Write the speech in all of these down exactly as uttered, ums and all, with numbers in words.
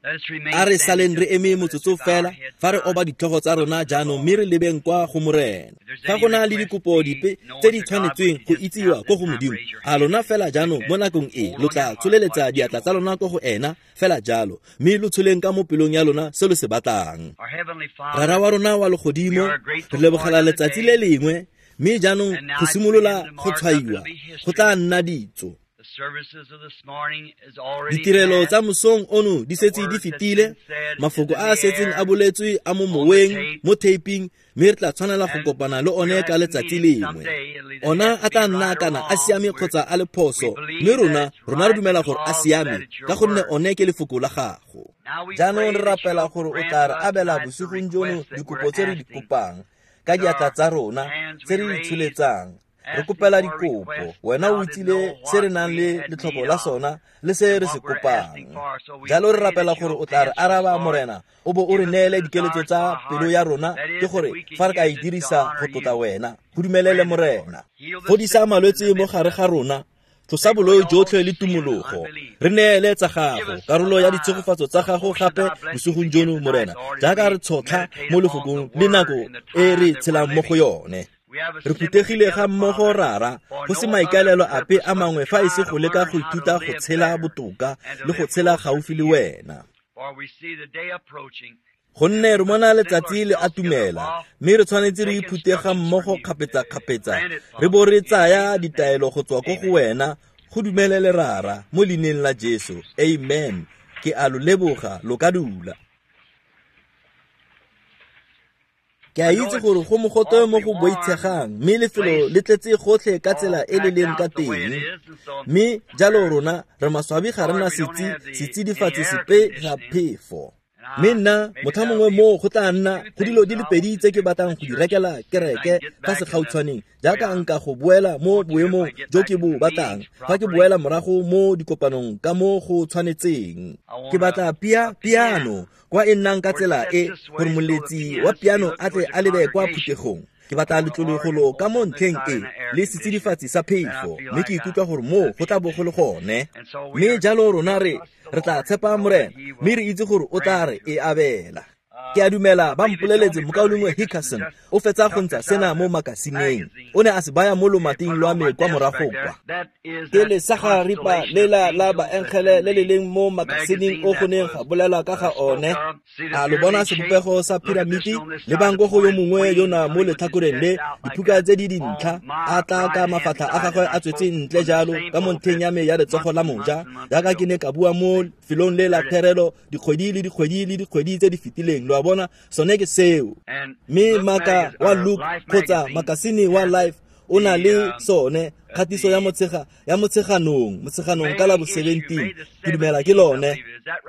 A re saleng re eme motsotso fela fa re oba ditlhogo tsa rona jaanong mme re lebeng kwa go Morena. Fa go na le dikopo dipe tse di tshwanetsweng go itsiwa ko go Modimo, a lona fela jaanong mo nakong e lo tla tsholeletsa diatla tsa lona ko go ena fela jalo, mme lo tsholeng ka mo pelong ya lona se lo se batlang. Rara wa rona wa legodimo, re lebogela letsatsi le lengwe, mme jaanong go simolola go tshwaiwa go tla nna ditso. Ditirelo tsa mosong ono di setse di fetile, mafoko a a setseng a boletswe a mo moweng, mo taping, mme re tla tshwanela go kopana le one ka letsatsi lengwe. Ona a tla nna kana a siame kgotsa a le phoso, mme rona rona re dumela gore a siame ka gonne one ke lefoko la gago. Jaanong re rapela gore o tla re abela bosigong jono dikopo tse re di kopang ka diatla tsa rona tse re di tsholetsang. Re kopela dikopo, wena o itsile se re nang le letlhoko la sona le se re se kopang. Jalo re rapela gore o tla re araba Morena, o bo o re neele dikeletso tsa pelo ya rona, ke gore fa re ka e dirisa go tlotla wena. Go dumelele Morena. Fodisa malwetse mo gare ga rona, tlosa boloi jotlhe le tumologo. Re neele tsa gago, karolo ya ditshegofatso tsa gago gape bosigong jono Morena, jaaka re tshotlha mo lefokong le nako e re tshelang mo go yone. Re phuthegile ga mmogo Rara, go se maikaelelo ape a mangwe fa e se go leka go ithuta go tshela botoka le go tshela gaufi le wena. Gonne re bona letsatsi le atumela, mme re tshwanetse re iphute ga mmogo kgapetsa-kgapetsa, re bo re tsaya ditaelo go tswa ko go wena. Go dumelele Rara, mo leineng la Jesu. Amen. Ke a lo leboga, lo ka dula. Ke a itse gore go mogote mo go boitshegang, mme lefelo le tletse gotlhe ka tsela e le leng ka teng. Mme jalo rona re maswabi ga re na setsi setsidifatsi sepe ga phefo. Mme nna motlha mongwe moo go tla nna go dilo di le pedi tse ke batlang go di rekela kereke fa segautshwaneng, jaaka nka go boela mo boemong jo ke bo batlang fa ke boela morago mo dikopanong ka mo go tshwanetseng. Ke batla pia piano kwa e nnang ka tsela e gore moletsi wa piano a tle a lebe kwa phuthegong. Ke batla letlologolo ka mo ntlheng e le setsidifatsi sa phefo, mme ke ikutlwa gore moo go tla bo go le gone. Mme jalo rona re re tla tshepa Morena, mme re itse gore o tla re e abela. Ke a dumela ba mpoleletse mokaulengwe Hickerson o fetsa go ntsha sena mo makasineng. O ne a se baya mo lomating lwa me kwa morago kwa. Ke lesagaripa lela la baengele le le leng mo makasineng o go neng ga bolelwa ka ga one. A lo bona sebopego sa piramiti? Lebang ko go yo mongwe yona mo letlhakoreng le, diphuka tse di dintlha, a tla ka mafatlha a gagwe a tswetse ntle jalo ka mo ntlheng ya me ya letsogo la moja, jaaka ke ne ka bua mo lefelong le la therelo dikgwedi le dikgwedi le dikgwedi tse di fetileng. Lo a bona, sone ke seo. Mme maka wa Luke kgotsa makasine wa Life o na le sone kgatiso ya motshega ya motsheganong motsheganong ka la bo seventeen, ke dumela ke lone.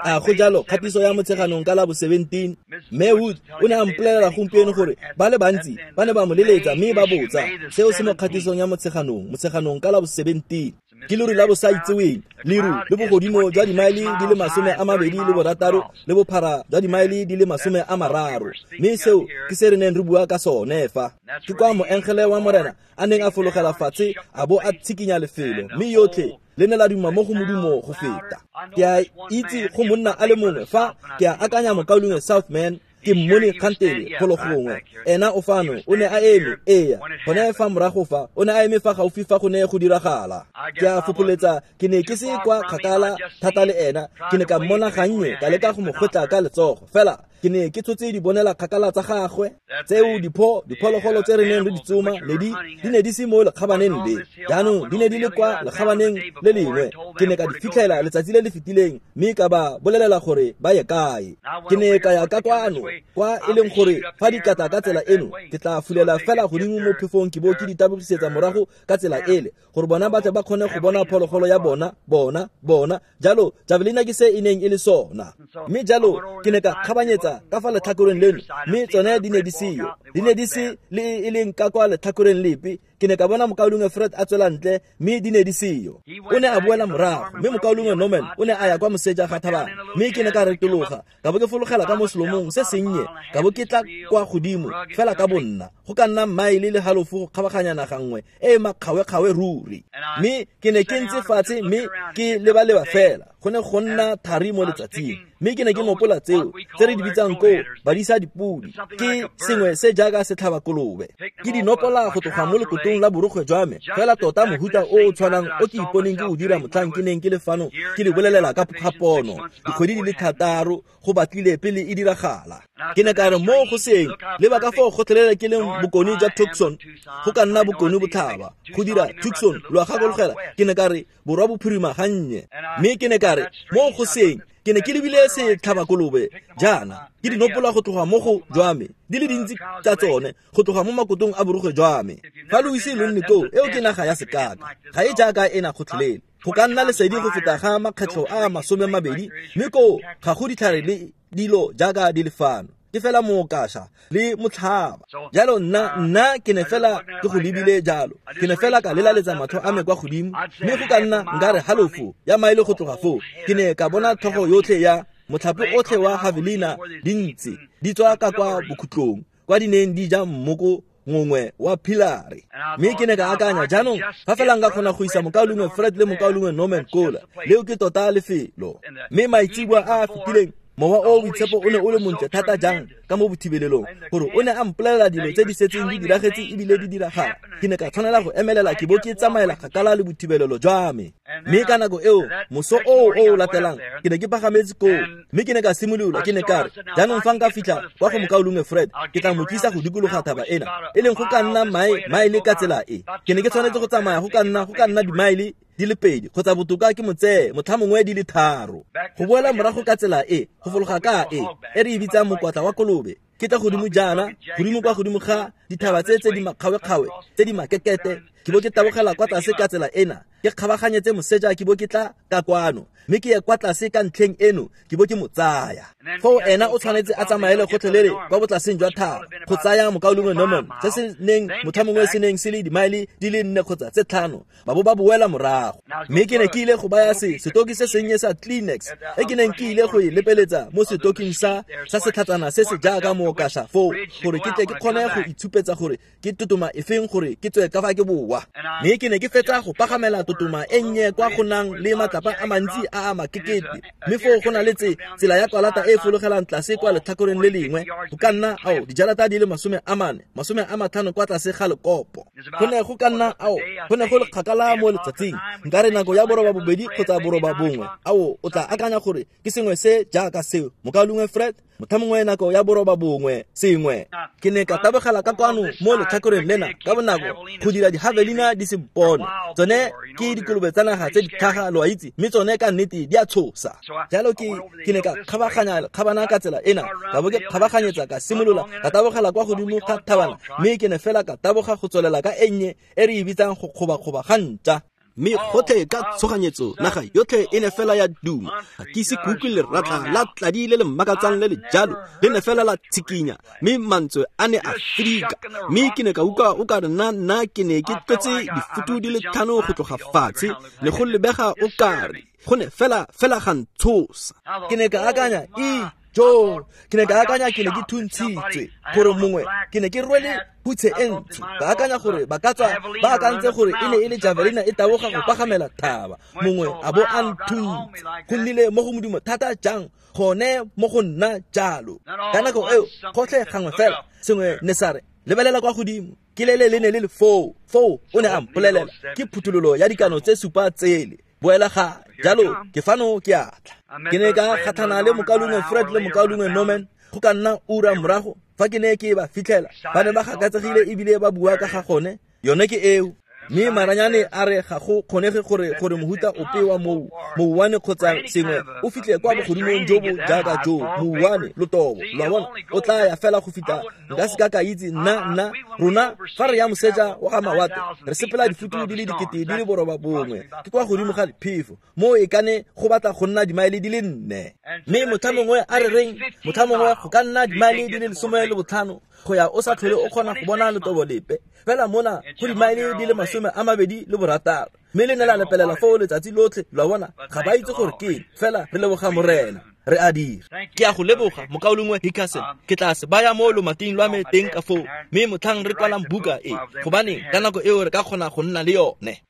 A go jalo, kgatiso ya motsheganong ka la bo seventeen. Mme Wood o ne a mpolelela gompieno gore ba le bantsi ba ne ba mo leletsa mme ba botsa seo se mo kgatisong ya motsheganong motsheganong ka la bo seventeen. Ke leru la bosaitseweng, leru le bogodimo jwa dimaele di le masome a mabedi le borataro le bophara jwa dimaele di le masome a mararo. Mme seo ke se re neng re bua ka sone fa. Ke kwa moengele wa Morena a neng a fologela fatshe a bo a tshikinya lefelo, mme yotlhe le ne la duma mo go modumo go feta. Ke a itse go monna a le mongwe fa, ke a akanya mokaulengwe Southman, ke mmone kgantele golo gongwe. Ena o fano, o ne a eme, eya, gone fa morago fa, o ne a eme fa gaufi fa go ne go diragala. Ke a fopholetsa ke ne ke se kwa kgakala thata le ena, ke ne ka mmona gannye ka leka go mo kgotla ka letsogo, fela ke ne ke tshotse dibonela kgakala tsa gagwe. Tseo dipho diphologolo tse re neng re di tsoma ne di di ne di se mo lekgabaneng le, jaanong di ne di le kwa lekgabaneng le lengwe. Ke ne ka di fitlhela letsatsi le le fetileng, mme ka ba bolelela gore ba ye kae. Ke ne ka ya ka kwano kwa e leng gore fa di kata ka tsela eno, ke tla fulela fela godimo mo phefong ke bo ke di tabogisetsa morago ka tsela ele, gore bona ba tle ba kgone go bona phologolo ya bona bona bona. Jalo javelina ke se e neng e le sona. Mme jalo ke ne ka kgabanyetsa ka fa letlhakoreng leno, mme tsone di ne di seyo, di ne di se le e leng ka kwa letlhakoreng lepe. Ke ne ka bona mokaulengwe Fred a tswela ntle mme di ne di seyo. O ne a boela morago mme mokaulengwe Norman o ne a ya kwa moseja ga thabana mme ke ne ka retologa ka bo ke fologela ka mo selomong se sennye ka bo ke tla kwa godimo fela ka bonna go ka nna maele le halofo go kgabaganya naga nngwe e e makgawekgawe ruri. Mme ke ne ke ntse fatshe mme ke lebaleba fela go ne go nna thari mo letsatsing mme ke ne ke nopola tseo tse re di bitsang koo badisa dipodi ke sengwe se jaaka setlhaba kolobe. Ke di nopola go tloga mo lekotong la borokgwe jwa me fela tota mohuta o o tshwanang o ke iponeng ke o dira motlhang ke neng ke le fano ke le bolelela ka ga pono dikgwedi di le thataro go batlile pele e diragala. Ke ne ka re mo go seng leba ka foo gotlhelele ke leng bokone jwa Tucson go ka nna bokone botlhaba go dira Tucson lo a gakologela. Ke ne ka re borwa bophirima gannye mme ke ne ka re mo go seng ke ne ke lebile setlhaba kolobe jaana ke di nopola go tloga mo go jwa me di le dintsi tsa tsone go tloga mo makotong a borokgwe jwa me. Fa lo ise lo nne koo eo ke naga ya sekaka ga e jaaka ena gotlhelele go ka nna lesedi go feta ga makgetlho a masome mabedi mme koo ga go ditlhare le dilo jaaka di le fano ke fela mookasha le motlhaba. Jalo nna nna ke ne fela ke go lebile jalo ke ne fela ka lelaletsa matlho a me kwa godimo mme go ka nna nka re halofo ya maele go tloga foo ke ne ka bona tlhogo yotlhe ya motlhape otlhe wa javelina dintsi di tswa ka kwa bokhutlong kwa di neng di ja mmoko ngongwe wa pilare. Mme ke ne ka akanya jaanong fa fela nka kgona go isa mokaulengwe Fred le mokaulengwe Norman kola leo ke tota lefelo. Mme maitseboa a a fetileng mowa o boitshepo o ne o le montle thata jang ka mo bothibelelong gore o ne a mpolelela dilo tse di setseng di diragetse ebile di diragala. Ke ne ka tshwanela go emelela ke bo ke tsamaela kgakala le bothibelelo jwa me. Mme ka nako eo moso oo o o latelang ke ne ke pagametse koo mme ke ne ka simolola ke ne ka re jaanong fa nka fitlha kwa go mokaulengwe Fred ke tla mo tlisa go dikologa thaba ena e leng go ka nna maele ka tsela e. Ke ne ke tshwanetse go tsamaya go ka nna go ka nna dimaele di le pedi kgotsa botoka ke motseye motlhamongwe di le tharo go boela morago ka tsela e go fologa ka e e re e bitsang mokwatla wa kolobe ke tla godimo jaana godimo kwa godimo ga dithaba tse tse di makgawekgawe tse di makekete ke bo ke tabogela kwa tlase ka tsela ena ke kgabaganyetse moseja ke bo ke tla ka kwano mme ke ye kwa tlase ka ntlheng eno ke bo ke mo tsaya. Foo ena o tshwanetse a tsamaele gotlhelele kwa botlaseng jwa thaba go tsaya mokaulengwe Norman se se neng motlhamongwe se neng se le dimaele di le nne kgotsa tse tlhano ba bo ba boela morago. Mme ke ne ke ile go baya se setoki se sennye sa Kleenex e ke neng ke ile go e lepeletsa mo setoking sa sa setlhatsana se se jaaka mookasha foo gore ke tle ke kgone go itshupetsa gore ke totoma efeng gore ke tswe ka fa ke boa. Mme ke ne ke fetsa go pagamela totoma e nnye kwa go nang le matlapa a mantsi a a makekete mme foo go na le tsela ya kwalata e fologelang tlase kwa letlhakoreng le lengwe go ka nna ao dijalata di le masome a mane masome a matlhano kwa tlase ga lekopo. Go ne go ka nna ao go ne go le kgakala mo letsatsing nka re nako ya boroba bobedi kgotsa boroba bongwe ao o tla akanya gore ke sengwe se jaaka seo mokaulengwe Fred motlhamongwe nako ya boroba bongwe sengwe. Ke ne ka tabogela ka kwano mo letlhakoreng lena ka bonako go dira dijavelina di se mpone tsone ke dikolobe tsa naga tse di tlhaga lo a itse mme tsone ka nnete di a tshosa. Jalo ke ke ne ka kgabaganya kgabana ka tsela ena ka bo ke kgabaganyetsa ka simolola ka tabogela kwa godimo ga thabana mme ke ne fela ka taboga go tswelela ka e nnye e re e bitsang go kgobakgoba ga ntša. Mme gotlhe ka tshoganyetso naga yotlhe e ne fela ya duma ga ke ise ke utlwe leratla la tladi le le mmakatsang le le jalo le ne fela la tshikinya mme mantswe a ne a fedika mme ke ne ka utlwa o ka re nna nna ke ne ke tlotse difutu di le tlhano go tloga fatshe ne go lebega o kare go ne fela fela ga ntshosa. Ke ne ka akanya e jo ke ne ka akanya ke ne ke thuntshitswe gore mongwe ke ne ke rwele hutshe e ntsho ka akanya gore ba ka tswa ba akantse gore e ne e le javelina e taboga go pagamela thaba mongwe a bo a nthuntse go nnile mo go modimo thata jang gone mo go nna jalo. Ka nako eo gotlhe gangwe fela sengwe ne sa re lebelela kwa godimo ke lele le ne le le foo foo o ne a mpolelela ke phuthololo ya dikano tse supa tsele boela ga jalo ke fano ke a tla. Ke ne ka kgatlhana le mokaulengwe Fred le mokaulengwe Norman go ka nna ura morago fa ke ne ke ba fitlhela ba ne ba gakatsegile ebile ba bua ka ga gone yone ke eo. Mme maranyane a re ga go kgonege gore gore mohuta ope wa mou mouwane kgotsa sengwe o fitlhe kwa bogodimong jo bo jaaka jo mouwane lotobo lo a bona o tla ya fela go fitlha nka se ka ka itse nna nna rona fa re ya moseja wa ga mawate re sepela difutu di le dikete di le boroba bongwe ke kwa godimo ga diphefo mo e kane go batla go nna dimaele di le nne. Mme motlhamongwe a re reng motlhamongwe go ka nna dimaele di le lesome le botlhano go ya o sa tlhole o kgona go bona letobo lepe. Fela mona go dimaele di le masome a mabedi le borataro. Mme le ne la lepelela foo letsatsi lotlhe, lo a bona, ga ba itse gore ke eng, fela re leboga Morena. Re a dira. Ke a go leboga mokaulengwe Hickerson. Ke tla se baya mo lomating lwa me teng ka foo, mme motlhang re kwalang buka e, gobane ka nako eo re ka kgona go nna le yone.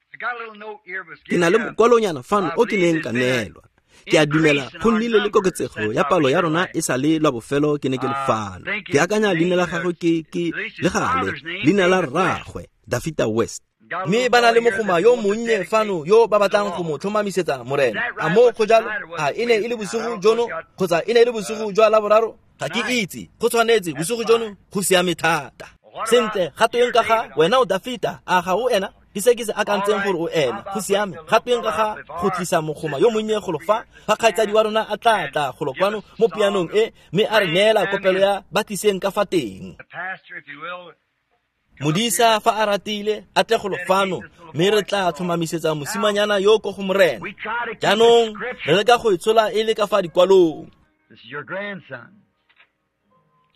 Ke na le mokwalonyana fano o ke neng ka neelwa. Ke a dumela go nnile le koketsego ya palo ya rona e sa le lwa bofelo ke ne ke le fano. Ke akanya leina la gagwe ke ke le gale leina la rraagwe Dafita West. Mme ba na le mogoma yo monnye fano yo ba batlang go mo tlhomamisetsa Morena. A mo go jalo? A e ne e le bosigo jono kgotsa e ne e le bosigo jwa Laboraro? Ga ke itse. Go tshwanetse bosigo jono go siame thata. Sentle, ga tweng ka ga wena o Dafita, a ga o ena? Ke se ke se akantseng gore o ena. Go siame. Ga tweng ka ga go tlisa mogoma yo monnye golo fa, fa kgaitsadi wa rona a tla tla golo kwano mo pianong e, mme a re neela kopelo ya ba tliseng ka fa teng. Modisa fa a ratile a tle golo fano, mme re tla tlhomamisetsa mosimanyana yo ko go Morena. Jaanong re leka go e tshola e le ka fa dikwalong.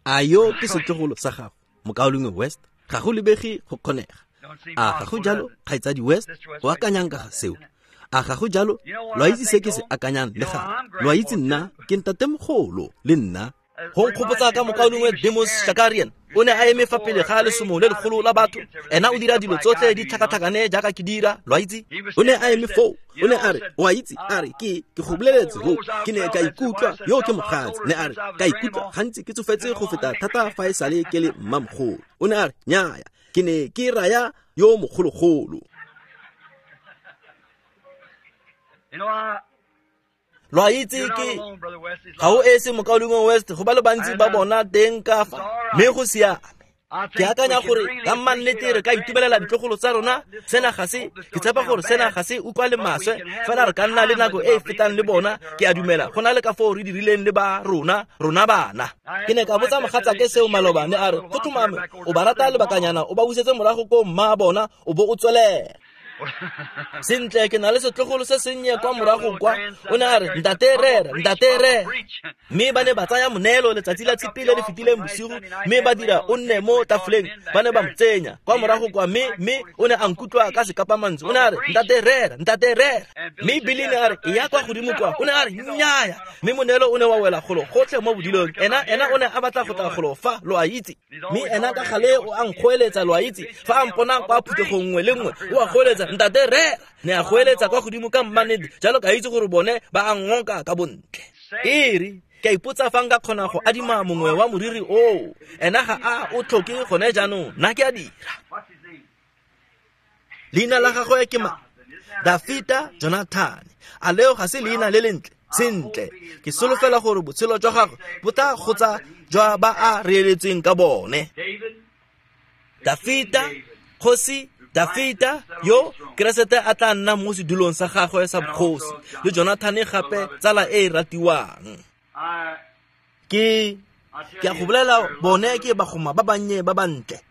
A yo ke setlogolo sa gago, mokaulengwe West? Ga go lebege go kgonega. A ga go jalo, kgaitsadi West? O akanyang ka ga seo? A ga go jalo? Lo a itse se ke se akanyang le gape. Lo a itse nna ke ntatemogolo le nna. Go nkgopotsa ka mokaulengwe Demos Shakarian. O ne a eme fa pele ga lesomo le legolo la batho. Ena o dira dilo tsotlhe di tlhakatlhakane jaaka ke dira, lo a itse. O ne a eme foo. O ne a re, o a itse, a re, ke ke go boleletse go, ke ne ka ikutlwa yo ke mogatse. Ne a re, ka ikutlwa gantsi ke tsofetse go feta thata fa e sale ke le mmamogolo. O ne a re, nnyaya, ke ne ke raya yo mogologolo. Lo a itse ke ga o ese mokaulengwe West, go ba le bantsi ba bona teng ka fa, mme go siame. Ke akanya gore ka mannete re ka itumelela ditlogolo tsa rona. Sena ga se, ke tshepa gore sena ga se utlwa le maswe, fela re ka nna le nako e e fetang le bona. Ke a dumela go na le ka foo re dirileng le ba rona, rona bana. Ke ne ka botsa mogatsake seo maloba, ne a re go tlhomame o ba rata lebakanyana, o ba busetse morago ko mma bona, o bo o tswelela. Sentle, ke na le setlogolo se sennye kwa morago kwa. O ne a re, ntate rera, ntate rera. Mme ba ne ba tsaya moneelo letsatsi la Tshipi le le fetileng bosigo, mme ba dira o nne mo tafoleng. Ba ne ba mo tsenya kwa morago kwa, mme mme o ne a nkutlwa ka sekapamantswe. O ne a re, ntate rera, ntate rera. Mme Billy ne a re, e ya kwa godimo kwa. O ne a re, nnyaya. Mme moneelo o ne wa wela golo gotlhe mo bodilong. Ena ena o ne a batla go tla golo fa, lo a itse. Mme ena ka gale o a nkgoeletsa, lo a itse. Fa a mpona kwa phuthegong nngwe le nngwe, o a goeletsa, ntate rera. Ne a goeletsa kwa godimo ka mmanete, jalo ka itse gore bone ba a ngoka ka bontle. E re, ke a ipotsa fa nka kgona go adima mongwe wa moriri oo. Ena ga a o tlhoke gone jaanong, nna ke a dira. Leina la gagwe ke mang? Dafita Jonathan. A leo ga se leina le lentle? Sentle, ke solofela gore botshelo jwa gagwe bo tla gotsa jwa ba a reeletsweng ka bone. Dafita, kgosi Dafita yo Keresete a tla nna mo sedulong sa gagwe sa bogosi, le Jonathan gape tsala e e ratiwang. Ke ke a go bolela bone ke bagoma ba bannye ba bantle.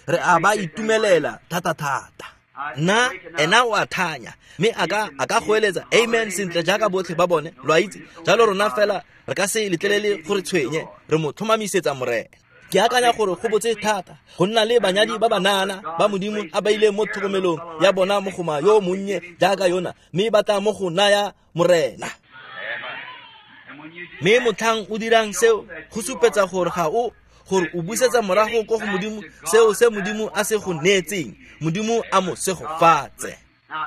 Re a ba itumelela thata thata. Nna ena o a thanya, mme a ka a ka goeletsa amen sentle jaaka botlhe ba bone, lo a itse. Jalo rona fela re ka se letlelele gore tshwenye, re mo tlhomamisetsa Morena. Ke akanya gore go botse thata go nna le banyadi ba banana ba Modimo a ba ileng mo tlhokomelong ya bona mogoma yo monnye jaaka yona, mme ba tla mo go naya Morena. Mme motlhang o dirang seo go supetsa gore ga o gore o busetsa morago ko go Modimo seo se Modimo a se go neetseng. Modimo a mo segofatse.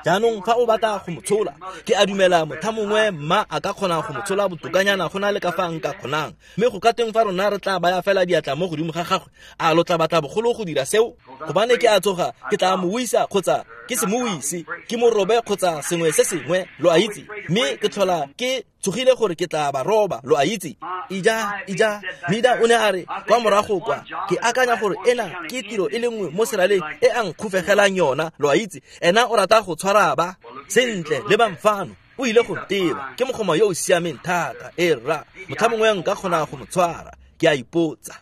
Jaanong fa o batla go mo tshola, ke a dumela motho mongwe mma a ka kgona go mo tshola botokanyana go na le ka fa nka kgonang. Mme go ka teng fa rona re tla baya fela diatla mo godimo ga gagwe, a lo tla batla bogolo go dira seo? Gobane ke a tsoga, ke tla mo wisa kgotsa ke se mo wise, ke mo robe kgotsa sengwe se sengwe, lo a itse. Mme ke tlhola ke tsogile gore ke tla ba roba, lo a itse. Ija, ija, Mida o ne a re kwa morago kwa, ke akanya gore ena ke tiro e le nngwe mo seraleng e a nkgofegelang yona, lo a itse. Ena o rata go tshwara ba sentle le bamfano, o ile go nteba. Ke mogoma yo o siameng thata, e rra. Motlha mongwe nka kgona go mo tshwara, ke a ipotsa.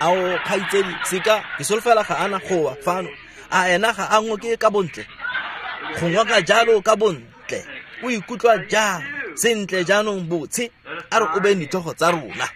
Ao kgaitsedi, seka ke solofela ga ana go wa fano. A ena ga a ngoke ka bontle? Go ngoka jalo ka bontle. O ikutlwa jang? Sentle jaanong botshe, a re o beng ditlhogo tsa rona.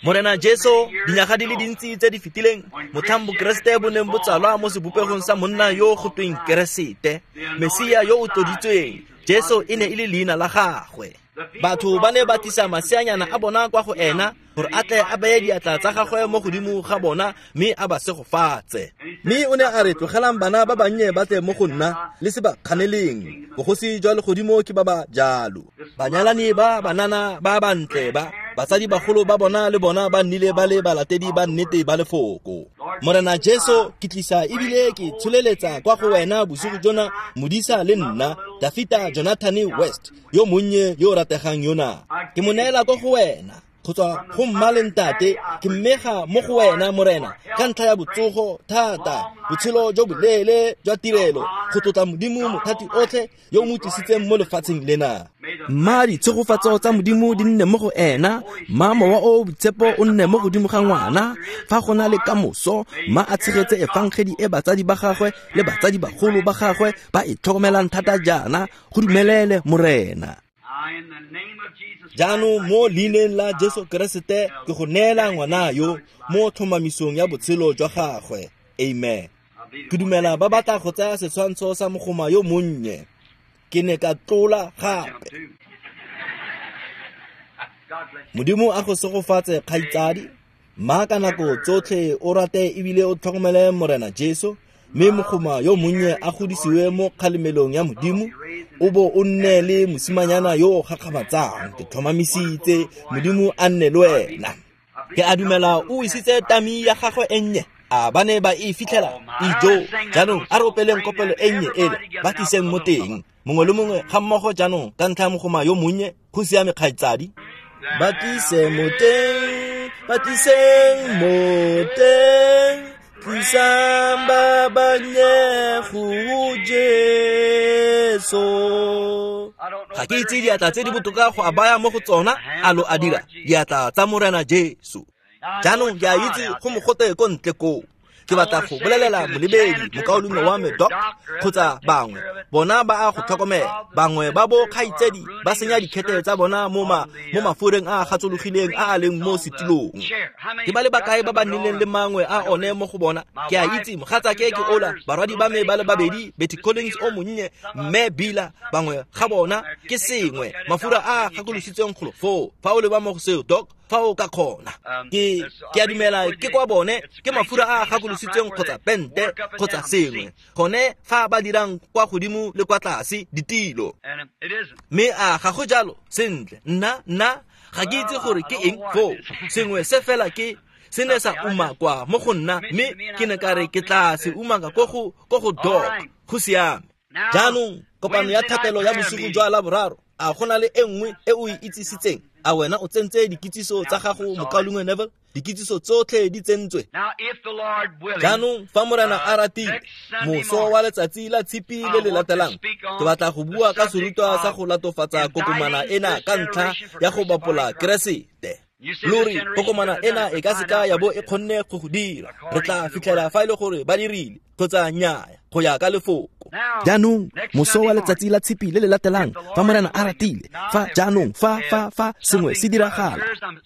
Morena Jesu, dinyaga di le dintsi tse di fetileng, motlhang Bokeresete bo neng bo tsalwa mo sebopegong sa monna yo go tweng Keresete, Mesia yo o tloditsweng, Jesu e ne e le leina la gagwe. Batho ba ne ba tlisa maseanyana a bona kwa go ena gore a tle a beye diatla tsa gagwe mo godimo ga bona mme a ba segofatse. Mme o ne a re, tlogelang bana ba bannye ba tle mo go nna, le se ba kganeleng, bogosi jwa legodimo ke ba ba jalo. Banyalani ba banana ba bantle ba, batsadi bagolo ba bona le bona ba nnile ba le balatedi ba nnete ba lefoko. Morena Jesu, ke tlisa ebile ke tsholeletsa kwa go wena bosigo jona modisa le nna, Dafita Jonathan West, yo monnye yo rategang yona. Ke mo neela kwa go wena, go tswa go mma le ntate, ke mmega mo go wena Morena, ka ntlha ya botsogo thata, botshelo jo boleele jwa tirelo, go tlotla Modimo mothati otlhe yo o mo tlisitseng mo lefatsheng lena. Mma ditshegofatso tsa Modimo di nne mo go ena, mma mowa o boitshepo o nne mo godimo ga ngwana, fa go na le kamoso, mma a tshegetse efangedi e batsadi ba gagwe le batsadi bagolo ba gagwe ba e tlhokomelang thata jaana, go dumelele Morena. Jaanong mo leineng la Jesu Keresete ke go neela ngwana yo mo tlhomamisong ya botshelo jwa gagwe. Amen. Ke dumela ba batla go tsaya setshwantsho sa mogoma yo monnye. Ke ne ka tlola gape. Modimo a go segofatse kgaitsadi, mma ka nako tsotlhe o rate ebile o tlhokomele Morena Jesu, mme mogoma yo monnye a godisiwe mo kgalemelong ya Modimo, o bo o nne le mosimanyana yo o gakgamatsang. Ke tlhomamisitse Modimo a nne le wena. Ke a dumela o isitse tami ya gagwe e nnye, a ba ne ba e fitlhela ijo. Jaanong a re opeleng kopelo e nnye ele, ba tliseng mo teng mongwe le mongwe ga mmogo jaanong ka ntlha ya mogoma yo monnye. Go siame kgaitsadi. Ba tlise mo teng, ba tliseng mo teng, tlisang ba bannye go Jesu. Ga ke itse diatla tse di botoka go a baya mo go tsona, a lo a dira diatla tsa Morena Jesu. Jaanong ke a itse go mogote ko ntle koo. Ke batla go bolelela molebedi, mokaulengwe wa me Doc, kgotsa bangwe bona ba a go tlhokomela. Bangwe ba bo kgaitsedi ba senya dikhete tsa bona mo ma mo mafureng a a gatsologileng a a leng mo setilong. Ke ba le bakae ba ba nnileng le mangwe a one mo go bona? Ke a itse mogatsake ke Ola, barwadi ba me ba le babedi, Betty Collins o monnye, mme Bila, bangwe ga bona ke sengwe mafura a a gakolositsweng golo foo. Fa o leba mo go seo Doc, fa o ka kgona. Ke ke a dumela ke kwa bone ke mafura a a gakolositsweng kgotsa pente kgotsa sengwe, gone fa ba dirang kwa godimo le kwa tlase ditilo. Mme a ga go jalo? Sentle, nna nna ga ke itse gore ke eng foo, sengwe se fela ke se ne sa umakwa mo go nna, mme ke ne ka re ke tla se umaka ko go ko go Doc. Go siame. Jaanong kopano ya thapelo ya bosigo jwa Laboraro, a go na le e nngwe e o e itsisitseng? A wena o tsentse dikitsiso tsa gago, mokaulengwe Neville? Dikitsiso tsotlhe di tsentswe. Jaanong fa Morena a ratile, moso wa letsatsi la Tshipi le le latelang, ke batla go bua ka serutwa sa go latofatsa kokomana ena ka ntlha ya go bapola Keresete. Lori kokomana ena e ka seka ya bo e kgonne go go dira. Re tla fitlhela fa e le gore ba dirile kgotsa nnyaya, go ya ka lefoko. Jaanong moso wa letsatsi la Tshipi le le latelang, fa Morena a ratile, fa jaanong fa fa fa sengwe se diragala,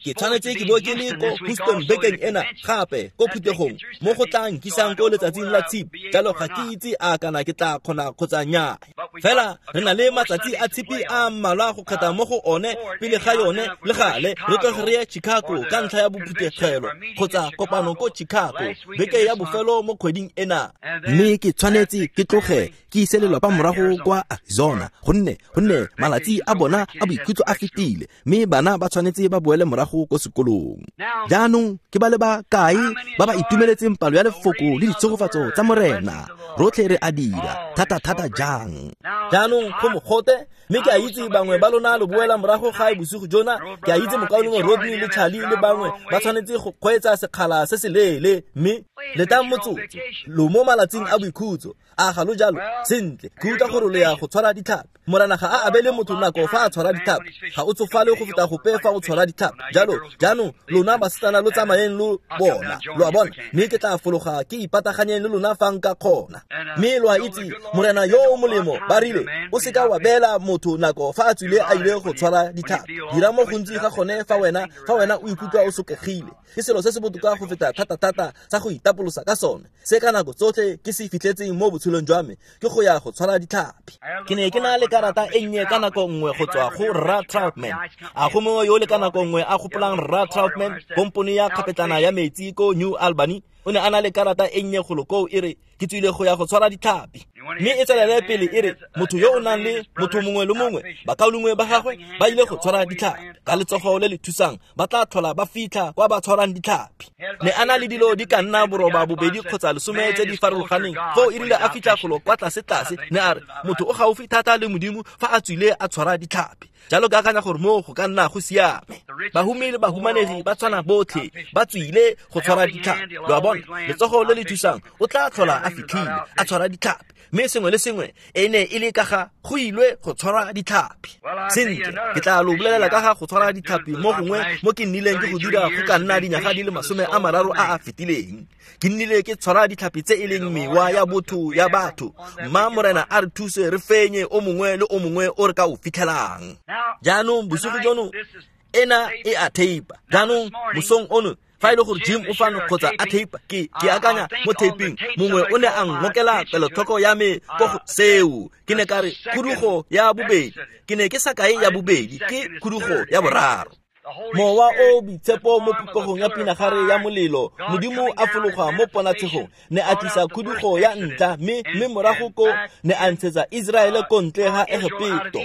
ke tshwanetse ke bo ke le ko Houston bekeng ena gape ko phuthegong mo go tla nkisang ko letsatsing la Tshipi. Jalo ga ke itse a kana ke tla kgona kgotsa nnyaya. Fela re na le matsatsi a Tshipi a mmalwa go kgetha mo go one pele ga yone le gale re tloge re ye Chicago ka ntlha ya bophuthegelo kgotsa kopano ko Chicago beke ya bofelo mo kgweding ena. Mme ke tshwanetse ke tloge ke ise lelapa morago kwa Arizona, gonne gonne malatsi a bona a boikhutso a fetile, mme bana ba tshwanetse ba boele morago ko sekolong. Jaanong ke ba le ba kae ba ba itumeletseng palo ya lefoko le ditshegofatso tsa Morena? Rotlhe re a dira thata thata jang. Jaanong go mogote, mme ke a itse bangwe ba lona lo boela morago gae bosigo jona. Ke a itse mokaulengwe Rodney le Charlie le bangwe ba tshwanetse go kgweetsa sekgala se se leele, mme letang motsotso, lo mo malatsing a boikhutso. A ga lo jalo? Sentle, ke utlwa gore lo ya go tshwara ditlhapi Morena ga a abele motho nako fa a tshwara ditlhapi. Ga o tsofale go feta gope fa o tshwara ditlhapi. Jalo jaanong lona basetsana lo tsamayeng lo bona, lo a bona, mme ke tla fologa ke ipataganyeng le lona fa nka kgona. Mme lo a itse, Morena yo o molemo, ba rile, o seka wa beela motho nako fa a tswile a ile go tshwara ditlhapi. Dira mo gontsi ga gone fa wena fa wena o ikutlwa o sokegile. Ke selo se se botoka go feta thata-thata sa go itapolosa ka sone. Se ka nako tsotlhe ke se fitlhetseng mo botshelong jwa me ke go ya go tshwara ditlhapi. Ke ne ke na le karata e nnye ka nako nngwe go tswa go Rra Troutman. A go mongwe yo le ka nako nngwe a gopolang Rra Troutman, kompone ya kgapetlana ya metsi ko New Albany? O ne a na le karata e nnye golo koo e re, ke tswile go ya go tshwara ditlhapi. Mme e tswelele pele e re, motho yo o nang le motho mongwe le mongwe, bakaulengwe ba gagwe ba ile go tshwara ditlhapi. Ka letsogo le le thusang ba tla tlhola ba fitlha kwa ba tshwarang ditlhapi. Ne a na le dilo di ka nna boroba bobedi kgotsa lesome tse di farologaneng. Foo e rile a fitlha golo kwa tlase-tlase, ne a re, motho o gaufi thata le Modimo fa a tswile a tshwara ditlhapi. Jalo ke akanya gore moo go ka nna go siame. Bahumi le bahumanegi ba tshwana botlhe, ba tswile go tshwara ditlhapi. Lo a bona, letsogo le le thusang o tla tlhola a fitlhile a tshwara ditlhapi. Mme sengwe le sengwe e ne e le ka ga go ilwe go tshwara ditlhapi. Sentle, ke tla lo bolelela ka ga go tshwara ditlhapi mo gongwe mo ke nnileng ke go dira go ka nna dinyaga di le masome a mararo a a fetileng. Ke nnile ke tshwara ditlhapi tse e leng mewa ya botho ya batho. Mma Morena a re thuse re fenye o mongwe le o mongwe o re ka o fitlhelang. Jaanong bosigo jono ena e a teipa. Jaanong mosong ono fa e le gore Jim o fano kgotsa a teipa, ke ke akanya mo taping mongwe o ne a ngokela kelotlhoko ya me ko go seo. Ke ne ka re khudugo ya bobedi, ke ne ke sa kae ya bobedi, ke khudugo ya boraro. Mowa o boitshepo mo popegong ya pinagare ya molelo, Modimo a fologa mo ponatshegong, ne a tlisa khudugo ya ntlha, mme mme morago ko ne a ntshetsa Iseraele ko ntle ga Egepeto.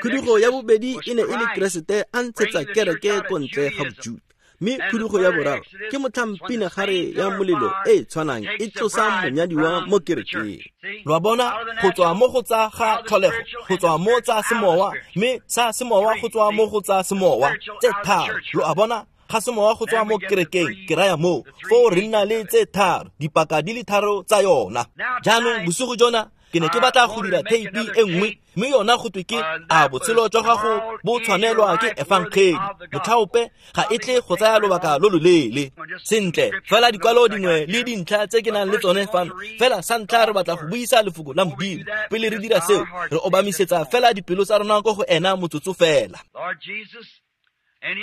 Khudugo ya bobedi e ne e le Keresete a ntshetsa kereke ko ntle ga Bojuta. Mme khudugo ya boraro ke motlhang pinagare ya molelo e e tshwanang e tlosa monyadiwa mo kerekeng. Lo a bona, go tswa mo go tsa ga tlholego, go tswa mo tsa semowa, mme sa semowa go tswa mo go tsa semowa, tse tharo. Lo a bona, ga semowa go tswa mo kerekeng, ke raya moo, foo re nna le tse tharo, dipaka di le tharo tsa yona. Jaanong bosigo jona ke ne ke batla go dira theipi e nngwe, mme yona go twe ke a botshelo jwa gago bo tshwanelwa ke efangeli. Motlhaope ga e tle go tsaya lobaka lo loleele. Sentle, fela dikwalo dingwe le dintlha tse ke nang le tsone fano. Fela sa ntlha re batla go buisa lefoko la Modimo. Pele re dira seo, re obamisetsa fela dipelo tsa rona ko go ena motsotso fela.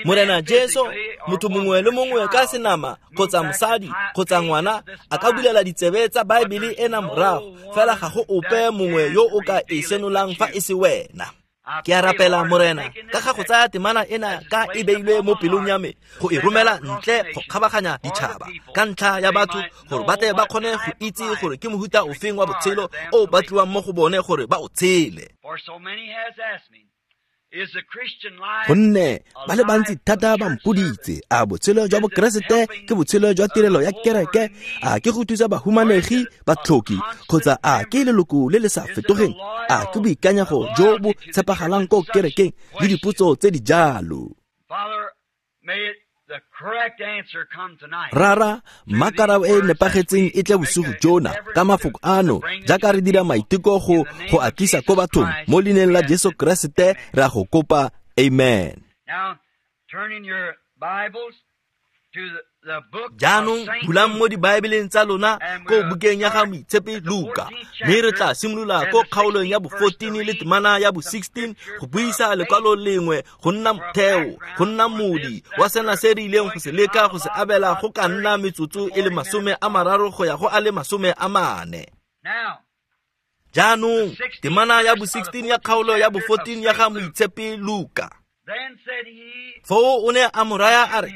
Morena Jesu, motho mongwe le mongwe ka senama kgotsa mosadi kgotsa ngwana a ka bulela ditsebe tsa Baebele ena morago, fela ga go ope mongwe yo o ka e senolang fa e se wena. Ke a rapela Morena ka ga go tsaya temana ena ka e beilwe mo pelong ya me go e romela ntle go kgabaganya ditšhaba ka ntlha ya batho, gore ba tle ba kgone go itse gore ke mohuta ofeng wa botshelo o batliwang mo go bone gore ba o tshele. Gonne ba le bantsi thata ba mpoditse, a botshelo jwa Bokeresete ke botshelo jwa tirelo ya kereke, a ke go thusa bahumanegi, batlhoki, kgotsa a ke leloko le le sa fetogeng, a ke boikanyego jo bo tshepagalang ko kerekeng, le dipotso tse di jalo. Rara, mma karabo e nepagetseng e tle bosigo jona ka mafoko ano, jaaka re dira maiteko go go a tlisa ko bathong mo leineng la Jesu Keresete re a go kopa, amen. Jaanong bulang mo dibaebeleng tsa lona ko bukeng ya ga Moitshepi Luka, mme re tla simolola ko kgaolong ya bo fourteen le temana ya bo sixteen go buisa lekwalo lengwe go nna motheo, go nna modi wa sena se re ileng go se leka go se abela go ka nna metsotso e le masome a mararo go ya go a le masome a mane. Jaanong temana ya bo sixteen ya kgaolo ya bo fourteen ya ga Moitshepi Luka. Foo o ne a mo raya a re,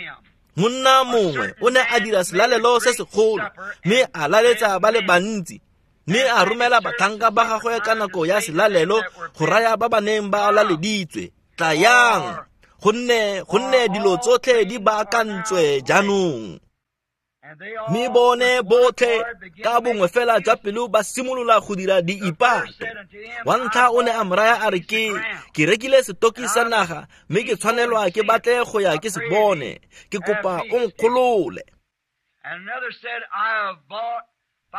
monna mongwe o ne a dira selalelo se segolo, mme a laletsa ba le bantsi, mme a romela batlhanka ba gagwe ka nako ya selalelo go raya ba ba neng ba laleditswe, tlayang, gonne gonne dilo tsotlhe di baakantswe jaanong. Mme bone botlhe ka bongwe fela jwa pelo ba simolola go dira diipato. Wa ntlha o ne a mo raya a re, ke ke rekile setoki sa naga, mme ke tshwanelwa ke batle go ya ke se bone, ke kopa o nkgolole.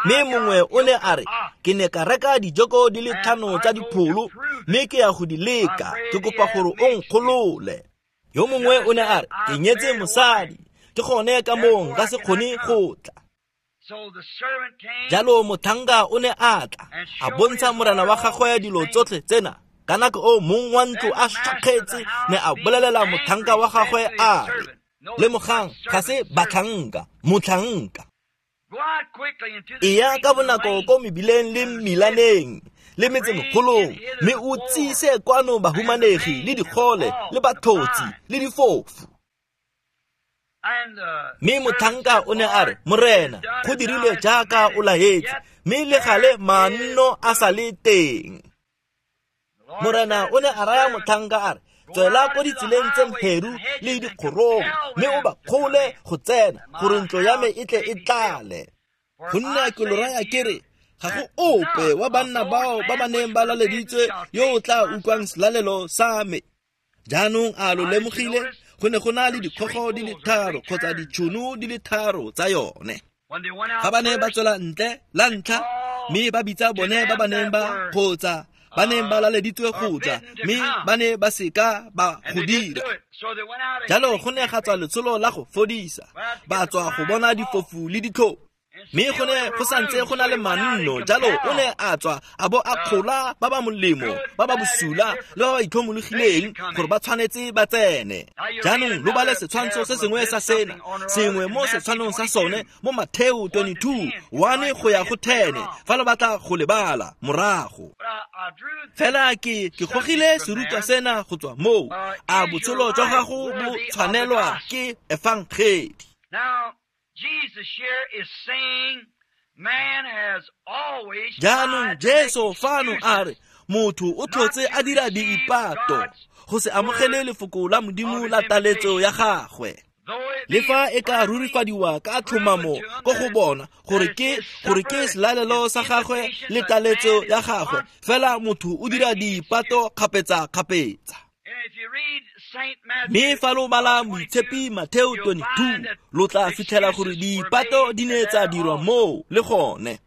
Mme mongwe o ne a re, ke ne ka reka dijoko di le tlhano tsa dipholo, mme ke ya go di leka, ke kopa gore o nkgolole. Yo mongwe o ne a re, ke nyetse mosadi, ke gone ka moo nka se kgone go tla. Jalo motlhanka o ne a tla, a bontsha morena wa gagwe dilo tsotlhe tsena. Ka nako o mong wa ntlo a shakgetse ne a bolelela motlhanka wa gagwe a re, lemogang ga se batlhanka, motlhanka. Eya ka bonako ko mebileng le mmilaneng le metsemegolong, mme o tsise kwano bahumanegi le digole le batlhotsi le difofu. Mme motlhanka o ne a re, Morena, go dirilwe jaaka o laetse, mme le gale manno a sa le teng. Morena o ne a raya motlhanka a re, tswela ko ditseleng tse mheru le dikgorong, mme o ba kgole go tsena, gore ntlo ya me e tle e tlale. Gonne ke lo raya ke re, ga go ope wa banna bao ba ba neng ba laleditswe yo o tla utlwang selalelo sa me. Jaanong a lo lemogile, go ne go na le dikgogo di le tharo kgotsa ditšhono di le tharo tsa yone. Ga ba ne ba tswela ntle la ntlha, mme ba bitsa bone ba ba neng ba kgotsa ba neng ba laleditswe go tla, mme ba ne ba seka ba go dira. Jalo go ne ga tswa letsholo la go fodisa, ba tswa go bona difofu le ditlhou. Mme go ne go santse go na le manno, jalo o ne a tswa a bo a kgola ba ba molemo, ba ba bosula le ba ba itlhomologileng gore ba tshwanetse ba tsene. Jaanong lo bale setshwantsho se sengwe sa sena, sengwe mo setshwanong sa sone mo Mateo twenty-two, one go ya go ten, fa lo batla go lebala morago. Fela ke ke gogile serutwa sena go tswa moo, a botshelo jwa gago bo tshwanelwa ke efangedi. Jaanong Jesu fano a re, motho o tlhotse a dira diipato go se amogele lefoko la Modimo la taletso ya gagwe. Le fa e ka rurifadiwa ka tlhomamo ko go bona gore ke gore ke selalelo sa gagwe le taletso ya gagwe, fela motho o dira diipato kgapetsa-kgapetsa. Mme fa lo bala Moitshepi Mateo twenty-two, lo tla fitlhela gore diipato di ne tsa dirwa moo le gone.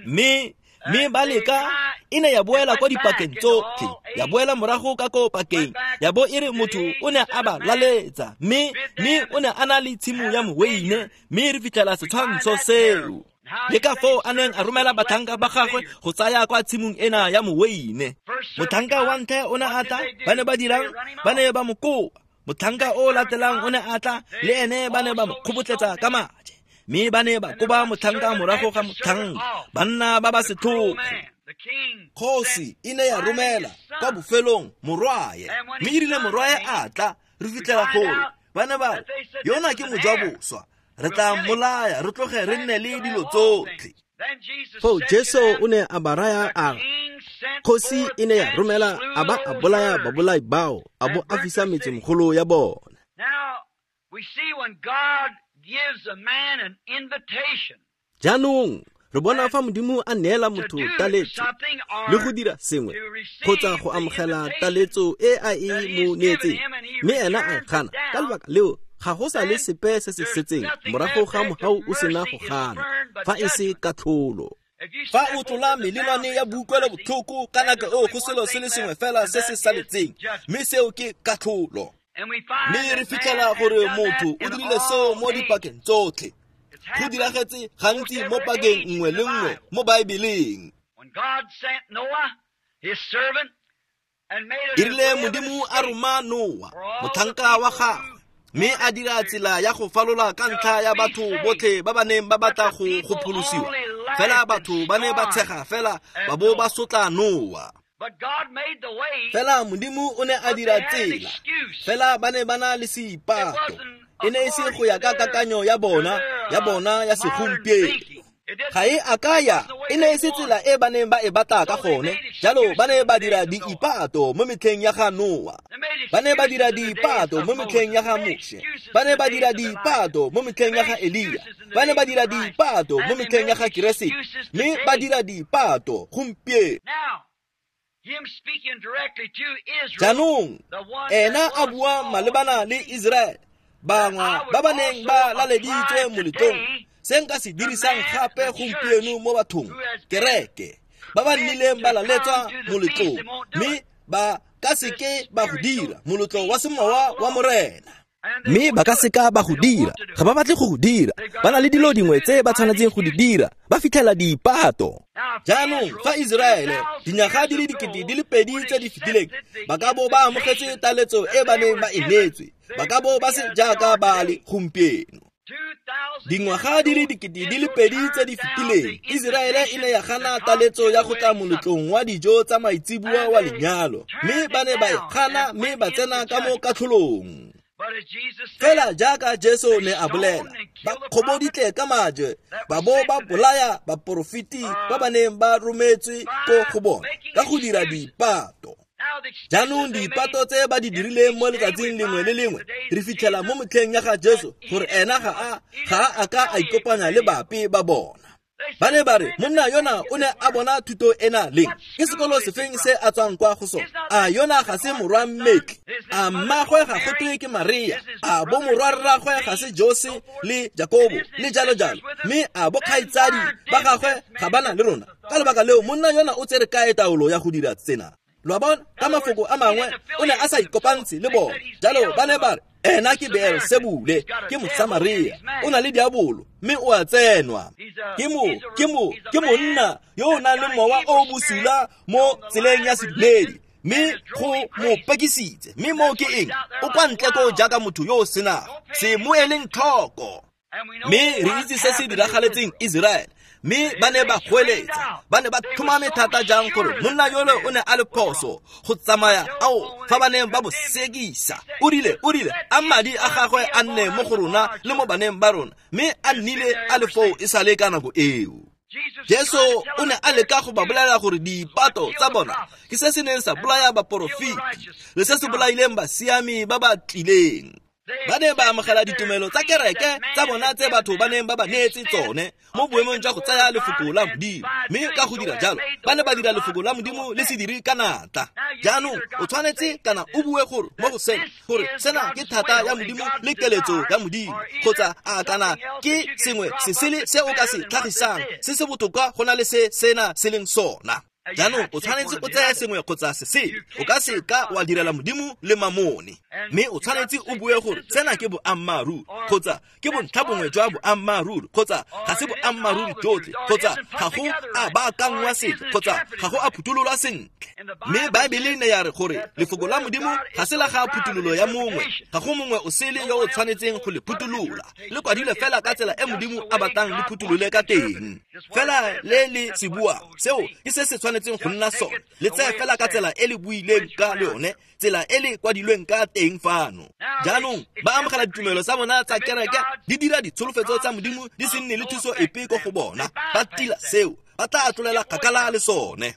Mme mme ba leka e ne ya boela kwa dipakeng tsotlhe, ya boela morago ka ko pakeng, ya bo e re motho o ne a ba laletsa, mme mme o ne a na le tshimo ya moweine, mme re fitlhela setshwantsho seo. Le ka foo a neng a romela batlhanka ba gagwe go tsaya kwa tshimong ena ya moweine. Motlhanka wa ntlha o ne a tla, ba ne ba dirang, ba ne ba mo kopa. Motlhanka o latelang o ne a tla, le ene ba ne ba mo kgobotletsa ka maje. Mme ba ne ba koba motlhanka morago ga motlhanka, banna ba ba setlhogo. Kgosi e ne ya romela kwa bofelong morwae, mme e rile morwae a tla, re fitlhela gore ba ne ba re, yona ke mojaboswa, re tla mmolaya, re tloge re nne le dilo tsotlhe. Foo Jesu o ne a ba raya a re, kgosi e ne ya romela a ba a bolaya babolai bao, a bo a fisa metsemegolo ya bona. Jaanong re bona fa Modimo a neela motho taletso le go dira sengwe kgotsa go amogela taletso e a e mo neetseng, mme ena a e gana, ka lebaka leo ga go sa le sepe se se setseng morago ga mogau o sena go gana, fa e se katlholo. Fa o tlola melelwane ya boutlwelo-botlhoko ka nako eo go selo se le sengwe fela se se saletseng, mme seo ke katlholo. Mme re fitlhela gore motho o dirile seo mo dipakeng tsotlhe. Go diragetse gantsi mo pakeng nngwe le nngwe mo Baebeleng. E rile Modimo a roma Noa, motlhanka wa gagwe, mme a dira tsela ya go falola ka ntlha ya batho botlhe ba ba neng ba batla go go pholosiwa. Fela batho ba ne ba tshega fela ba bo ba sotla Noa. Fela Modimo o ne a dira tsela, fela ba ne ba na le seipato. E ne e se go ya ka kakanyo ya bona, ya bona ya segompieno. Ga e a ka ya, e ne e se tsela e ba neng ba e batla ka gone. Jalo ba ne ba dira diipato mo metlheng ya ga Noa. Ba ne ba dira diipato mo metlheng ya ga Moshe. Ba ne ba dira diipato mo metlheng ya ga Elia. Ba ne ba dira diipato mo metlheng ya ga Keresete. Mme ba dira diipato gompieno. Jaanong ena a bua malebana le Israele, bangwe ba ba neng ba laleditswe moletlong, Se nka se dirisang gape gompieno mo bathong, kereke, ba ba nnileng ba laletswa moletlong, mme ba ka seke ba go dira moletlo wa semowa wa Morena. Mme ba ka seka ba go dira, ga ba batle go go dira, ba na le dilo dingwe tse ba tshwanetseng go di dira, ba fitlhela diipato. Jaanong fa Iseraele dinyaga di le dikete di le pedi tse di fetileng ba ka bo ba amogetse taletso e ba neng ba e neetswe, ba ka bo ba se jaaka ba le gompieno. Dingwaga di le dikete di le pedi tse di fetileng, Iseraele e ne ya gana taletso ya go tla moletlong wa dijo tsa maitseboa wa lenyalo, mme ba ne ba e gana mme ba tsena ka mo katlholong. Fela jaaka Jesu ne a bolela, ba kgoboditle ka majwe, ba bo ba bolaya baporofeti ba ba neng ba rometswe ko go bona ka go dira diipato. Jaanong diipato tse ba di dirileng mo letsatsing lengwe le lengwe, re fitlhela mo motlheng ya ga Jesu gore ena ga a ga a ka a ikopanya le bape ba bona. Ba ne ba re monna yona o ne a bona thuto ena leng? Ke sekolo sefeng se a tswang kwa go sona? A yona ga se morwa mmetli? A mmagwe ga go twe ke Maria? A bo morwarragwe ga se Jose le Jakobo le jalo jalo? Mme a bo kgaitsadi ba gagwe ga ba na le rona? Ka lebaka leo monna yona o tsere kae taolo ya go dira tsena? Lo a bona, ka mafoko a mangwe o ne a sa ikopantshe le bona. Jalo ba ne ba re ena ke Beelsebule, ke Mosamaria, o na le diabolo mme o a tsenwa. Ke mo ke mo ke monna yo o nang le mowa o bosula mo tseleng ya sedumedi, mme go mo pekisitse. Mme moo ke eng? O kwa ntle ko jaaka motho yo o senang se mo eleng tlhoko. Mme re itse se se diragaletseng Iseraele. Mme ba ne ba goeletsa, ba ne ba tlhomame thata jang gore monna yole o ne a le phoso go tsamaya ao fa ba neng ba mo sekisa. O rile, o rile, a madi a gagwe a nne mo go rona le mo baneng ba rona, mme a nnile a le foo e sale ka nako eo. Jesu o ne a leka go ba bolela gore diipato tsa bona ke se se neng sa bolaya baporofeti le se se bolaileng basiami ba ba tlileng. Ba ne ba amogela ditumelo tsa kereke tsa bona tse batho ba neng ba ba neetse tsone mo boemong jwa go tsaya lefoko la Modimo, mme ka go dira jalo ba ne ba dira lefoko la Modimo le se dire ka natla. Jaanong o tshwanetse kana o bue gore mo go sena gore sena ke thata ya Modimo le keletso ya Modimo, kgotsa a kana ke sengwe se sele se o ka se tlhagisang se se botoka go na le se sena se leng sona. Jaanong o tshwanetse o tseye sengwe kgotsa se sele, o ka se ka wa direla Modimo le mamone. Mme o tshwanetse o bue gore sena ke boammaaruri, kgotsa ke bontlha bongwe jwa boammaaruri, kgotsa ga se boammaaruri jotlhe, kgotsa ga go a baakangwa sentle, kgotsa ga go a phuthololwa sentle. Mme Baebele ne ya re gore lefoko la Modimo ga se la ga phuthololo ya mongwe, ga go mongwe o sele yo o tshwanetseng go le phutolola, le kwadilwe fela ka tsela e Modimo a batlang le phutholole ka teng. Fela le le se bua, seo ke se se tshwanetseng go nna sone, le tseye fela ka tsela e le buileng ka le yone, tsela e le kwadilweng ka teng fano. Jaanong ba amogela ditumelo tsa bona tsa kereke, di dira ditsholofetso tsa Modimo di se nne le thuso epe ko go bona, ba tila seo, ba tla tlolela kgakala le sone.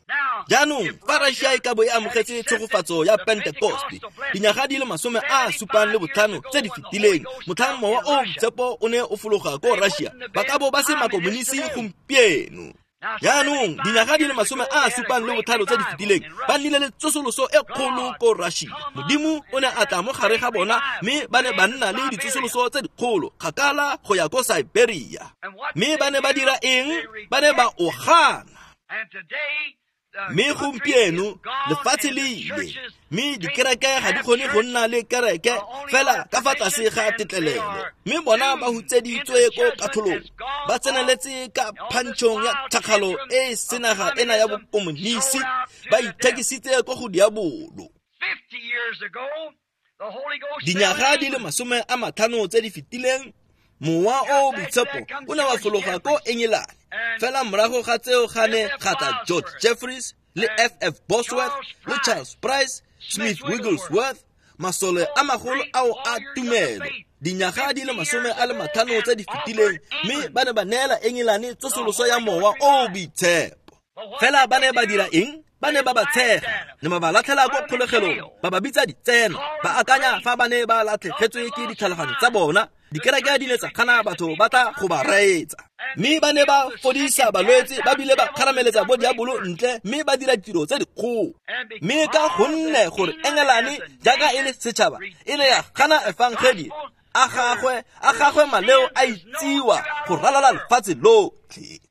Jaanong fa Russia e ka bo e amogetse tshegofatso ya Pentecost dinyaga di le masome a supang le botlhano tse di fetileng, motlhang mowa o boitshepo o ne o fologa ko Russia, ba ka bo ba se makomonisi gompieno. Jaanong dinyaga di le masome a supang le botlhano tse di fetileng ba nnile le tsosoloso e kgolo ko Russia. Modimo o ne a tla mo gare ga bona, mme ba ne ba nna le ditsosoloso tse dikgolo kgakala go ya ko Siberia. Mme ba ne ba dira eng? Ba ne ba o gana. Mme gompieno lefatshe le ile, mme dikereke ga di kgone go nna le kereke fela ka fa tlase ga tetlelelo. Mme bona ba hutseditswe ko katlholong, ba tseneletse ka phantšhong ya tšhakgalo e e senaga ena ya bokomonisi, ba ithekisitse ko go diabolo. Dinyaga di le masome a matlhano tse di fetileng, mowa o boitshepo o ne wa fologa ko Engelane. Fela morago ga tseo ga ne ga tla George Jeffreys le F F Bosworth le Charles Price, Smith Wigglesworth, masole a magolo ao a tumelo. Dinyaga di le masome a le matlhano tse di fetileng, mme ba ne ba neela Engelane tsosoloso ya mowa o boitshepo. Fela ba ne ba dira eng? Ba ne ba ba tshega, ne ba ba latlhela ko kgolegelong, ba ba bitsa ditseno, ba akanya fa ba ne ba latlhegetswe ke ditlhaloganyo tsa bona. Dikereke di ne tsa gana batho ba tla go ba reetsa. Mme ba ne ba fodisa balwetse, ba bile ba kgarameletsa bo diabolo ntle, mme ba dira ditiro tse dikgolo. Mme ka gonne gore Engelane jaaka e le setšhaba e ne ya gana efangedi A gagwe a gagwe maleo a itsiwa go ralala lefatshe lotlhe.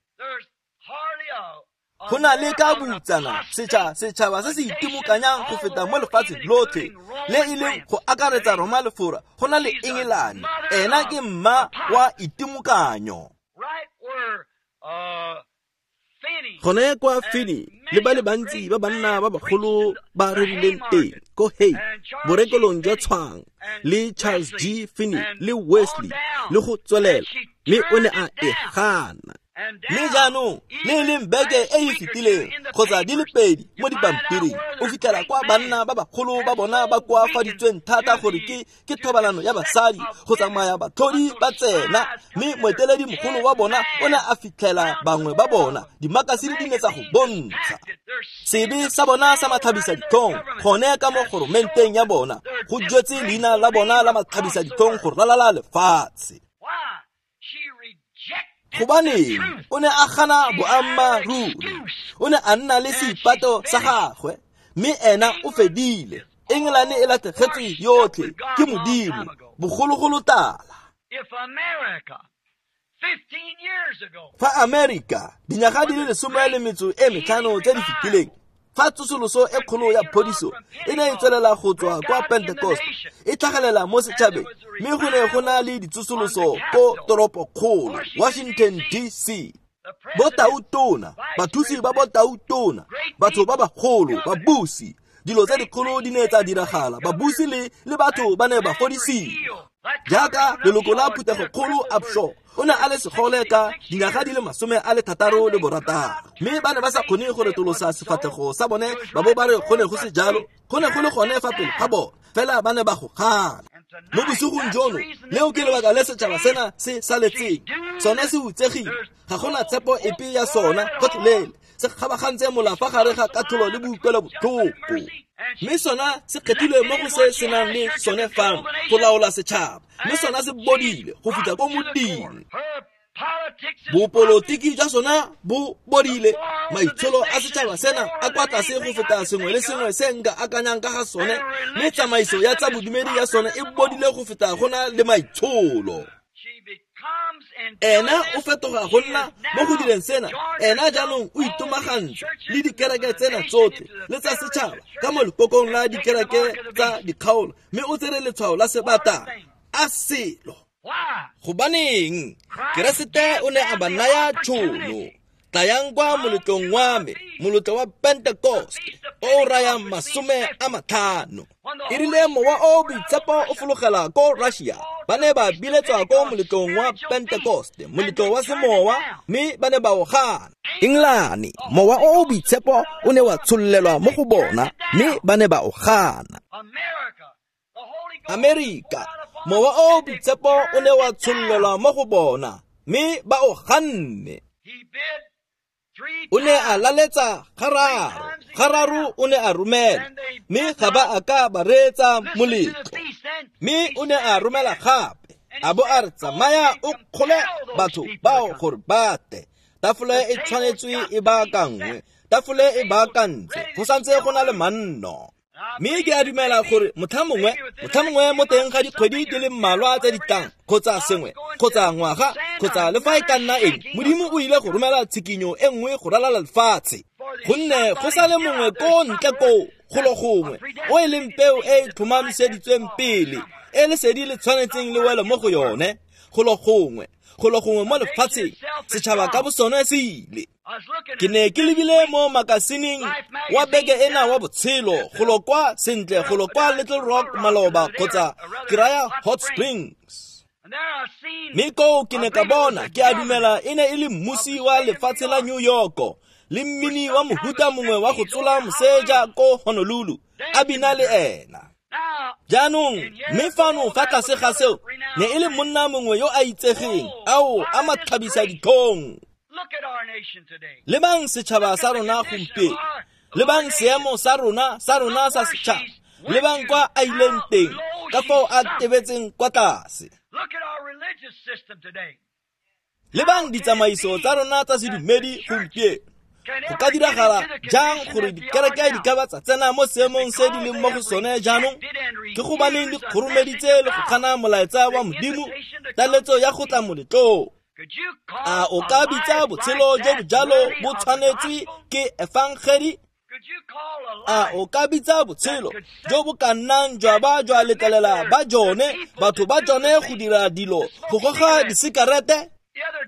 Go na le ka boutsana setšha setšhaba se se itimokanyang go feta mo lefatsheng lotlhe le e leng go akaretsa Roma le Fora go na le Engelane. Ena ke mma wa itimokanyo. Gone kwa Finney le ba le bantsi ba banna ba bagolo ba rerileng teng ko Hay borekelong jwa tshwang le Charles G. Finney le Wesley le go tswelela, mme o ne a e gana. Mme jaanong le e leng beke e e fetileng kgotsa di le pedi mo dipampiring o fitlhela kwa banna ba bagolo ba bona ba koafaditsweng thata gore ke ke thobalano ya basadi go tsamaya batlhodi ba tsena, mme moeteledi mogolo wa bona o ne a fitlhela bangwe ba bona dimakasine di ne tsa go bontsha sebe sa bona sa matlhabisa ditlhong gone ka mo goromenteng ya bona go jwetse leina la bona la matlhabisa ditlhong go ralala lefatshe. Gobaneng o ne a gana boammaaruri, o ne a nna le seipato sa gagwe, mme ena o fedile. Engelane e latlhegetswe yotlhe ke Modimo bogologolo tala. Fa Amerika dinyaga di le lesome le metso e metlhano tse di fetileng, fa tsosoloso e kgolo ya phodiso e ne e tswelela go tswa kwa Pentecost e tlhagelela mo setšhabeng, mme go ne go na le ditsosoloso ko toropokgolo Washington D C. Botautona, bathusi ba botautona, batho ba bagolo, babusi, dilo tse dikgolo di ne tsa diragala, babusi le le batho ba ne ba fodisiwa. Jaaka leloko la phuthegokgolo Upshaw o ne a le segole ka dinyaga di le masome a le thataro le borataro, mme ba ne ba sa kgone go retolosa sefatlhego sa bone ba bo ba re go ne go se jalo, go ne go le gone fa pele ga bone, fela ba ne ba go gana. Mo bosigong jono leo ke lebaka le setšhaba sena se saletseng, sone se hutsegile, ga gona tshepo epe ya sona gotlhelele, se kgabagantse mola fa gare ga katlholo le boikuelobotlhoko. Mme sona se kgethilwe mo go se senang le sone fano go laola setšhaba, mme sona se bodile go fitlha ko modimo. Bopolotiki jwa sona bo bodile, maitsholo a setšhaba sena a kwa tlase go feta sengwe le sengwe se nka akanyang ka ga sone, mme tsamaiso ya tsa bodumedi ya sone e bodile go feta go na le maitsholo. Ena o fetoga go nna mo go direng sena, ena jaanong o itomagantse le dikereke tsena tsotlhe le tsa setšhaba ka mo lekokong la dikereke tsa dikgaolo, mme o tsere letshwao la sebata a selo. Gobaneng Keresete o ne a ba naya tšhono, tlayang kwa moletlong wa me, moletlo wa Pentecost o o rayang masome a matlhano. E rile mowa o boitshepo o fologela ko Russia, ba ne ba biletswa ko moletlong wa Pentecost, moletlo wa semowa, mme ba ne ba o gana. Engelane mowa o o boitshepo o ne wa tshololelwa mo go bona, mme ba ne ba o gana. Amerika mowa o o boitshepo o ne wa tshololelwa mo go bona, mme ba o ganne. O ne a laletsa gararo, gararo o ne a romela, mme ga ba a ka ba reetsa moletlo. Mme o ne a romela gape, a bo a re tsamaya o kgole batho bao gore ba tle. Tafole e tshwanetswe e baakangwe, tafole e baakantse, go santse go na le manno. Mme ke a dumela gore motlha mongwe, motlha mongwe mo teng ga dikgwedi di le mmalwa tse di tlang, kgotsa sengwe, kgotsa ngwaga, kgotsa le fa e ka nna eng, Modimo o ile go romela tshikinyo e nngwe go ralala lefatshe. Gonne go sa le mongwe ko ntle koo golo gongwe o e leng peo e e tlhomamiseditsweng pele, e lesedi le tshwanetseng le wele mo go yone, golo gongwe, golo gongwe mo lefatsheng, setšhaba ka bosone se ile. Ke ne ke lebile mo makasineng wa beke ena wa botshelo golo kwa sentle golo kwa Little Rock maloba kgotsa ke raya Hot Springs. Mme koo ke ne ka bona, ke a dumela e ne e le mmusi wa lefatshe la New York le mmini wa mohuta mongwe wa go tsola moseja ko Honolulu a bina le ena. Jaanong mme fano fa tlase ga seo ne e le monna mongwe yo a itsegeng, ao a matlhabisa ditlhong. Lebang setšhaba sa rona gompieno, lebang seemo sa rona sa rona sa setšhaba, lebang kwa a ileng teng, ka fao a tebetseng kwa tlase. Lebang ditsamaiso tsa rona tsa sedumedi gompieno, Go ka diragala jang gore dikereke di ka ba tsa tsena mo seemong se di leng mo go sone jaanong? Ke gobaneng di kgoromeditse le go gana molaetsa wa Modimo, taletso ya go tla moletlong. A o ka bitsa botshelo jo bo jalo bo tshwanetswe ke efangedi? A o ka bitsa botshelo jo bo ka nnang jwa ba jwa letlelela ba jone batho ba jone go dira dilo go goga disekerete?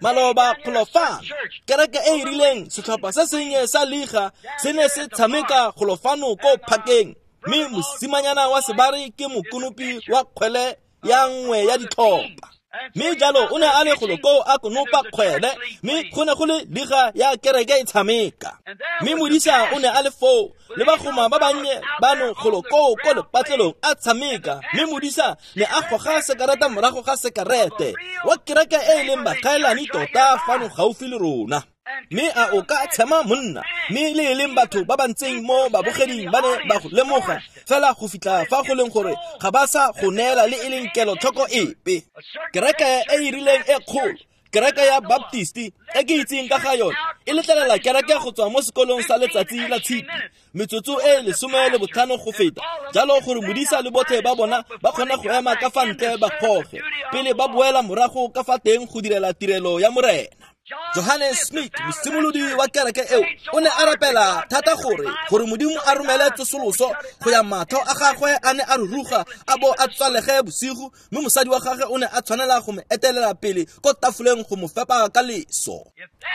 Maloba golo fano, kereke e e rileng setlhopha se sennye sa liga se ne se tshameka golo fano ko phakeng, mme mosimanyana wa sebare ke mokonopi wa kgwele ya nngwe ya ditlhopha. Mme jalo o ne a le golo koo a konopa kgwele, mme go ne go le liga ya kereke e tshameka. Mme modisa o ne a le foo le bagoma ba bannye bano golo koo ko lepatlelong a tshameka, mme modisa ne a goga sekarete morago ga sekarete wa kereke e e leng bakaelane tota fano gaufi le rona. Mme a o ka tshema monna, mme le e leng batho ba ba ntseng mo babogeding ba ne ba go lemoga fela go fitlha fa go leng gore ga ba sa go neela le e leng kelotlhoko epe. Kereke e e rileng e kgolo, kereke ya Baptisti e ke itseng ka ga yone, e letlelela kereke go tswa mo sekolong sa letsatsi la tshipi metsotso e lesome le botlhano go feta, jalo gore modisa le botlhe ba bona ba kgone go ema ka fa ntle ba goge pele ba boela morago ka fa teng go direla tirelo ya Morena. Johannes Smith, mosimolodi wa kereke eo, o ne a rapela thata gore gore Modimo a romele tsosoloso go ya matlho a gagwe a ne a ruruga a bo a tswalege bosigo, mme mosadi wa gagwe o ne a tshwanela go mo etelela pele ko tafoleng go mo fepa ka leso.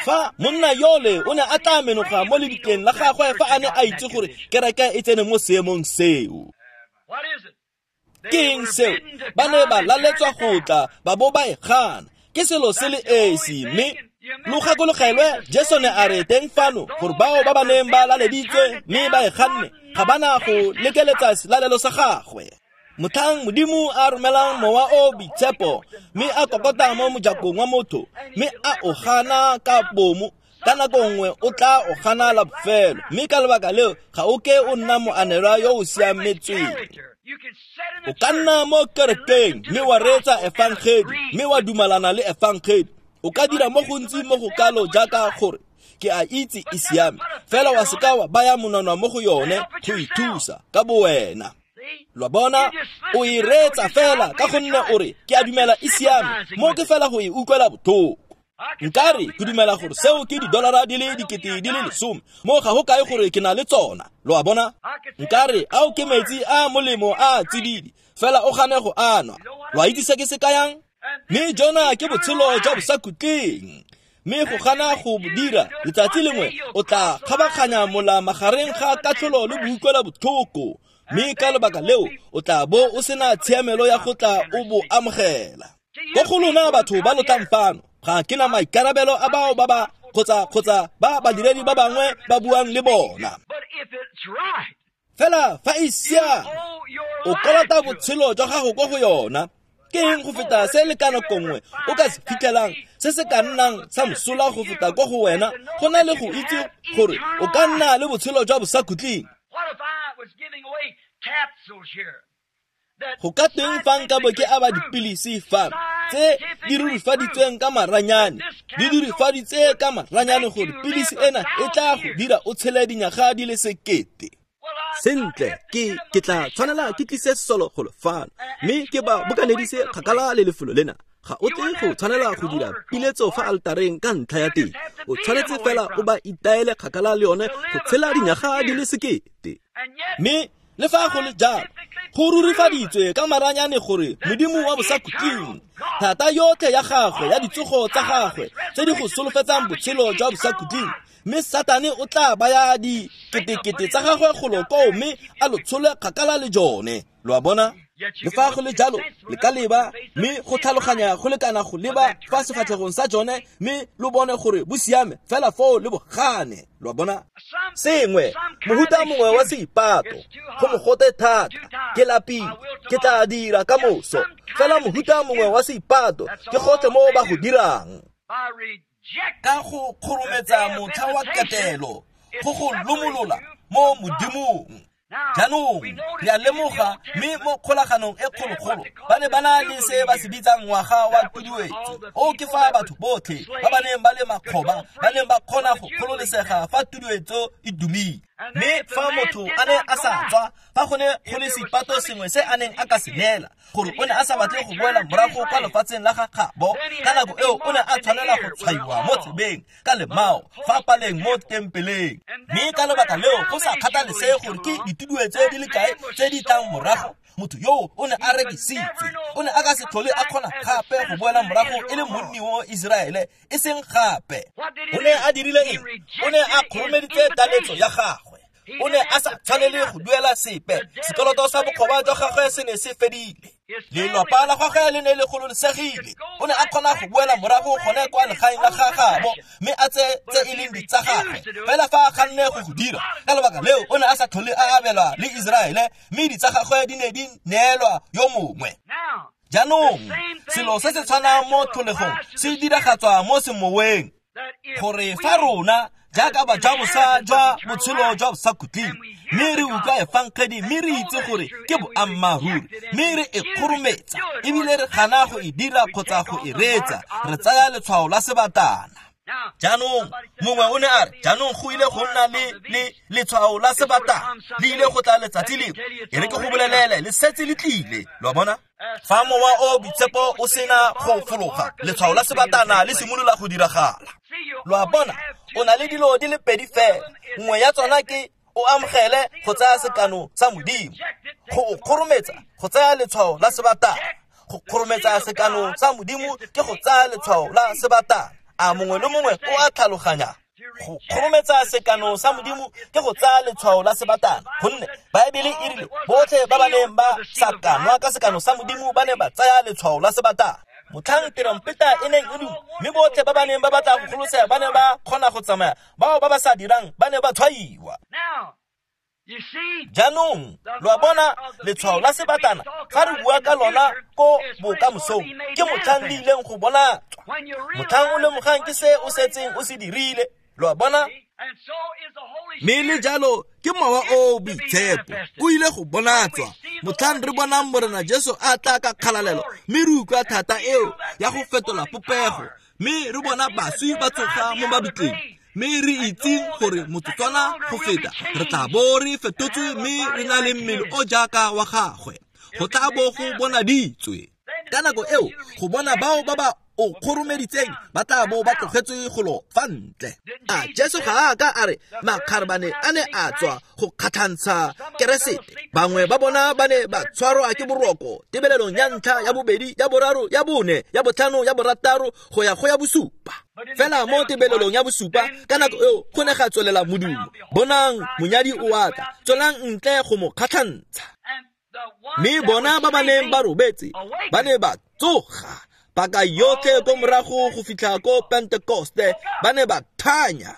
Fa monna yole o ne a tla menoga mo lebitleng la gagwe fa a ne a itse gore kereke e tsene mo seemong seo. Ke eng seo? Ba ne ba laletswa go tla ba bo ba e gana. Ke selo se le esi, mme lo gakologelwe Jesu ne a re teng fano gore bao ba ba neng ba laleditswe mme ba e ganne ga ba na go lekeletsa selalelo sa gagwe. Motlhang Modimo a romelang mowa o boitshepo mme a kokota mo mojakong wa motho mme a o gana ka bomo, ka nako nngwe o tla o gana la bofelo, mme ka lebaka leo ga o ke o nna moanelwa yo o siametsweng. O ka nna mo kerekeng mme wa reetsa efangedi mme wa dumalana le efangedi. O ka dira mo gontsi mo go kalo jaaka gore ke a itse e siame, fela wa seka wa baya monwana mo go yone go ithusa ka bowena. Lo bona, o e reetsa fela ka gonne o re ke a dumela e siame, mo ke fela go e utlwela botlhoko. Nkare ke dumela gore seo ke didolara di le dikete di le lesome, mo ga go kae gore ke na le tsona. Lo a bona? Nkare ao ke metsi a molemo a tsididi, fela o gane go anwa. Lo a itse se ke se kayang? Mme jona ke botshelo jwa bosakhutleng, mme go gana go dira letsatsi lengwe o tla kgabaganya mola magareng ga katlholo le boutlwela botlhoko, mme ka lebaka leo o tla bo o sena tshiamelo ya go tla o bo amogela. Ko go lona batho ba lo tlang fano, ga ke na maikarabelo a bao ba ba kgotsa kgotsa ba badiredi ba bangwe ba buang le bona. Fela fa e siame, o kolota botshelo jwa gago ko go yona. Ke eng go feta se le ka nako nngwe o ka se fitlhelang se se ka nnang sa mosola go feta ko go wena, go na le go itse gore o ka nna le botshelo jwa bosakhutleng? Go ka teng fa nka bo ke aba dipilisi fano tse di rurifaditsweng ka maranyane, di dirifaditse ka maranyane gore pilisi ena e tla go dira o tshele dinyaga di le sekete. Sentle, ke ke tla tshwanela ke tlise solo golo fano mme ke ba bokanedise kgakala le lefelo lena. Ga o tle go tshwanela go dira piletso fa altareng ka ntlha ya teng, o tshwanetse fela o ba itaele kgakala le yone go tshela dinyaga di le sekete. Mme le fa go le jalo, go rurifaditswe ka maranyane gore Modimo wa bosakhutleng, thata yotlhe ya gagwe ya ditsogo tsa gagwe tse di go solofetsang botshelo jwa bosakhutleng, mme Satane o tla baya diketekete tsa gagwe golo koo mme a lo tshole kgakala le jone. Lo a bona? Le fa go le jalo, le ka leba mme go tlhaloganya go lekana go leba fa sefatlhegong sa jone mme lo bone gore bo siame, fela foo le bo gane. Lo a bona? Sengwe, mohuta mongwe wa seipato, go mogote thata, ke lapile, ke tla dira ka moso. Fela mohuta mongwe wa seipato ke gotlhe mo ba go dirang. Ka go kgorometsa motlha wa ketelo, go go lomolola mo Modimong. Jaanong re a lemoga mme mo kgolaganong e kgologolo ba ne ba na le se ba se bitsang ngwaga wa tuduetso. O ke fa batho botlhe ba ba neng ba le makgoba ba neng ba kgona go kgololesega fa tuduetso e dumile. Mme fa motho a ne a sa tswa, fa go ne go le seipato sengwe se a neng a ka se neela gore o ne a sa batle go boela morago kwa lefatsheng la ga gabo, ka nako eo o ne a tshwanela go tshwaiwa mo tsebeng ka lemao fa paleng mo tempeleng. Mme ka lebaka leo go sa kgathalesege gore ke dituduetso di le kae tse di tlang morago, motho yoo o ne a rekisitswe, o ne a ka se tlhole a kgona gape go boela morago e le monni wa Iseraele, e seng gape. O ne a dirile eng? O ne a kgoromeditse taletso ya gagwe. O ne a sa tshwanele go duela sepe. Sekoloto sa bokgoba jwa gagwe se ne se fedile. Lelapa la gagwe le ne le gololesegile. O ne a kgona go boela morago gone kwa legaeng la gagabo mme a tseye tse e leng ditsa gagwe. Fela fa a ganne go go dira, ka lebaka leo o ne a sa tlhole a abelwa le Iseraele, mme ditsa gagwe di ne di neelwa yo mongwe. Jaanong selo se se tshwanang mo tlholegong se diragatswa mo semoweng, gore fa rona jaaka bajabosa jwa botshelo jwa bosakhutleng mme re utlwa efangedi mme re itse gore ke boammaaruri mme re e kgorometsa ebile re gana go e dira kgotsa go e reetsa, re tsaya letshwao la sebatana. Jaanong mongwe o ne a re, jaanong go ile go nna le le letshwao la sebatana, le ile go tla letsatsi lengwe. E re ke go bolelele, le setse le tlile. Lo a bona? Fa mowa o boitshepo o sena go fologa, letshwao la sebatana le simolola go diragala. Lo a bona? O na le dilo di le pedi fela. Nngwe ya tsona ke o amogele go tsaya sekano sa Modimo, go o kgorometsa go tsaya letshwao la sebatana. Go kgorometsa sekano sa Modimo ke go tsaya letshwao la sebatana. A mongwe le mongwe o a tlhaloganya? Go kgorometsa sekano sa Modimo ke go tsaya letshwao la sebatana, gonne Baebele e rile botlhe ba ba neng ba sa kanwa ka sekano sa Modimo ba ne ba tsaya letshwao la sebatana. Motlhang terompeta e neng e duma, mme botlhe ba ba neng ba batla go golosega ba ne ba kgona go tsamaya, bao ba ba sa dirang ba ne ba tshwaiwa. Jaanong lo a bona, letshwao la sebatana ga re bua ka lona ko bokamosong ke motlhang le ileng go bonatswa. Motlhang o lemogang ke se o setseng o se dirile. Lo a bona? Mme le jalo ke mowa o boitshepo o ile go bonatswa motlhang re bonang Morena Jesu a tla ka kgalalelo, mme re utlwa thata eo ya go fetola popego, mme re bona baswi ba tsoga mo mabitleng, mme re itseng gore motsotswana go feta re tla bo re fetotswe mme re na le mmele o jaaka wa gagwe. Go tla bo go bonaditswe. Ka nako eo go bona bao ba ba o kgoromeditseng ba tla bo ba tlogetswe golo fa ntle. A Jesu ga a ka a re makgarebane a ne a tswa go kgatlhantsha Keresete? Bangwe ba bona ba ne ba tshwarwa ke boroko tebelelong ya ntlha, ya bobedi, ya boraro, ya bone, ya botlhano, ya borataro go ya go ya bosupa. Fela mo tebelelong ya bosupa ka nako eo go ne ga tswelela modumo, bonang monyadi o a tla, tswelang ntle go mo kgatlhantsha. Mme bona ba ba neng ba robetse ba ne ba tsoga paka yotlhe ko morago go fitlha ko Pentekoste, ba ne ba thanya.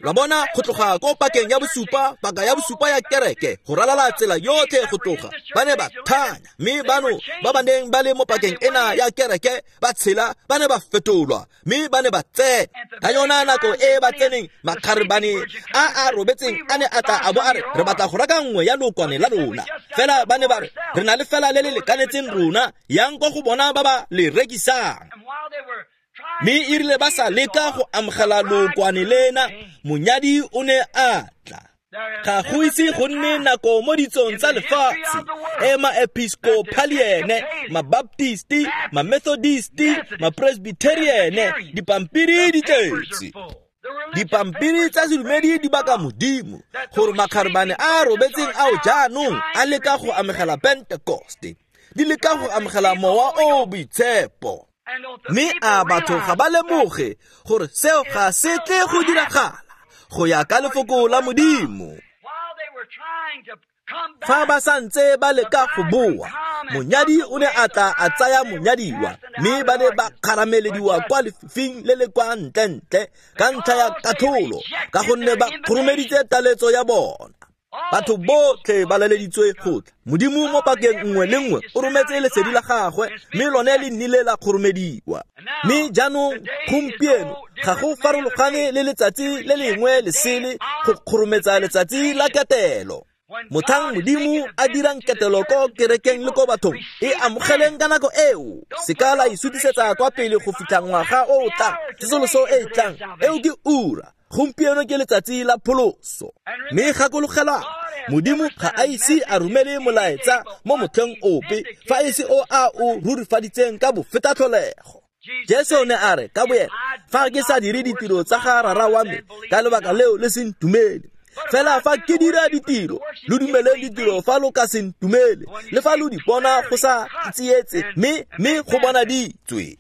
Lo bona, go tloga ko pakeng ya bosupa, paka ya bosupa ya kereke, go ralala tsela yotlhe go tloga, ba ne ba thanya. Mme bano ba ba neng ba le mo pakeng ena ya kereke ba tshela, ba ne ba fetolwa, mme ba ne ba tsena. Ka yona nako e ba tseneng, makgarebane a a robetseng a ne a tla a bo a re, re batla go reka nngwe ya lookwane la rona. Fela ba ne ba re, re na le fela le le lekanetseng rona, yang ko go bona ba ba le rekisang. Mme e rile ba sa leka go amogela lookwane lena, monyadi o ne a tla. Ga go ise go nne nako mo ditsong tsa lefatshe e ma-episcopaliene, ma-baptisti, ma-methodisti, ma-presbyteriene, dipampiri di tletse. Dipampiri tsa sedumedi di baka Modimo gore makgarebane a a robetseng ao jaanong a leka go amogela Pentekoste, di leka go amogela mowa o boitshepo. Mme a batho ga ba lemoge gore seo ga se tle go diragala go ya ka lefoko la Modimo. Fa ba santse ba leka go boa, monyadi o ne a tla a tsaya monyadiwa, mme ba ne ba kgaramelediwa kwa lefifing le le kwa ntle-ntle ka ntlha ya katlholo, ka gonne ba kgoromeditse taletso ya bona. Batho botlhe ba laleditswe go tla. Modimo mo pakeng nngwe le nngwe o rometse lesedi la gagwe, mme lone le nnile la kgoromediwa. Mme jaanong gompieno ga go farologane le letsatsi le lengwe le sele go kgorometsa letsatsi la ketelo. Motlhang Modimo a dirang ketelo ko kerekeng le ko bathong, e amogeleng ka nako eo. Se ka la e sutisetsa kwa pele go fitlha ngwaga o o tlang, tsosoloso e e tlang, eo ke ura. Gompieno ke letsatsi la pholoso. Mme gakologelwang, Modimo ga a ise a romele molaetsa mo motlheng ope fa e se o a o rurifaditseng ka bofetatlholego. Jesu ne a re ka boena, fa ke sa dire ditiro tsa ga Rara wa me, ka lebaka leo le se ntumele. Fela fa ke dira ditiro, lo dumeleng ditiro fa lo ka se ntumele, le fa lo di bona go sa tsietse, mme mme go bona di tswe.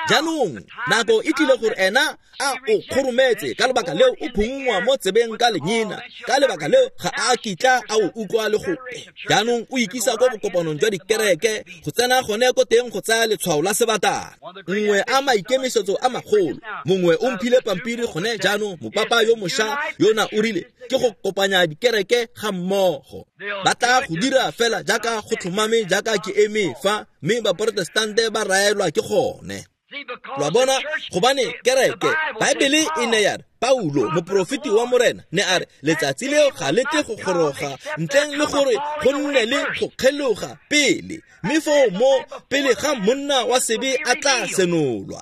Jaanong nako e tlile gore ena a o kgorometse, ka lebaka leo o phunngwa mo tsebeng ka lenyena, ka lebaka leo ga a kitla a o utlwa le gope. Jaanong o ikisa ko bokopanong jwa dikereke go tsena gone ko teng go tsaya letshwao la sebatana. Nngwe a maikemisetso a magolo, mongwe o mphile pampiri gone jaanong, mopapa yo mošwa yona o rile ke go kopanya dikereke ga mmogo. Ba tla go dira fela jaaka go tlhomame jaaka ke eme fa, mme baprotestante ba raelwa ke gone. Lo bona, gobane kereke, Baebele e ne ya re, Paulo, moprofeti wa Morena, ne a re, letsatsi leo ga le tle go goroga ntleng le gore go nne le go kgeloga pele, mme foo mo pele ga monna wa sebe a tla senolwa.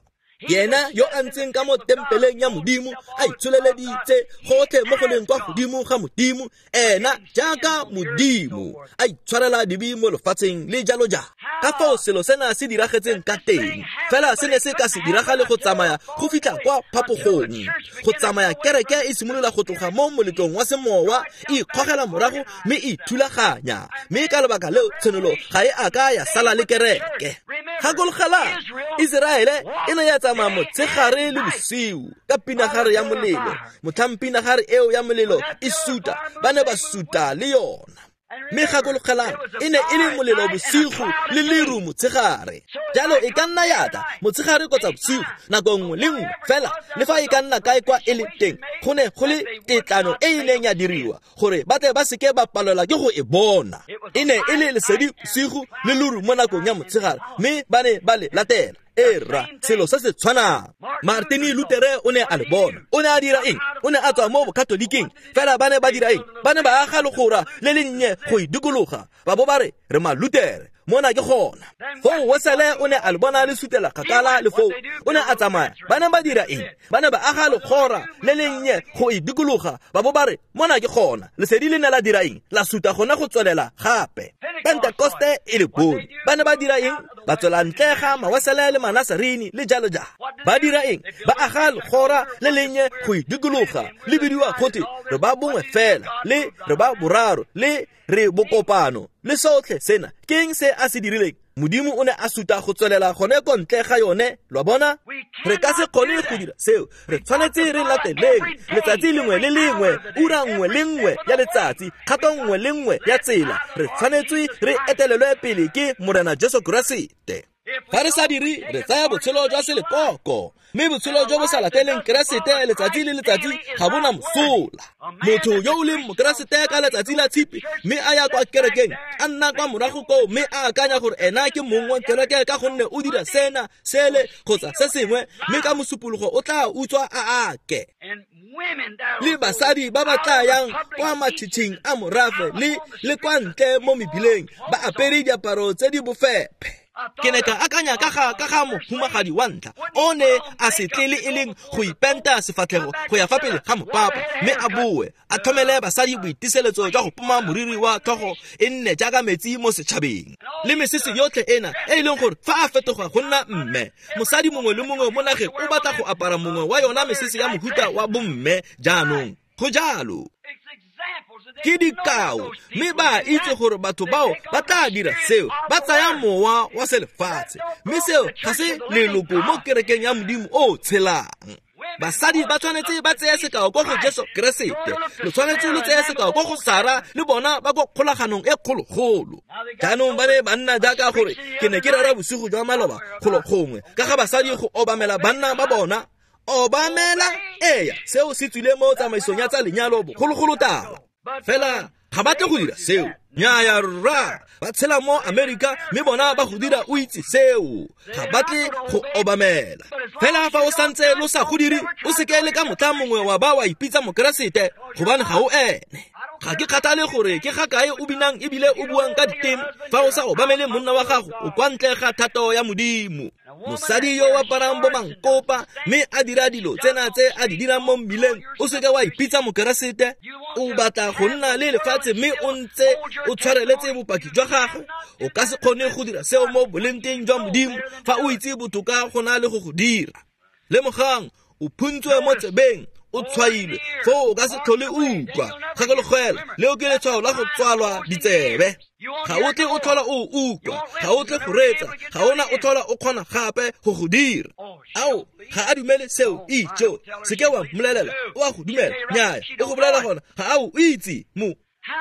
Yena yo a ntseng ka mo tempeleng ya Modimo, a itsholeleditse gotlhe mo go leng kwa godimo ga Modimo, ena jaaka Modimo a itshwarela dibe mo lefatsheng le jalo jalo. Ka foo selo sena se diragetseng ka teng, fela se ne se ka se diragale go tsamaya go fitlha kwa phapogong. Go tsamaya kereke e simolola go tloga mo moletlong wa semowa, e ikgogela morago mme e ithulaganya, mme ka lebaka leo tshenolo ga e a ka ya sala le kereke. Gakologelang, Iseraele e ne ya tsamaya motshegare le bosiu ka pinagare ya molelo. Motlhang pinagare eo ya molelo e suta, ba ne ba suta le yona. Mme gakologelang, e ne e le molelo bosigo le leru motshegare. Jalo e ka nna ya tla motshegare kgotsa bosigo nako nngwe le nngwe fela, le fa e ka nna kae kwa e le teng, go ne go le tetlano e e neng ya diriwa gore ba tle ba seke ba palelwa ke go e bona. E ne e le lesedi bosigo le leru mo nakong ya motshegare, mme ba ne ba le latela. Era selo se se tshwanang. Martin Luther o ne a le bona. O ne a dira eng? O ne a tswa mo bokatoliking. Fela ba ne ba dira eng? Ba ne ba aga legora le le nnye go e dikologa, ba bo ba re re Malutere, mona ke gona. Foo Wesele o ne a le bona le sutela kgakala le foo, o ne a tsamaya. Ba ne ba dira eng? Ba ne ba aga legora le le nnye go e dikologa, ba bo ba re mona ke gona. Lesedi le ne la dira eng? La suta gona go tswelela gape. Pentekoste e le bone. Ba ne ba dira eng? Ba tswela ntle ga Mawesele le Manasarini le jalo jalo. Ba dira eng? Ba aga legora le lennye go e dikologa, le bidiwa gote re ba bongwe fela, le re ba boraro, le re bokopano, le sotlhe sena. Ke eng se a se dirileng? Modimo o ne a suta go tswelela gone ko ntle ga yone. Lo bona, re ka se kgone go dira seo. Re tshwanetse re lateleng letsatsi lengwe le lengwe, ura nngwe le nngwe ya letsatsi, kgato nngwe le nngwe ya tsela. Re tshwanetse re etelelwe pele ke Morena Jesu Keresete. Fa re sa dire, re tsaya botshelo jwa selekoko, mme botshelo jo bo sa lateleng Keresete letsatsi le letsatsi ga bona mosola. Motho yo o leng Mokeresete ka letsatsi la tshipi, mme a ya kwa kerekeng, a nna kwa morago koo, mme a akanya gore ena ke mong wa kereke ka gonne o dira sena, sele kgotsa se sengwe, mme ka mosupologo o tla utswa a ake. Le basadi ba ba tla yang kwa matšhitšhing a morafe le le kwa ntle mo mebileng, ba apere diaparo tse di bofephe. Ke ne ka akanya ka ga ka ga mohumagadi wa ntlha, o ne a se tle le e leng go ipenta sefatlhego go ya fa pele ga mopapa, mme a boe a tlhomele basadi boitiseletso jwa go poma moriri wa tlhogo e nne jaaka metsi mo setšhabeng. Le mesese yotlhe ena e e leng gore fa a fetoga go nna mme, mosadi mongwe le mongwe mo nageng o batla go apara mongwe wa yona mesese ya mohuta wa bomme jaanong. Go jalo. Ke dikao, mme ba itse gore batho bao ba tla dira seo, ba tsaya mowa wa selefatshe, mme seo ga se leloko mo kerekeng ya Modimo o tshelang. Basadi ba tshwanetse ba tseye sekao ko go Jesu Keresete, lo tshwanetse lo tseye sekao ko go Sara le bona ba ko kgolaganong e kgologolo. Jaanong ba ne ba nna jaaka gore ke ne ke rera bosigo jwa maloba golo gongwe ka ga basadi go obamela banna ba bona. Obamela, eya, seo se tswile mo tsamaisong ya tsa lenyalo bogologolo tala. Fela ga ba tle go dira seo. Nnyaya rra, ba tshela mo Amerika mme bona ba go dira o itse seo. Ga ba tle go obamela. Fela fa o santse lo sa go dire, o seke le ka motlha mongwe wa ba wa ipitsa Mokeresete, gobane ga o ene. Ga ke kgathale gore ke ga kae o binang ebile o buang ka diteme, fa o sa obamele monna wa gago o kwa ntle ga thato ya Modimo. Mosadi yo o aparang bo mankopa mme a dira dilo tsena tse a di dirang mo mmileng, o seke wa ipitsa mokeresete. O batla go nna le lefatshe mme o ntse o tshwareletse bopaki jwa gagwe. O ka se kgone go dira seo mo bolengteng jwa Modimo fa o itse botoka go na le go go dira. Lemogang, o phuntswe mo tsebeng, o tshwailwe, foo o ka se tlhole o utlwa. Gakologelwa, leo ke letshwao la go tswalwa ditsebe. Ga o tle o tlhola o utlwa, ga o tle go reetsa, ga ona o tlhola o kgona gape go go dira. Ao, ga a dumele seo, itjo, seke wa mmolelela, o a go dumela, nnyaya, o go bolela gona, ga a o itse. Mo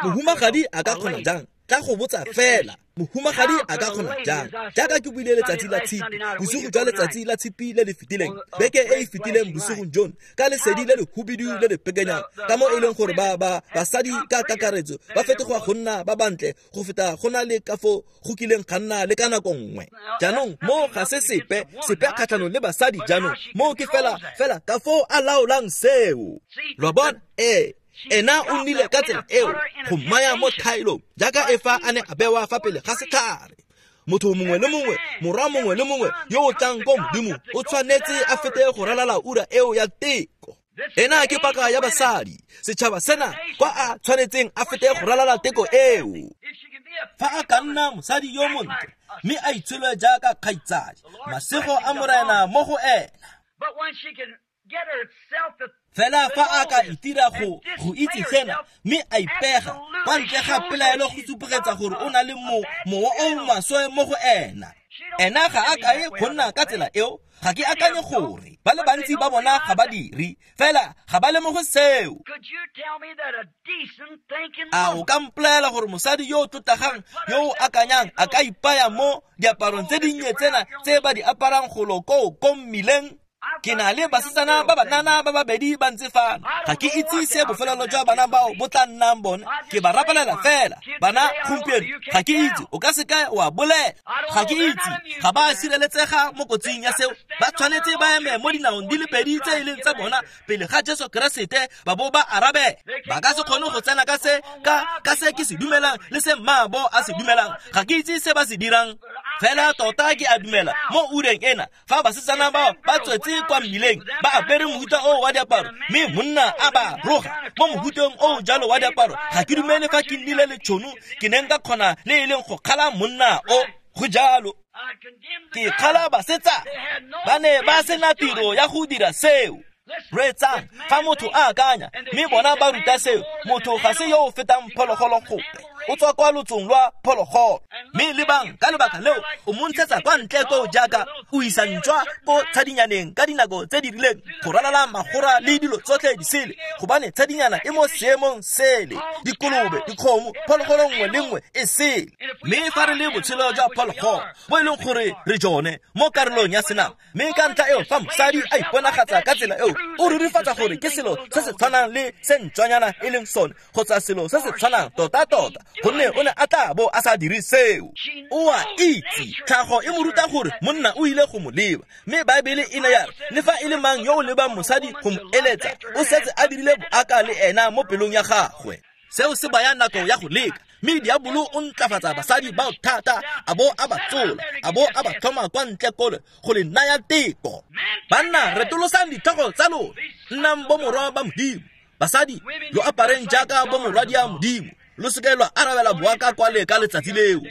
mohumagadi a ka kgona jang? Tla go botsa fela, mohumagadi a ka kgona jang? Jaaka ke buile letsatsi la tshipi, bosigo jwa letsatsi la tshipi le le fetileng, beke e e fetileng bosigong jono, ka lesedi le le hubidu le le pekenyang, ka mo e leng gore ba ba basadi ka kakaretso ba fetoga go nna ba bantle go feta go na le ka fo go kileng ga nna le ka nako nngwe. Jaanong mo ga se sepe sepe kgatlhanong le basadi, jaanong mo ke fela fela ka fo a laolang seo. Lo bona? Ee. Ena o nnile ka tsela eo go mmaya mo thaelong jaaka Efa a ne a bewa fa pele ga setlhare. Motho mongwe le mongwe, morwa mongwe le mongwe yo o tlang ko Modimo o tshwanetse a fete go ralala ura eo ya teko. Ena ke paka ya basadi, setšhaba sena kwa a tshwanetseng a fete go ralala teko eo. Fa a ka nna mosadi yo montle mme a itshole jaaka kgaitsadi, masego a Morena mo go ena. Fela fa a ka itira go go itse sena mme a ipega kwa ntle ga pelaelo go supegetsa gore o na le mo mowa o maswe mo go ena. Ena ga a kae go nna ka tsela eo. Ga ke akanye gore ba le bantsi ba bona ga ba dire, fela ga ba lemoge seo. A o ka mpolelela gore mosadi yo o tlotlegang yo o akanyang a ka ipaya mo diaparong tse dinnye tsena tse ba di aparang golo koo ko mmileng? Ke na le basetsana ba banana ba babedi ba ntse fano. Ga ke itse se bofelelo jwa bana bao bo tla nnang bone. Ke ba rapelela fela. Bana gompieno ga ke itse, o ka seka wa bolela. Ga ke itse, ga ba sireletsega mo kotsing ya seo. Ba tshwanetse ba eme mo dinaong di le pedi tse e leng tsa bona pele ga Jesu Keresete ba bo ba arabe. Ba ka se kgone go tsena ka se ka ka se ke se dumelang le se mmaabo a se dumelang. Ga ke itse se ba se dirang. Fela tota ke a dumela mo ureng ena fa basetsana bao ba tswetse kwa mmileng ba apere mohuta o wa diaparo mme monna a ba roga mo mohuteng o jalo wa diaparo, ga ke dumele fa ke nnile le tšhono ke ne nka kgona le e leng go kgala monna o. Go jalo, ke kgala basetsana ba ne ba sena tiro ya go dira seo. Reetsang, fa motho a akanya mme bona ba ruta seo, motho ga se yo o fetang phologolo gope, o tswa kwa lotsong lwa phologolo. Mme lebang ka lebaka leo o mo ntshetsa kwa ntle koo jaaka o isa ntšwa ko tshadinyaneng ka dinako tse di rileng go ralala magora le dilo tsotlhe di sele, gobane tshadinyana e mo seemong sele, dikolobe, dikgomo, phologolo nngwe le nngwe e sele. Mme fa re le botshelo jwa phologolo bo e leng gore re jone mo karolong ya senama, mme ka ntlha eo fa mosadi a iponagatsa ka tsela eo, o rurifatsa gore ke selo se se tshwanang le se ntšwanyana e leng sone, kgotsa selo se se tshwanang tota-tota, gonne o ne a tla bo a sa dire seo. O a itse, tlhago e mo ruta gore monna o ile go mo leba, mme Baebele e ne ya re le fa e le mang yo o lebang mosadi go mo eletsa, o setse a dirile boaka le ena mo pelong ya gagwe. Seo se baya nako ya go leka, mme diabolo o ntlafatsa basadi bao thata, a bo a ba tsola, a bo a ba tlhoma kwa ntle kole go le naya teko. Banna, retolosang ditlhogo tsa lona, nnang bomorwa ba Modimo. Basadi, lo apareng jaaka bomorwadia Modimo, lo seke lwa arabela boaka kwale ka letsatsi leo.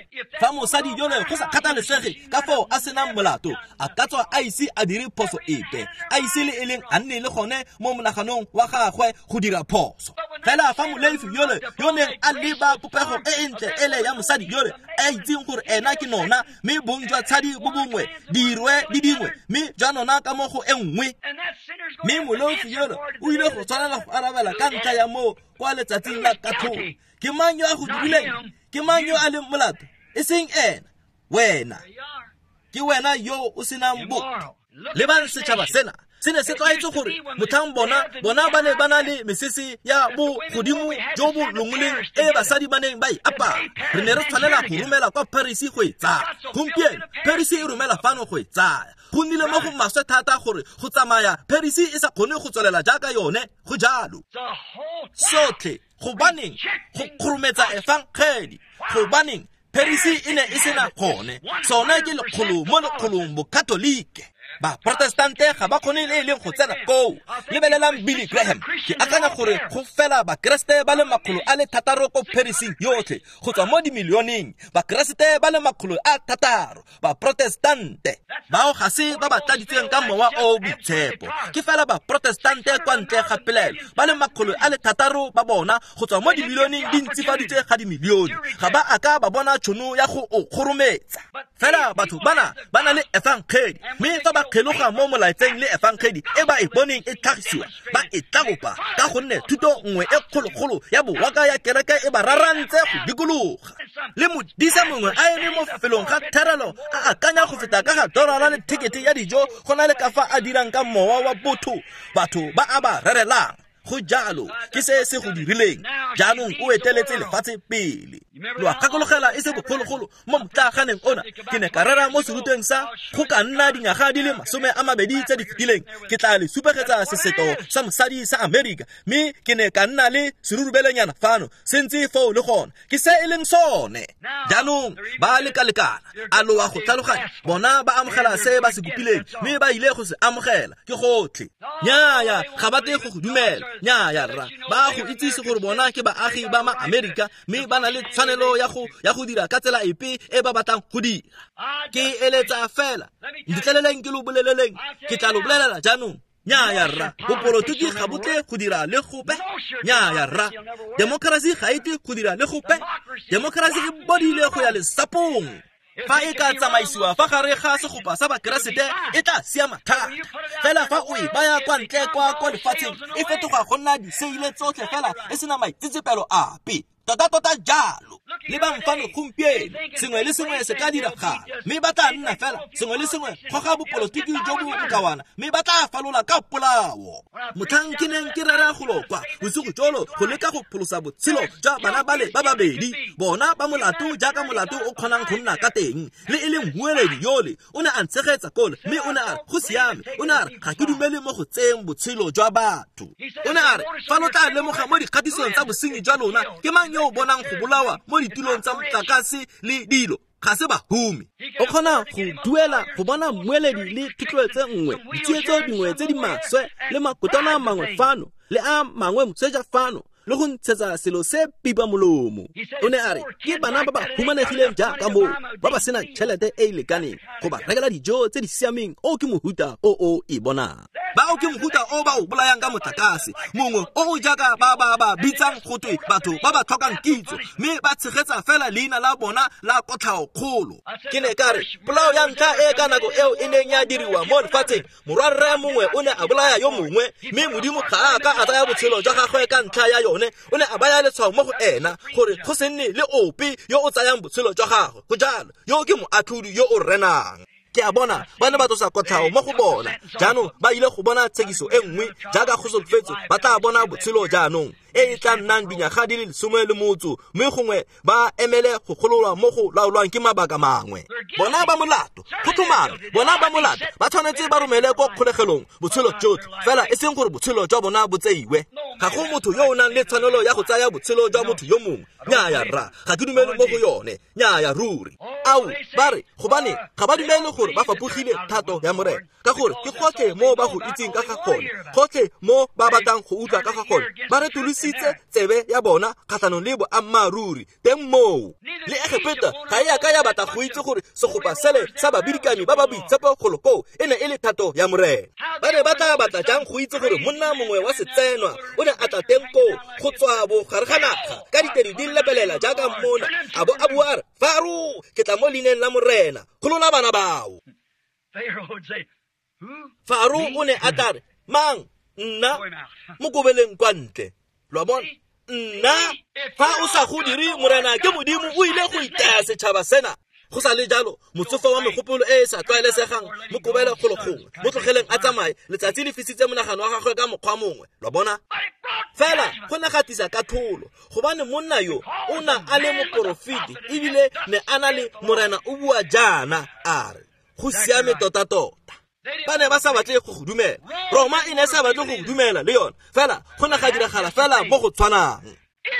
Fa mosadi yole go sa kgathalesege ka foo a senang molato, a ka tswa a ise a dire phoso epe, a ise le e leng a nne le gone mo monaganong wa gagwe go dira phoso. Fela fa molefi yole yo neng a leba popego e e ntle ele ya mosadi yole, a itseng gore ena ke nona, mme bong jwa tshadi bo bongwe dirwe di dingwe, mme jwa nona ka mo go e nngwe, mme molefi yole o ile go tshwanela go arabela ka ntlha ya moo kwa letsatsing la katlholo. Ke mang yo a go dirileng? Ke mang yo a leng molato? E seng ena, wena. Ke wena yo o senang botho. Lebang setšhaba sena se ne se tlwaetse gore motlhang bona bona ba ne ba na le mesese ya bo godimo jo bo longoleng e basadi ba neng ba e apara. Re ne re tshwanela go romela kwa Paris go e tsaya. Gompieno Paris e romela fano go e tsaya. Go nnile mo go maswe thata gore go tsamaya Paris e sa kgone go tswelela jaaka yone, go jalo. Sotlhe Gobaneng go kgorometsa efangedi? Gobaneng Paris e ne e sena gone? Sone ke lekgolo mo lekgolong bokatolike. Ba protestante ga ba kgone le e leng go tsena koo. Lebelelang Billy Graham. Ke akanya gore go fela bakeresete ba le makgolo a le thataro ko Parising yotlhe, go tswa mo dimilioneng. Bakeresete ba le makgolo a thataro, ba protestante. Bao ga se ba ba tladitsweng ka mowa o o boitshepo. Ke fela ba protestante kwa ntle ga pelaelo. Ba le makgolo a le thataro ba bona go tswa mo dimilioneng di ntsifaditswe ga dimilione. Ga ba aka ba bona tšhono ya go o kgorometsa. Fela batho bana ba na le efangedi, mme fa ba kgeloga mo molaetseng le efangedi e ba e boneng e tlhagisiwa, ba e tlabopa ka gonne thuto nngwe e kgologolo ya bowaka ya kereke e ba rarantse go dikologa. Le modisa mongwe a eme mo felong ga therelo a akanya go feta ka ga dorara le thekete ya dijo go na le ka fa a dirang ka mowa wa botho batho ba a ba rerelang. Go jalo ke se se go dirileng. Jaanong o eteletse lefatshe pele. Lo a gakologela e se bogologolo mo motlaganeng ona ke ne ka rera mo serutweng sa go ka nna dinyaga di le masome a mabedi tse di fetileng. Ke tla le supegetsa seseto sa mosadi sa Amerika, mme ke ne ka nna le serurubelenyana fano se ntse foo le gona. Ke se e leng sone. Jaanong ba lekalekana, a lo a go tlhaloganya? Bona ba amogela se ba se kopileng, mme ba ile go se amogela. Ke gotlhe. Nnyaya, ga ba tle go go dumela. Nnyaya rra, ba go itsise gore bona ke baagi ba ma-Amerika, mme ba na le tshwanelo ya go ya go dira ka tsela epe e ba batlang go dira. Ke eletsa fela, ntleleleng ke lo boleleleng, ke tla lo bolelela jaanong. Nnyaya rra, bopolotiki ga bo tle go dira le gope. Nnyaya rra, demokrasi ga e tle go dira le gope. Demokrasi e bodile go ya lesapong. Fa e ka tsamaisiwa fa gare ga segopa sa bakeresete e tla siama thata. Fela fa o e baya kwa ntle kwa kwa lefatsheng e fetoga go nna diseile tsotlhe fela e sena maitsetsepelo ape. Tota tota jalo. Lebang fano gompieno, sengwe le sengwe se ka diragala, mme ba tla nna fela sengwe le sengwe goga bopolotiki jo bo bokawana, mme ba tla falola ka polao. Motlhang ke neng ke rera golo kwa bosigo jolo go leka go pholosa botshelo jwa bana ba le ba babedi, bona ba molato jaaka molato o kgonang go nna ka teng. Le e leng mmueledi yole o ne a ntshegetsa kole, mme o ne a re go siame. O ne a re ga ke dumele mo go tseyeng botshelo jwa batho. O ne a re fa lo tla lemoga mo dikgatisong tsa bosenyi jwa lona, ke mang yo o bonang go bolawa mo ditulong tsa motlakase le dilo? Ga se bahumi. O kgona go duela go bona mmueledi le thotloetso nngwe, ditsietso dingwe tse di maswe le makotwana a mangwe fano le a mangwe moseja fano, le go ntshetsa selo se pipa molomo. O ne a re ke bana ba ba humanegileng jaaka moo, ba ba senang tšhelete e e lekaneng go ba rekela dijo tse di siameng. O ke mohuta o o e bonang. Bao ke mohuta o ba o bolayang ka motlakase, mongwe o o jaaka ba ba ba bitsang go twe batho ba ba tlhokang kitso, mme ba tshegetsa fela leina la bona la kotlhao kgolo. Ke ne ka re polao ya ntlha e ka nako eo e neng ya diriwa mo lefatsheng, morwarre mongwe o ne a bolaya yo mongwe, mme Modimo ga a ka a tsaya botshelo jwa gagwe ka ntlha ya yone. O ne a baya letshwao mo go ena gore go se nne le ope yo o tsayang botshelo jwa gagwe. Go jalo, yo ke moatlhodi yo o renang. Ke a bona ba ne ba tlosa kotlhao mo go bona. Jaanong ba ile go bona tshekiso e nngwe jaaka go solofetswe, ba tla bona botshelo jaanong e e tla nnang dinyaga di le lesome le motso, mme gongwe ba emele go gololwa mo go laolwang ke mabaka mangwe. Bona ba molato, go tlhomame, bona ba molato ba tshwanetse ba romele ko kgolegelong botshelo jotlhe, fela e seng gore botshelo jwa bona bo tseiwe. Ga go motho yo o nang le tshwanelo ya go tsaya botshelo jwa motho yo mongwe. Nnyaya rra, ga ke dumele mo go yone. Nnyaya ruri. Ao, ba re gobane ga ba dumele gore ba fapogile thato ya Morena, ka gore ke gotlhe mo ba go itseng ka ga gone, gotlhe mo ba batlang go utlwa ka ga gone. Ba retolositse tsebe ya bona kgatlhanong le boammaaruri teng moo. Le Egepeta ga e a ka ya batla go itse gore segopa sele sa babidikami ba ba boitshepo golo koo e ne e le thato ya Morena. Ba ne ba tla batla jang go itse gore monna mongwe wa setsenwa o ne a tla teng koo go tswa bogare ga naga ka ditedi di lebelela jaaka mmona, a bo a bua a re, Faro, ke tla mo leineng la Morena, golola bana bao. Faro o ne a tla re, mang? Nna? Mo kobeleng kwa ntle. Lo a bona? Nna? Fa o sa go dire, Morena ke Modimo, o ile go itaya setšhaba sena. Go sa le jalo, motsofe wa megopolo e e sa tlwaelesegang mo kobele golo gongwe, mo tlogeleng a tsamaye, letsatsi le fisitse monagano wa gagwe ka mokgwa mongwe. Lo bona? Fela go ne ga tlisa katlholo, gobane monna yo o na a le moporofeti, ebile ne a na le Morena o bua jaana a re go siame tota-tota. Ba ne ba sa batle go go dumela. Roma e ne sa batle go go dumela le yone, fela go ne ga diragala fela mo go tshwanang.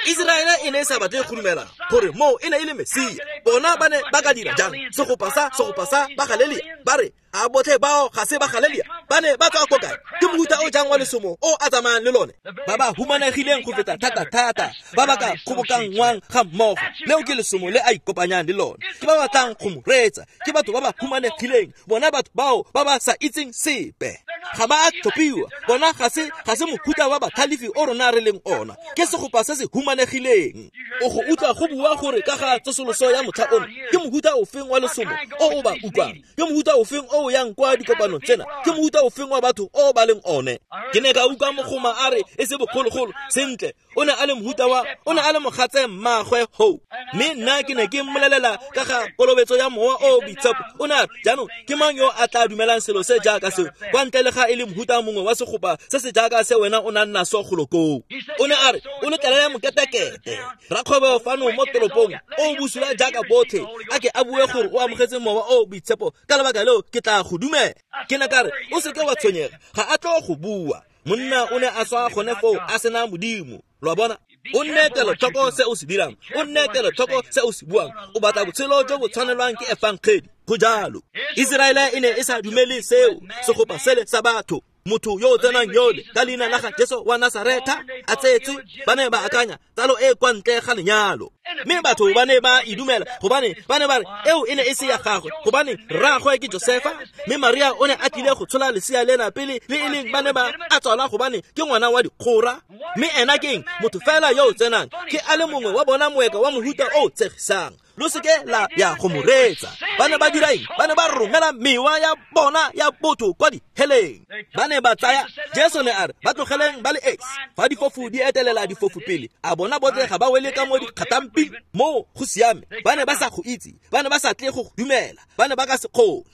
Iseraele e ne e sa batle go dumela gore moo e ne e le Mesia. Bona ba ne ba ka dira jang? Segopa sa segopa sa ba Galelia ba re a botlhe bao ga se ba Galelia, ba ne ba tswa ko kae? Ke mohuta o jang wa lesomo o a tsamayang le lone? Ba ba humanegileng go feta thata-thata, ba ba ka kgobokanngwang ga mmogo. Leo ke lesomo le a ikopanyang le lone. Ke ba batlang go mo reetsa, ke batho ba ba humanegileng, bona batho bao ba ba sa itseng sepe. Ga ba a tlhophiwa, bona ga se ga se mohuta wa batlhalefi o rona re leng ona. Ke segopa se se humanegileng. O go utlwa go bua gore ka ga tsosoloso ya motlha ono, ke mohuta ofeng wa lesomo o o ba utlwang? Ke mohuta ofeng o o yang kwa dikopanong tsena? Ke mohuta ofeng wa batho o ba leng one? Ke ne ka utlwa mogoma a re e se bogologolo sentle, o ne a le mohuta wa o ne a le mogatse mmaagwe ho. Mme nna ke ne ke mmolelela ka ga kolobetso ya mowa o boitshepo. O ne a re, jaanong ke mang yo a tla dumelang selo se jaaka seo kwa ntle le ga e le mohuta mongwe wa segopa se se jaaka se wena o nang naso golo koo? O ne a re, o letlelele moketekete rakgwebo fano mo toropong o bosula jaaka botlhe, a ke a bue gore o amogetse mowa o boitshepo, ka lebaka leo ke tla go dumela. Ke ne ka re, o seke wa tshwenyega, ga a tlo go bua. Monna o ne a swa gone foo a sena Modimo. Lo a bona? O nne kelotlhoko se o se dirang, o nne kelotlhoko se o se buang. O batla botshelo jo bo tshwanelwang ke efangedi. Go jalo. Iseraele e ne e sa dumele seo, segopa sele sa batho. Motho yo o tsenang yole ka leina la ga Jesu wa Nasaretha a tsetswe, ba ne ba akanya tsalo e kwa ntle ga lenyalo. Mme batho ba ne ba e dumela gobane ba ne ba re eo e ne e se ya gagwe, gobane rraagwe ke Josefa, mme Maria o ne a tlile go tshola lesea lena pele le e leng ba ne ba a tswala gobane ke ngwana wa dikgora. Mme ena ke eng? Motho fela yo o tsenang ke a le mongwe wa bona moeka wa mohuta o o tshegisang. Lo seke la ya go mo reetsa. Ba ne ba dira eng? Ba ne ba romela mewa ya bona ya botho kwa diheleng. Ba ne ba tsaya Jesu ne a re ba tlogeleng ba le esi. Fa difofu di etelela difofu pele, a bona botlhe ga ba wele ka mo dikgatamping. Moo go siame. Ba ne ba sa go itse, ba ne ba sa tle go dumela, ba ne ba ka se kgone.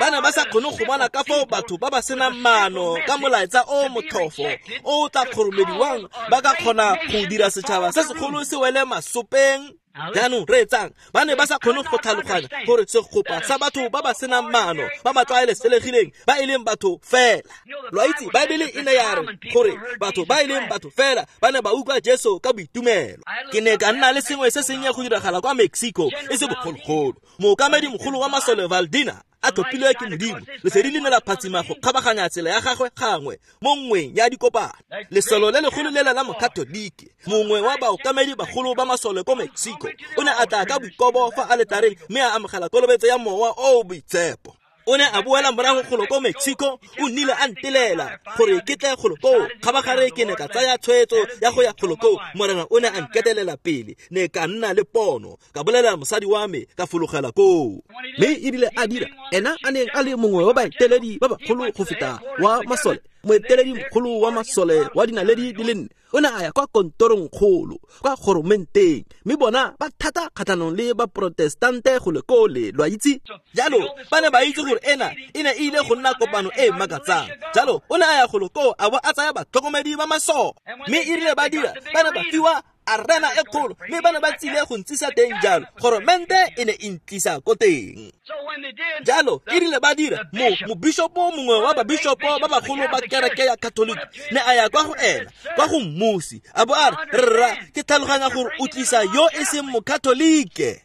Ba ne ba sa kgone go bona ka foo batho ba ba senang maano ka molaetsa o motlhofo o tla kgoromediwang ba ka kgona go dira setšhaba se segolo se wele masopeng. Jaanong reetsang, ba ne ba sa kgone go tlhaloganya gore segopa sa batho ba ba senang maano, ba ba tlwaelesegileng, ba e leng batho fela. Lo a itse, Baebele e ne ya re gore batho ba e leng batho fela ba ne ba utlwa Jesu ka boitumelo. Ke ne ka nna le sengwe se sennye go diragala kwa Mexico e se bogologolo. Mookamedi mogolo wa masole Valdina a tlhophilwe ke Modimo, lesedi le ne la phatsima go kgabaganya tsela ya gagwe gangwe mo nngweng ya dikopano. Lesolo le legolo lela la Mokatolike, mongwe wa baokamedi bagolo ba masole ko Mexico, o ne a tla ka boikobo fa aletareng mme a amogela kolobetso ya mowa o o boitshepo. O ne a boela morago golo ko Mexico, o nnile a ntelela gore ke tle golo koo. Kgabagare ke ne ka tsaya tshwetso ya go ya golo koo. Morena o ne a nketelela pele, ne ka nna le pono, ka bolela mosadi wa me, ka fologela koo. Mme ebile a dira ena a neng a le mongwe wa baeteledi ba bagolo go feta wa masole, moeteledi mogolo wa masole wa dinaledi di le nne, o ne a ya kwa kontorong kgolo kwa goromenteng, mme bona ba thata kgatlhanong le ba protestante go le kole, lo a itse. Jalo ba ne ba itse gore ena e ne e ile go nna kopano e e makatsang. Jalo o ne a ya golo koo a bo a tsaya batlhokomedi ba masole, mme e rile ba dira ba ne ba fiwa arena e kgolo, mme ba ne ba tsile go ntsisa teng. Jalo goromente e ne e ntlisa ko teng. Jalo e rile ba dira mo mobishopo mongwe wa babishopo ba bagolo ba kereke ya Catholic ne a ya kwa go ena kwa go mmusi, a bo a re, rra ke tlhaloganya gore o tlisa yo e seng mokatolike.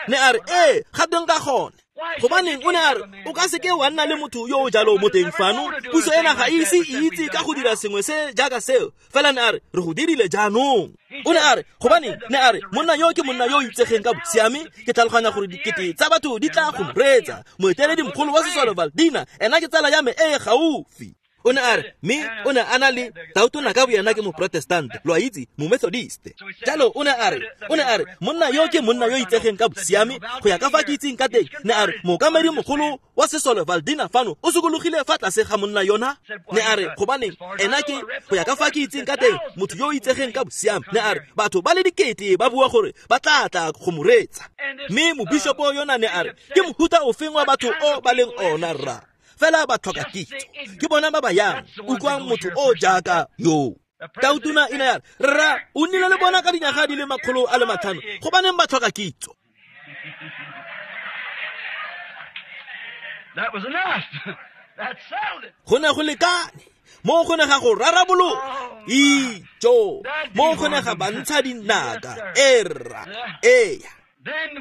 Ne a re, ee ga teng ka gone. Gobaneng o ne a re o ka seke wa nna le motho yo o jalo mo teng fano, puso ena ga ise e itse ka go dira sengwe se jaaka seo. Fela ne a re re go dirile jaanong. O ne a re gobaneng, ne a re monna yo ke monna yo o itsegeng ka bosiame, ke tlhaloganya gore dikete tsa batho di tla go mo reetsa. Moeteledi mogolo wa sesole Valdina ena ke tsala ya me e e gaufi. O ne a re, mme o ne a na le tautona ka boyena ke moprotestante, lo a itse, momethodiste. Jalo o ne a re, o ne a re monna yo ke monna yo itsegeng ka bosiame, go ya ka fa ke itseng ka teng. Ne a re mookamedi mogolo wa sesole Valdina fano o sokologile fa tlase ga monna yona. Ne a re gobaneng ena ke go ya ka fa ke itseng ka teng motho yo o itsegeng ka bosiame. Ne a re batho ba le dikete ba bua gore ba tla tla go mo reetsa. Mme mobishopo yona ne a re ke mohuta ofeng wa batho o ba leng ona rra? Fela ba tlhoka kitso, ke bona ba ba yang utlwang motho o jaaka yo. Tautona e ne ya re, rra o nnile le bona ka dinyaga di le makgolo a le matlhano, gobaneng ba tlhoka kitso? Go ne go lekane. Mo go ne ga go rarabologa. Ijo, mo go ne ga bantsha dinaka. Erra, eya.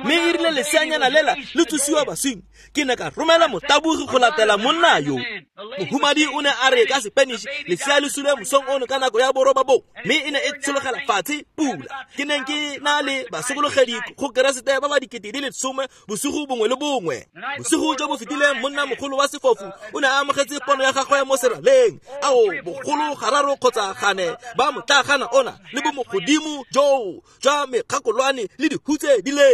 Mme e rile leseanyana lela le tsosiwa baswing, ke ne ka romela motabogi go latela monna yo. Mohumadi o ne a re ka Spanish, lesea le sule mosong ono ka nako ya borobabong, mme e ne e tshologela fatshe pula. Ke neng ke na le basokologedi go Keresete ba ba dikete di le some bosigo bongwe le bongwe. Bosigo jo bo fetileng monna mogolo wa sefofu o ne a amogetse pono ya gagwe mo seraleng. Ao, bogolo gararo kgotsa gane ba motlagana ona le bo mogodimo joo jwa mekgakolwane le dihutse di le.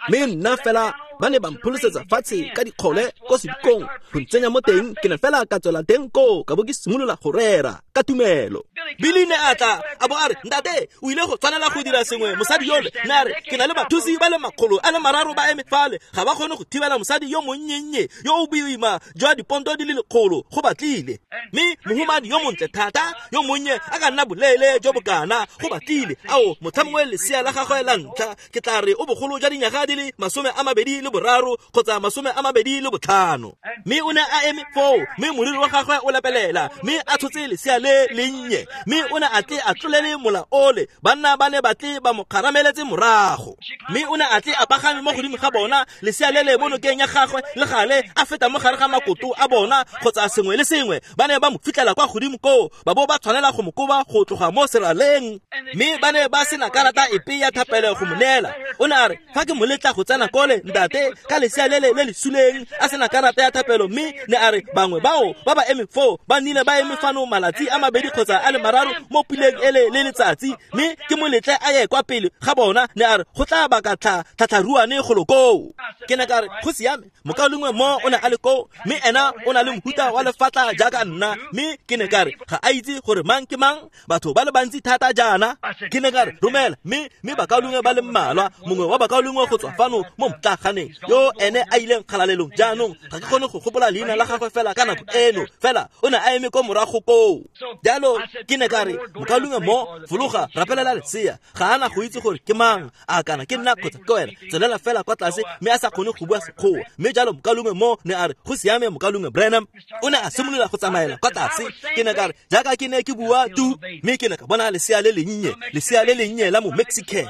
Mme nna fela ba ne ba mpholosetsa fatshe ka dikgole ko sedikong go ntsenya mo teng. Ke ne fela ka tswela teng koo ka bo ke simolola go rera ka tumelo. Billy ne a tla a bo a re, ntate o ile go tshwanela go dira sengwe mosadi yole. Ne a re, ke na le bathusi ba le makgolo a le mararo ba eme fale, ga ba kgone go thibela mosadi yo monnye yo o boima jwa diponto di le lekgolo go batlile. Mme mohumadi yo montle thata yo monnye a ka nna boleele jo bokana go batlile. Ao, motlha mongwe lesea la gagwe la ntlha ke tla re o bogolo jwa dinyaga di le masome a mabedi le boraro kgotsa masome a mabedi le botlhano. Mme o ne a eme foo, mme moriri wa gagwe o lepelela, mme a tshotse lesea le lennye, mme o ne a tle a tlolele mola ole. Banna ba ne ba tle ba mo kgarameletse morago, mme o ne a tle a pagame mo godimo ga bona, lesea le le mo nokeng ya gagwe le gale a feta mo gare ga makoto a bona kgotsa sengwe le sengwe. Ba ne ba mo fitlhela kwa godimo koo, ba bo ba tshwanela go mo koba go tloga mo seraleng, mme ba ne ba sena karata epe ya thapelo go mo neela. O ne a re, fa ke mo letla go tsena kole ntate ka lesea le le le le suleng a sena karata ya thapelo, mme ne a re bangwe bao ba ba eme foo ba nnile ba eme fano malatsi a mabedi kgotsa a le mararo mo puleng ele le letsatsi, mme ke mo letle a ye kwa pele ga bona. Ne a re go tla baka tlha tlhatlharuane golo koo. Ke ne ka re go siame, mokaulengwe mo o ne a le koo, mme ena o na le mohuta wa lefatla jaaka nna. Mme ke ne ka re ga a itse gore mang ke mang, batho ba le bantsi thata jaana. Ke ne ka re romela mme mme bakaulengwe ba le mmalwa, mongwe wa bakaulengwe go tswa fano mo motlaganeng yo ene a ileng kgalalelong jaanong, ga ke kgone go gopola leina la gagwe fela ka nako eno, fela o ne a eme ko morago koo. Jalo ke ne ka re mokaulengwe mo fologa rapelela lesea, ga ana go itse gore ke mang, a kana ke nna kgotsa ke wena, tswelela fela kwa tlase. Mme a sa kgone go bua Sekgowa. Mme jalo mokaulengwe mo ne a re go siame mokaulengwe Branham. O ne a simolola go tsamaela kwa tlase. Ke ne ka re jaaka ke ne ke bua tu, mme ke ne ka bona lesea le lennye, lesea le lennye la mo Mexican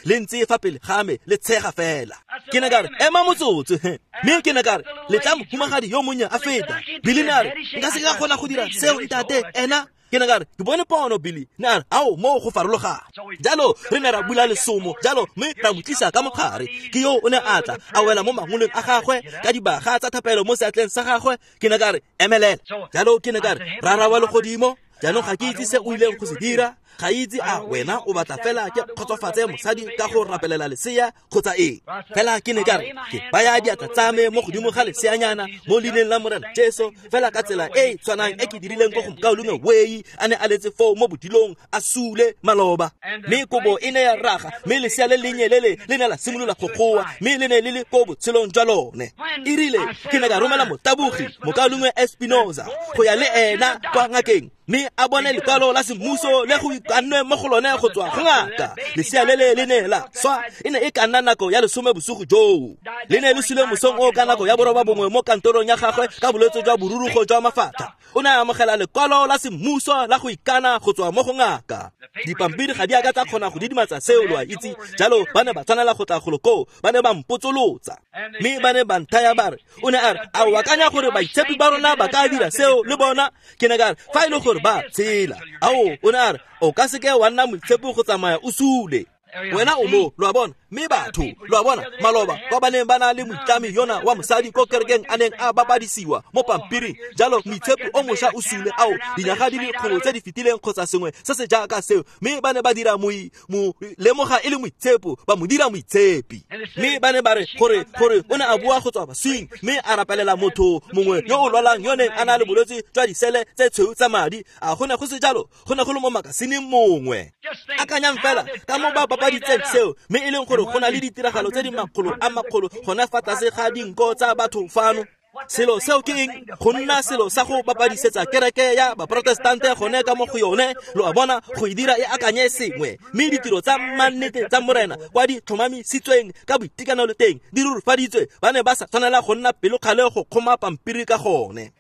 le ntse fa pele ga me le tshega fela. Ke ne ka re ema motsotso, mme ke ne ka re letla mohumagadi yo monnye a feta. Billy ne a re nka se ka kgona go dira seo ntate ena. Ke ne ka re ke bone pono Billy. Ne a re ao mo go farologana. Jalo re ne ra bula lesomo jalo, mme ra mo tlisa ka mogare. Ke yo o ne a tla a wela mo mangoleng a gagwe ka dibaga tsa thapelo mo seatleng sa gagwe. Ke ne ka re emelela. Jalo ke ne ka re rara wa legodimo, jaanong ga ke itse se o ileng go se dira, ga itse a wena o batla fela ke kgotsofatse mosadi ka go rapelela lesea kgotsa eng. Fela ke ne ka re ke baya diatla tsa me mo godimo ga leseanyana mo leineng la Morena Jesu, fela ka tsela e e tshwanang e ke dirileng ko go mokaulengwe Wei a ne a letse foo mo bodilong a sule maloba. Mme kobo e ne ya raga, mme lesea le lennye le le le ne la simolola go goa, mme le ne le le ko botshelong jwa lone. E rile ke ne ka romela motabogi mokaulengwe Espinoza go ya le ena kwa ngakeng, mme a bone lekwalo la semmuso le go ikannwe mo go lone go tswa go ngaka. Lesea le le le ne la swa, e ne e ka nna nako ya lesome bosigo joo. Le ne le sule mosong o ka nako ya boroba bongwe mo kantorong ya gagwe ka bolwetse jwa borurugo jwa mafatlha. O ne a amogela lekwalo la semmuso la go ikana go tswa mo go ngaka. Dipampiri ga di a ka tsa kgona go didimatsa seo, lo a itse. Jalo ba ne ba tshwanela go tla golo koo, ba ne ba mpotsolotsa, mme ba ne ba nthaya ba re, o ne a re a o akanya gore baitshepi ba rona ba ka dira seo le bona? Ke ne ka re fa e le gore ba tshela. Ao, o ne a re o ka seke wa nna moitshepi go tsamaya o sule. Wena o mo, lo a bona. Mme batho, lo a bona, maloba kwa ba neng ba na le moitlami yona wa mosadi ko kerekeng a neng a bapadisiwa mo pampiring. Jalo moitshepi o mošwa o sule, ao, dinyaga di le kgolo tse di fetileng kgotsa sengwe se se jaaka seo, mme ba ne ba dira moi mo lemoga e le moitshepo, ba mo dira moitshepi. Mme ba ne ba re gore gore o ne a bua go tswa baswing, mme a rapelela motho mongwe yo o lwalang yo neng a na le bolwetse jwa disele tse tshweu tsa madi. A go ne go se jalo? Go ne go le mo makasineng mongwe. Akanyang fela ka mo ba bapaditseng seo, mme e leng gore go na le ditiragalo tse di makgolo a makgolo gona fa tlase ga dinko tsa batho fano. Selo seo ke eng? Go nna selo sa go bapadisetsa kereke ya baprotestante gone ka mo go yone, lo a bona, go e dira e akanye sengwe. Mme ditiro tsa mannete tsa Morena kwa di tlhomamisitsweng ka boitekanelo teng di rurifaditswe, ba ne ba sa tshwanela go nna pelokgale go kgoma pampiri ka gone.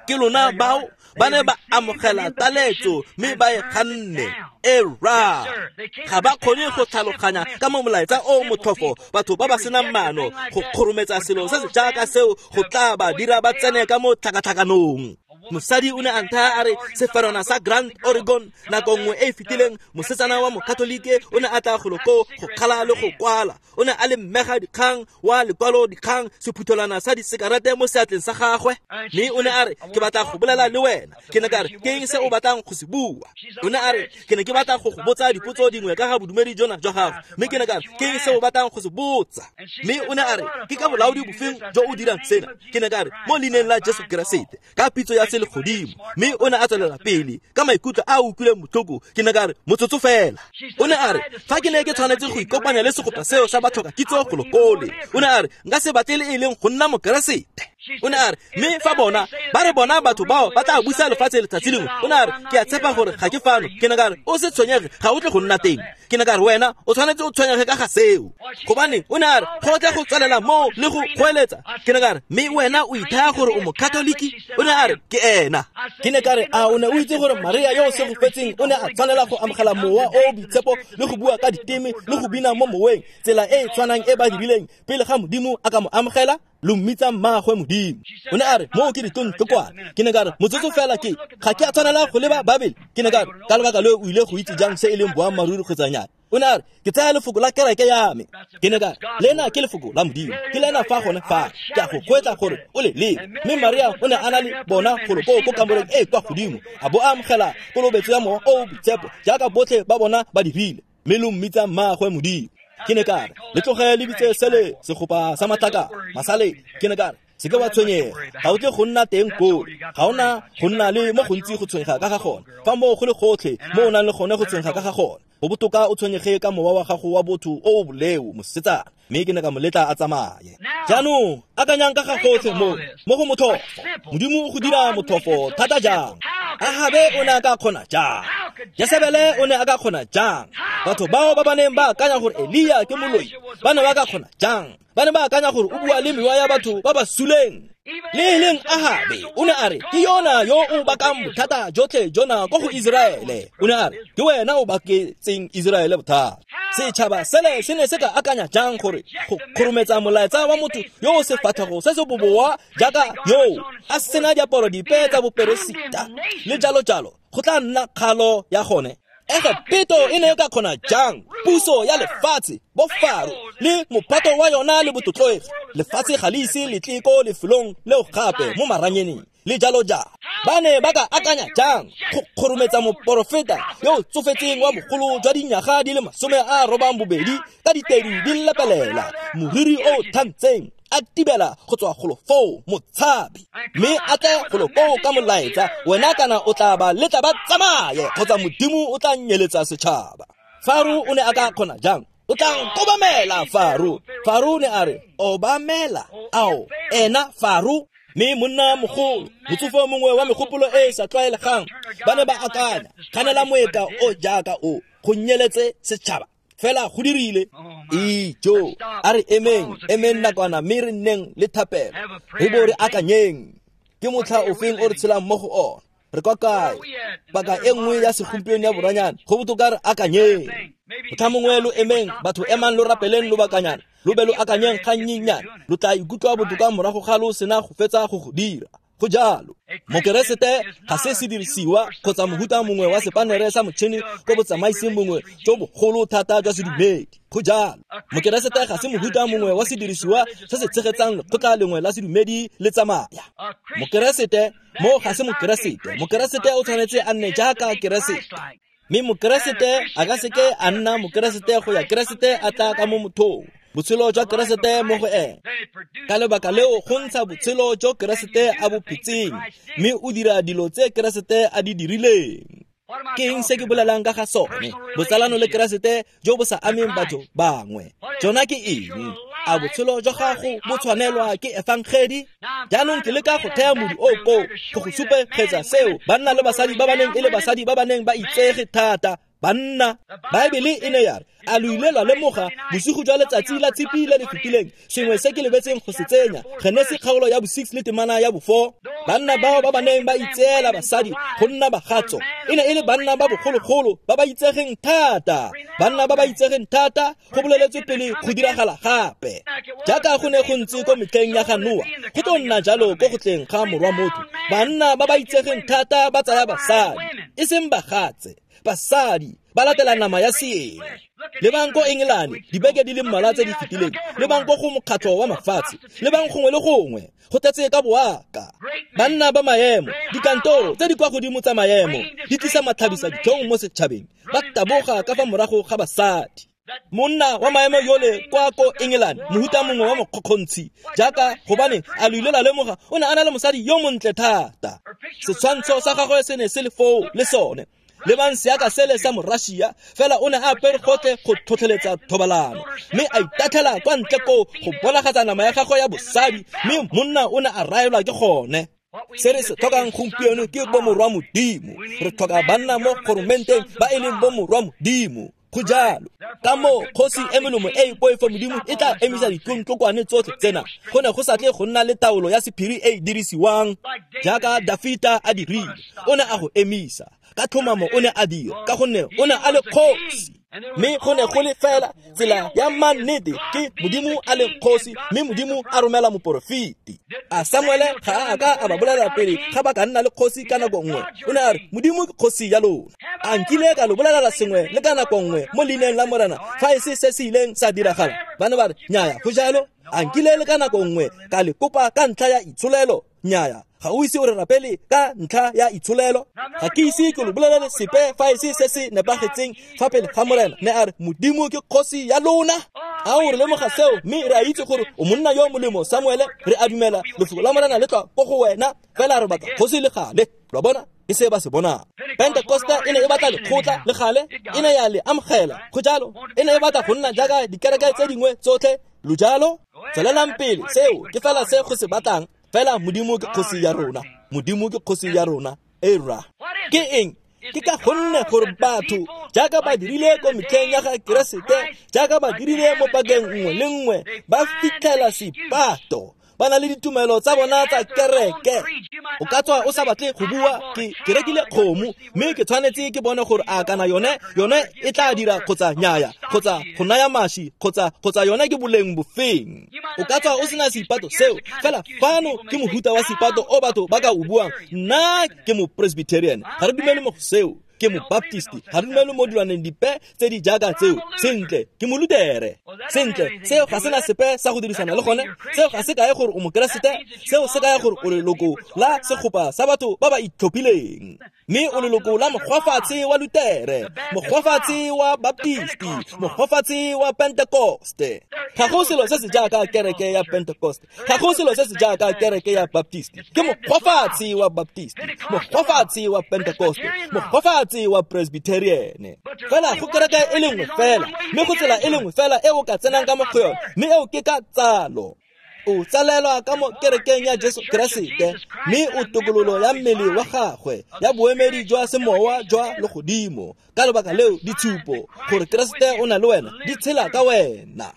Ke lona bao ba ne ba amogela taletso mme ba e ganne. Era ga ba kgone go tlhaloganya ka mo molaetsa o motlhofo batho ba ba senang maano go kgorometsa selo se se jaaka seo go tla ba dira ba tsene ka mo tlhakatlhakanong. Mosadi o ne a nthaya a re seferwana sa Grand Oregon nako nngwe e e fetileng mosetsana wa mokatolike o ne a tla golo koo go kgala le go kwala. O ne a le mmega dikgang wa lekwalo dikgang sephuthelwana sa disekarete mo seatleng sa gagwe. Mme o ne a re ke batla go bolela le wena. Ke ne ka re ke eng se o batlang go se bua? O ne a re ke ne ke batla go go botsa dipotso dingwe ka ga bodumedi jona jwa gago. Mme ke ne ka re ke eng se o batlang go se botsa? Mme o ne a re ke ka bolaodi bofeng jo o dirang sena? Ke ne ka re mo leineng la Jesu Keresete ka pitso ya selegodimo. Mme o ne a tswelela pele ka maikutlo a a utlwileng botlhoko. Ke ne ka re motsotso fela. O ne a re fa ke ne ke tshwanetse go ikopanya le segopa seo sa batlhoka kitso golo kole. O ne a re nka se batle le e leng go nna mokeresete. O ne a re mme fa bona ba re bona batho bao ba tla busa lefatshe letsatsi lengwe. O ne a re ke a tshepa gore ga ke fano. Ke ne ka re o se tshwenyege ga o tle go nna teng. Ke ne ka re wena o tshwanetse o tshwenyege ka ga seo. Gobane o ne a re go tle go tswelela moo le go goeletsa. Ke ne ka re mme wena o ithaya gore o mokatoliki? O ne a re ke ena. Ke ne ka re a o ne o itse gore Maria yo o segofetseng o ne a tshwanela go amogela mowa o o boitshepo le go bua ka diteme le go bina mo moweng tsela e e tshwanang e ba dirileng pele ga Modimo a ka mo amogela? Lo mmitsa mmaagwe Modimo. O ne a re moo ke ditontlokwana. Ke ne ka re motsotso fela ke ga ke a tshwanela go leba Babele. Ke ne ka re ka lebaka leo o ile go itse jang se e leng boammaaruri kgotsa nnyaa? O ne a re ke tsaya lefoko la kereke ya me. Ke ne ka re lena ke lefoko la Modimo, ke lena fa gone fa ke a go kgweetsa gore o le lebe. Mme Maria o ne a na le bona golo koo ko kamoreng e e kwa godimo a bo a amogela kolobetso ya mowa o o boitshepo jaaka botlhe ba bona ba dirile. Mme lo mmitsa mmaagwe Modimo. Ke ne ka re le tloge le bitse sele segopa sa matlaka masale. Ke ne ka re se ke wa tshwenyega, ga o tle go nna teng koo, ga ona go nna le mo gontsi go tshwenyega ka ga gone. Fa moo go le gotlhe mo o nang le gone go tshwenyega ka ga gone, go botoka o tshwenyege ka mowa wa gago wa botho o o boleo mosetsana. Mme ke ne ka mo letla a tsamaye. Jaanong akanyang ka ga gotlhe mo mo go motlhofo. Modimo o go dira motlhofo thata jang? Ahabe o ne a ka kgona jang? Jesebele o ne a ka kgona jang? Batho bao ba ba neng ba akanya gore Elia ke moloi ba ne ba ka kgona jang? Ba ne ba akanya gore o bua le mewa ya batho ba ba suleng. Le e leng Ahabe o ne a re ke yona yo o bakang bothata jotlhe jona ko go Iseraele. O ne a re ke wena o baketseng Iseraele bothata. Setšhaba sele se ne se ka akanya jang gore go kgorometsa molaetsa wa motho yo o sefatlhego se se boboa jaaka yo a sena diaparo dipe tsa boperesita le jalo jalo go tla nna kgalo ya gone? Egepeto e ne e ka kgona jang puso ya lefatshe bo Faro le mophato wa yona le botlotlegi? Lefatshe ga le ise le tle ko lefelong leo gape mo maranyaneng le jalo jalo. Ba ne ba ka akanya jang go kgorometsa moporofeta yo o tsofetseng wa bogolo jwa dinyaga di le masome a robang bobedi ka ditedu di lepelela, moriri o thantseng a tibela go tswa golo foo motshabi, mme a tle golo koo ka molaetsa wena kana o tla ba letla ba tsamaye kgotsa Modimo o tla nyeletsa setšhaba? Faro o ne a ka kgona jang? O tla nkobamela Faro. Faro o ne a re obamela ao ena Faro. Mme monna mogolo motsofo mongwe wa megopolo e e sa tlwaelegang ba ne ba akanya kganela moeka o jaaka o go nyeletse setšhaba. Fela go dirile. Ijo a re emeng emeng nakwana mme re nneng le thapelo re bo re akanyeng ke motlha ofeng o re tshelang mo go ona. Re kwa kae? Paka e nngwe ya segompieno ya boranyane go botoka re akanyeng. Motlha mongwe lo emeng batho emang lo rapeleng lobakanyana lo be lo akanyeng gannyenyane lo tla ikutlwa botoka morago ga lo sena go fetsa go go dira. Go jalo. Mokeresete ga se sedirisiwa kgotsa mohuta mongwe wa sepanere sa motšhini ko botsamaiseng bongwe jo bogolo thata jwa sedumedi. Go jalo. Mokeresete ga se mohuta mongwe wa sedirisiwa se se tshegetsang lekgotla lengwe la sedumedi le tsamaya. Mokeresete mo ga se mokeresete. Mokeresete o tshwanetse a nne jaaka Keresete. Mme mokeresete a ka seke a nna mokeresete go ya Keresete a tla ka mo mothong. Botshelo jwa Keresete mo go ene. Ka lebaka leo go ntsha botshelo jo Keresete a bo phetseng, mme o dira dilo tse Keresete a di dirileng. Ke eng se ke bolelang ka ga sone? Botsalano le Keresete jo bo sa ameng batho bangwe. Jona ke eng? A botshelo jwa gago bo tshwanelwa ke efangedi? Jaanong ke leka go thea modu o koo go go supegetsa seo banna le basadi ba ba neng e le basadi ba ba neng ba itsege thata Banna, Baebele e ne ya re, a lo ile lwa lemoga bosigo jwa letsatsi la tshipi le le fetileng sengwe se ke lebetseng go se tsenya, Genesi kgaolo ya bo six le temana ya bo four. Banna bao ba ba neng ba itseela basadi go nna bagatso e ne e le banna ba bogologolo ba ba itsegeng thata, banna ba ba itsegeng thata go boleletswe pele go diragala gape. Jaaka go ne go ntse ko metlheng ya ga Noa, go tlo nna jalo ko go tleng ga morwa motho. Banna ba ba itsegeng thata ba tsaya basadi, e seng bagatse, basadi ba latela nama ya seeng. Lebang ko Engelane dibeke di le mmalwa tse di fetileng, lebang ko go mokgatlho wa mafatshe, lebang gongwe le gongwe go tletse ka boaka. Banna ba maemo, dikantoro tse di kwa godimo tsa maemo di tlisa matlhabisa ditlhong mo setšhabeng, ba taboga ka fa morago ga basadi. Monna wa maemo yole kwa ko England, mohuta mongwe wa mokgokgontshi, jaaka gobane a lo ile la lemoga o ne a na le mosadi yo montle thata. Setshwantsho sa gagwe se ne se le foo le sone. Lebang seaka sele sa Morussia, fela o ne a apere gotlhe go tlhotlheletsa thobalano, mme a itatlhela kwa ntle koo go bonagatsa nama ya gagwe ya bosadi, mme monna o ne a raelwa ke gone. Se re se tlhokang gompieno ke bomorwa Modimo. Re tlhoka banna mo goromenteng ba e leng bomorwa Modimo. Go jalo ka moo kgosi e melemo e e poifo Modimo e tla emisa ditlontlokwane tsotlhe tsena. Go ne go sa tle go nna le taolo ya sephiri e e dirisiwang jaaka Dafita a dirile. O ne a go emisa ka tlhomamo, o ne a dira ka gonne o ne a le kgosi. Mme go ne go le fela tsela ya mannete ke Modimo a le kgosi, mme Modimo a romela moporofeti. A Samuele ga a ka a ba bolela pele ga ba ka nna le kgosi ka nako nngwe. O ne a re, Modimo ke kgosi ya lona. A nkile ka lo bolela sengwe le ka nako nngwe mo leineng la Morena fa e se se se ileng sa diragala? Ba ne ba re, nnyaya, go jalo. A nkile le ka nako nngwe ka le kopa ka ntlha ya itsholelo? Nnyaya, ga o ise o re rapele ka ntlha ya itsholelo. Ga ke ise ke lo bolelele sepe fa e se se se nepagetseng fa pele ga Morena. Ne a re, Modimo ke kgosi ya lona. A o re lemoga seo, mme re a itse gore o monna yo molemo, Samuele. Re a dumela lefoko la Morena le tswa ko go wena, fela re batla kgosi le gale. Lo bona, ke se ba se bonang. Pentecosta e ne e batla lekgotla le gale, e ne ya le amogela. Go jalo, e ne e batla go nna jaaka dikereke tse dingwe tsotlhe. Lo jalo, tswelelang pele, seo ke fela se go se batlang. Fela Modimo ke kgosi ya rona. Modimo ke kgosi ya rona. E rra. Ke eng? Ke ka gonne gore batho jaaka ba dirile ko metlheng ya ga Keresete, jaaka ba dirile mo pakeng nngwe le nngwe, ba fitlhela sepato. Ba na le ditumelo tsa bona tsa kereke. O ka tswa o sa batle go bua, ke ke rekile kgomo, mme ke tshwanetse ke bone gore a kana yone yone e tla dira kgotsa nyaya, kgotsa go naya mashi, kgotsa kgotsa yone ke boleng bofeng. O ka tswa o sena seipato seo, fela fano ke mohuta wa seipato o batho ba ka o buang. Nna ke mo Presbyterian, ga re dumele mo go seo. Ke mo Baptist, ga re dumele mo dilwaneng dipe tse di jaaka tseo. Sentle, ke mo Lutere. Sentle, seo ga sena sepe sa go dirisana le gone. Seo ga se kae gore o mokeresete, seo se kaya gore o leloko la segopa sa batho ba ba itlhophileng. Mme o leloko la mokgwafatshe wa Lutere, mokgwafatshe wa Baptist, mokgwafatshe wa Pentecoste. Ga go selo se se jaaka kereke ya Pentecoste, ga go selo se se jaaka kereke ya Baptist. Ke mokgwafatshe wa Baptist, mokgwafatshe wa Pentecoste, mokgwafatshe wa Presbyterian. Fela go kereke e le nngwe fela, mme go tsela e le nngwe fela e o ka tsenang ka mo go yone, mme eo ke ka tsalo. O tsalelwa ka mo kerekeng ya Jesu Keresete, mme o tokololo ya mmele wa gagwe ya boemedi jwa semowa jwa legodimo. Ka lebaka leo ditshupo gore Keresete o na le wena di tshela ka wena.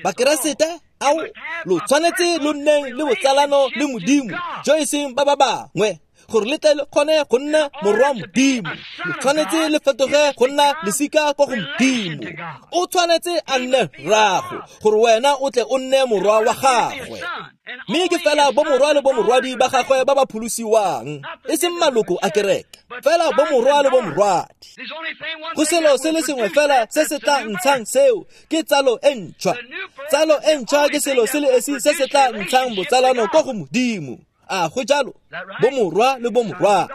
Bakeresete ao lo tshwanetse lo nneng le botsalano le Modimo jo e seng ba ba bangwe, gore le tle le kgone go nna morwa Modimo. Lo tshwanetse le fetoge go nna lesika ko go Modimo. O tshwanetse a nne rrago gore wena o tle o nne morwa wa gagwe. Mme ke fela bomorwa le bomorwadi ba gagwe ba ba pholosiwang, e seng maloko a kereke, fela bomorwa le bomorwadi. Go selo se le sengwe fela se se tla ntshang seo ke tsalo e ntšhwa. Tsalo e ntšhwa ke selo se le esi se se tla ntshang botsalano ko go Modimo. A go jalo, bomorwa le bomorwadi.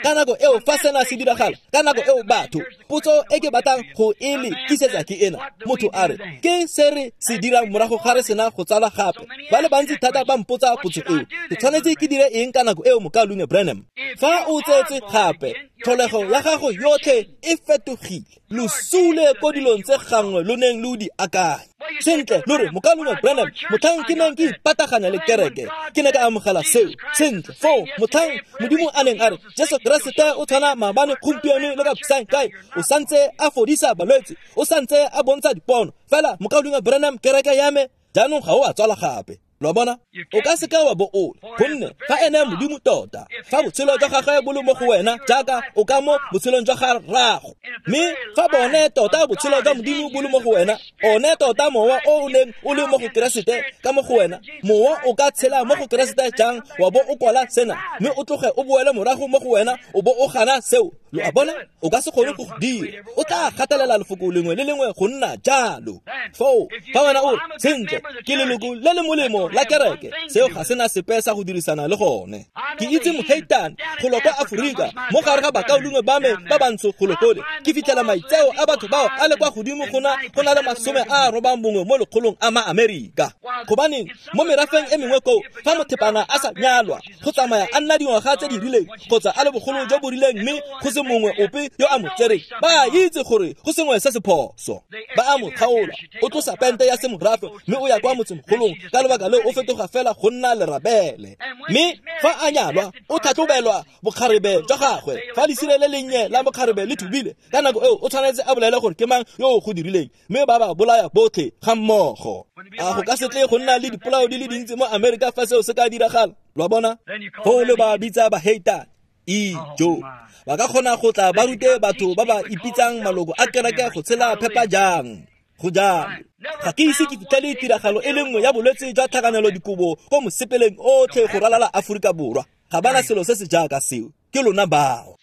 Ka nako eo fa sena se diragala, ka nako eo batho, potso e ke batlang go e le tlisetsa ke ena. Motho a re, ke se re se dirang morago ga re sena go tsala gape? Ba le bantsi thata ba mpotsa potso eo. Ke tshwanetse ke dire eng ka nako eo, mokaulengwe Branham? Fa o tsetse gape, Tlholego ya gago yotlhe e fetogile. Lo sule ko dilong tse gangwe lo neng lo di akanya. Sentle, lo re mokaulengwe Branham, motlhang ke neng ke ipataganya le kereke, ke ne ka amogela seo. Sentle, foo motlhang Modimo a neng a re Jesu Keresete o tshwana maabane, gompieno le ka bosaengkae, o santse a fodisa balwetse, o santse a bontsha dipono. Fela mokaulengwe Branham, kereke ya me jaanong ga o a tswala gape. Lo a bona? O ka seka wa bo o, gonne fa ene Modimo tota, fa botshelo jwa gagwe bo le mo go wena jaaka o ka mo botshelong jwa ga rrago, mme fa bone tota botshelo jwa Modimo bo le mo go wena, one tota mowa o o neng o le mo go Keresete ka mo go wena, mowa o ka tshela mo go Keresete jang wa bo o kwala sena, mme o tloge o boele morago mo go wena o bo o gana seo. Lo a bona? O ka se kgone go go dira. O tla gatelela lefoko lengwe le lengwe go nna jalo. Foo fa wena o sentle, ke leloko le le molemo la kereke, seo ga sena sepe sa go dirisana le gone. Ke itse moheitane go lo kwa Aforika, mo gare ga bakaulengwe ba me ba bantsho go lo kole, ke fitlhela maitseo a batho bao a le kwa godimo go na go na le masome a robang bongwe mo lekgolong a ma-Amerika. Gobaneng mo merafeng e mengwe koo, fa mothepana a sa nyalwa, go tsamaya a nna dingwaga tse di rileng kgotsa a le bogolo jo bo rileng, mme go se mongwe ope yo a mo tsereng, ba itse gore go sengwe se se phoso. Ba a mo kgaola, o tlosa pente ya semorafe mme o ya kwa motsemogolong, ka lebaka leo o fetoga fela go nna lerabele. Mme fa a nyalwa, o tlhatlhobelwa bokgarebe jwa gagwe. Fa lesire le lennye la bokgarebe le thubile, ka nako eo o tshwanetse a bolele gore ke mang yo o go dirileng, mme ba ba bolaya botlhe ga mmogo. A go ka se tle go nna le dipolao di le dintsi mo Amerika fa seo se ka diragala? Lo a bona? Foo le ba bitsa baheitane. Ijo, ba ka kgona go tla ba rute batho ba ba ipitsang maloko a kereke go tshela phepa jang. Go jalo. Ga ke ise ke fitlhele tiragalo e le nngwe ya bolwetse jwa tlhakanelo dikobo ko mosepeleng otlhe go ralala Aforika Borwa. Ga bana selo se se jaaka seo. Ke lona bao.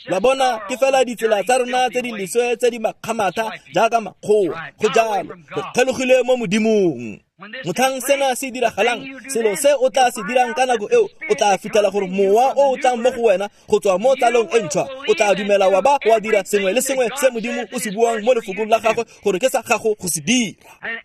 Lo bona, ke fela ditsela tsa rona tse di leswe tse di makgamatha jaaka makgowa. Go jalo, re kgelogile mo Modimong. Motlhang sena se diragalang, selo se o tla se dirang ka nako eo, o tla fitlhela gore mowa o o tlang mo go wena go tswa mo tlalong e ntšhwa, o tla dumela wa ba wa dira sengwe le sengwe se Modimo o se buang mo lefokong la gagwe gore ke sa gago go se dira.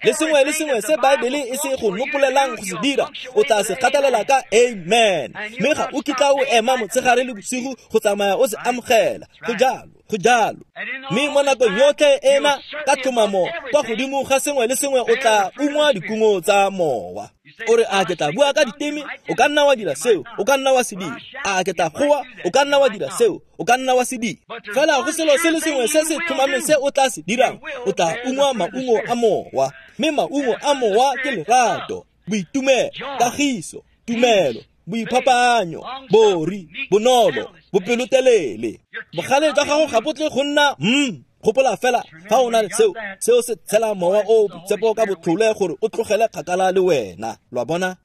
Le sengwe le sengwe se Baebele e se go nopolelang go se dira, o tla se gatelela ka amen. Mme ga o kitla o ema motshegare le bosigo go tsamaya o se amogela. Go jalo, go jalo. Mme mo nakong yotlhe ena ka tlhomamo kwa godimo ga sengwe le sengwe o tla ungwa dikungo tsa mowa. O re a ke tla bua ka diteme, o ka nna wa dira seo, o ka nna wa se dira. A ke tla goa, o ka nna wa dira seo, o ka nna wa se dira. Fela go selo se le sengwe se se tlhomameng se o tla se dirang, o tla ungwa maungo a mowa. Mme maungo a mowa ke lerato, boitumelo, kagiso, tumelo, boiphapanyo, bori, bonolo, bopelotelele. Bogale jwa gago ga bo tle go nna mm. Gopola fela fa o na le seo, seo se tshela mowa o boitshepo ka botlhole gore o tlogele kgakala le wena. Lo a bona?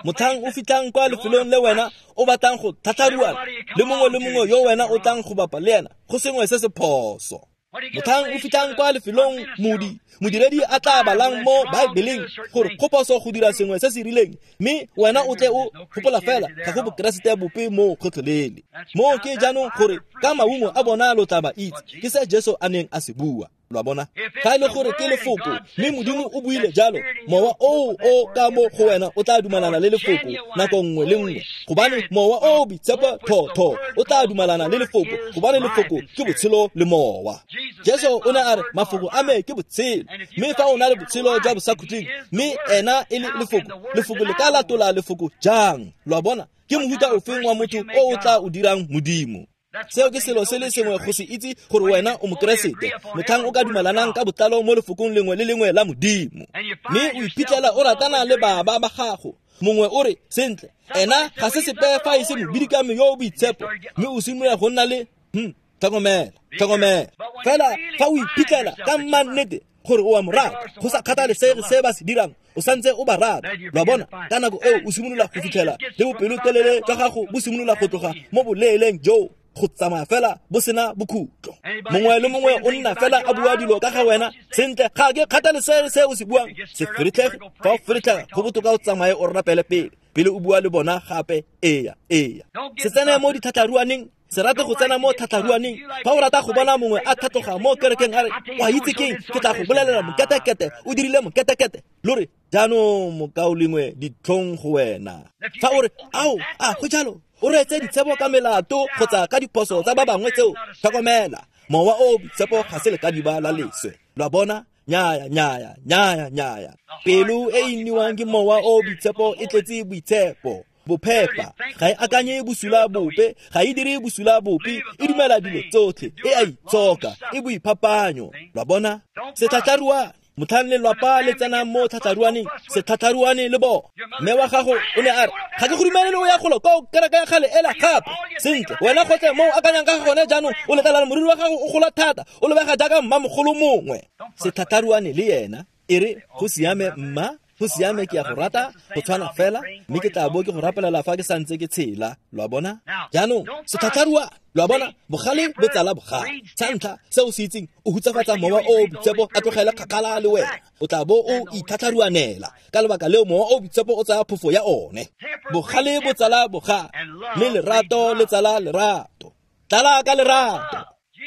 Motlhang o fitlhang kwa lefelong le wena o batlang go tlhatlharuana le mongwe le mongwe yo wena o tlang go bapa le ena, go sengwe se se phoso. Motlhang o fitlhang kwa lefelong modi modiredi a tla balang mo Baebeleng gore go phoso go dira sengwe se se rileng, mme wena o tle o gopola fela ga go bokeresete bope mo kgotlhelele. Mo ke jaanong gore ka maungo a bona lo tla ba itse, ke se Jesu a neng a se bua. Lo a bona? Ga e le gore ke lefoko, mme Modimo o buile jalo, mowa oo o ka mo go wena o tla dumalana le lefoko nako nngwe le nngwe, gobane mowa o boitshepo thotho o tla dumalana le lefoko, gobane lefoko ke botshelo le mowa. Jesu o ne a re mafoko a me ke botshelo, mme fa o na le botshelo jwa bosakhutleng, mme ena e le lefoko, lefoko le ka latola lefoko jang? Lo a bona? Ke mohuta ofeng wa motho o o tla o dirang Modimo? Seo ke selo se le sengwe go se itse gore wena o mokeresete, motlhang o ka dumelanang ka botlalo mo lefokong lengwe le lengwe la Modimo, mme o iphitlhela o ratana le baba ba gago. Mongwe o re sentle, ena ga se sepe fa e se mobidikame yo o boitshepo, mme o simolola go nna le hm, tlhokomela, tlhokomela. Fela fa o iphitlhela ka mannete gore o a mo rata, go sa kgathalesege se ba se dirang, o santse o ba rata. Lo a bona? Ka nako eo o simolola go fitlhela le bopelotelele jwa gago bo simolola go tloga mo boleeleng joo go tsamaya fela bo sena bokhutlo. Mongwe le mongwe o nna fela a bua dilo ka ga wena sentle, ga ke kgathalesege se o se buang, se feretlhege. Fa o feretlhega, go botoka o tsamaye o rapele pele, pele o bua le bona gape. Eya, eya. Se tsene mo ditlhatlharuaneng, se rate go tsena mo tlhatlharuaneng. Fa o rata go bona mongwe a tlhatloga mo kerekeng a re, wa itse keng, ke tla go bolelela moketekete, o dirile moketekete, lo re jaanong mokaulengwe ditlhong go wena. Fa o re ao, a go jalo, o reetse ditshebo ka melato kgotsa ka diphoso tsa ba bangwe tseo, tlhokomela, mowa o o boitshepo ga se lekadiba la leswe. Lo a bona? Nyaya, nyaya, nyaya, nyaya. Pelo e e nniwang ke mowa o o boitshepo e tletse boitshepo, bophepa, ga e akanye bosula bope, ga e dire bosula bope, e dumela dilo tsotlhe, e a itshoka, e boiphapanyo. Lo a bona? Setlhatlharuane, motlhang lelwapa le tsenang mo tlhatlharuaneng, setlhatlharuane le bona. Mme wa gago o ne a re, ga ke go dumelele o ya golo kwa kereke ya kgale ela gape. Sentle, wena gotlhe mo o akanyang ka ga gone jaanong, o letlela moriri wa gago o gola thata, o lebega jaaka mmamogolo mongwe. Setlhatlharuane le yena, e re, go siame mma, go siame ke ya go rata, go tshwana fela, mme ke tla bo ke go rapelela fa ke santse ke tshela. Lo a bona? Jaanong, setlhatlharuane, lo a bona, bogale bo tsala bogale. Sa ntlha, se o se itseng, o hutsafatsa mowa o o boitshepo a tlogele kgakala le wena. O tla bo o itlhatlharuanela. Ka lebaka leo mowa o boitshepo o tsaya phofo ya one. Bogale bo tsala bogale, mme lerato le tsala lerato. Tlala ka lerato.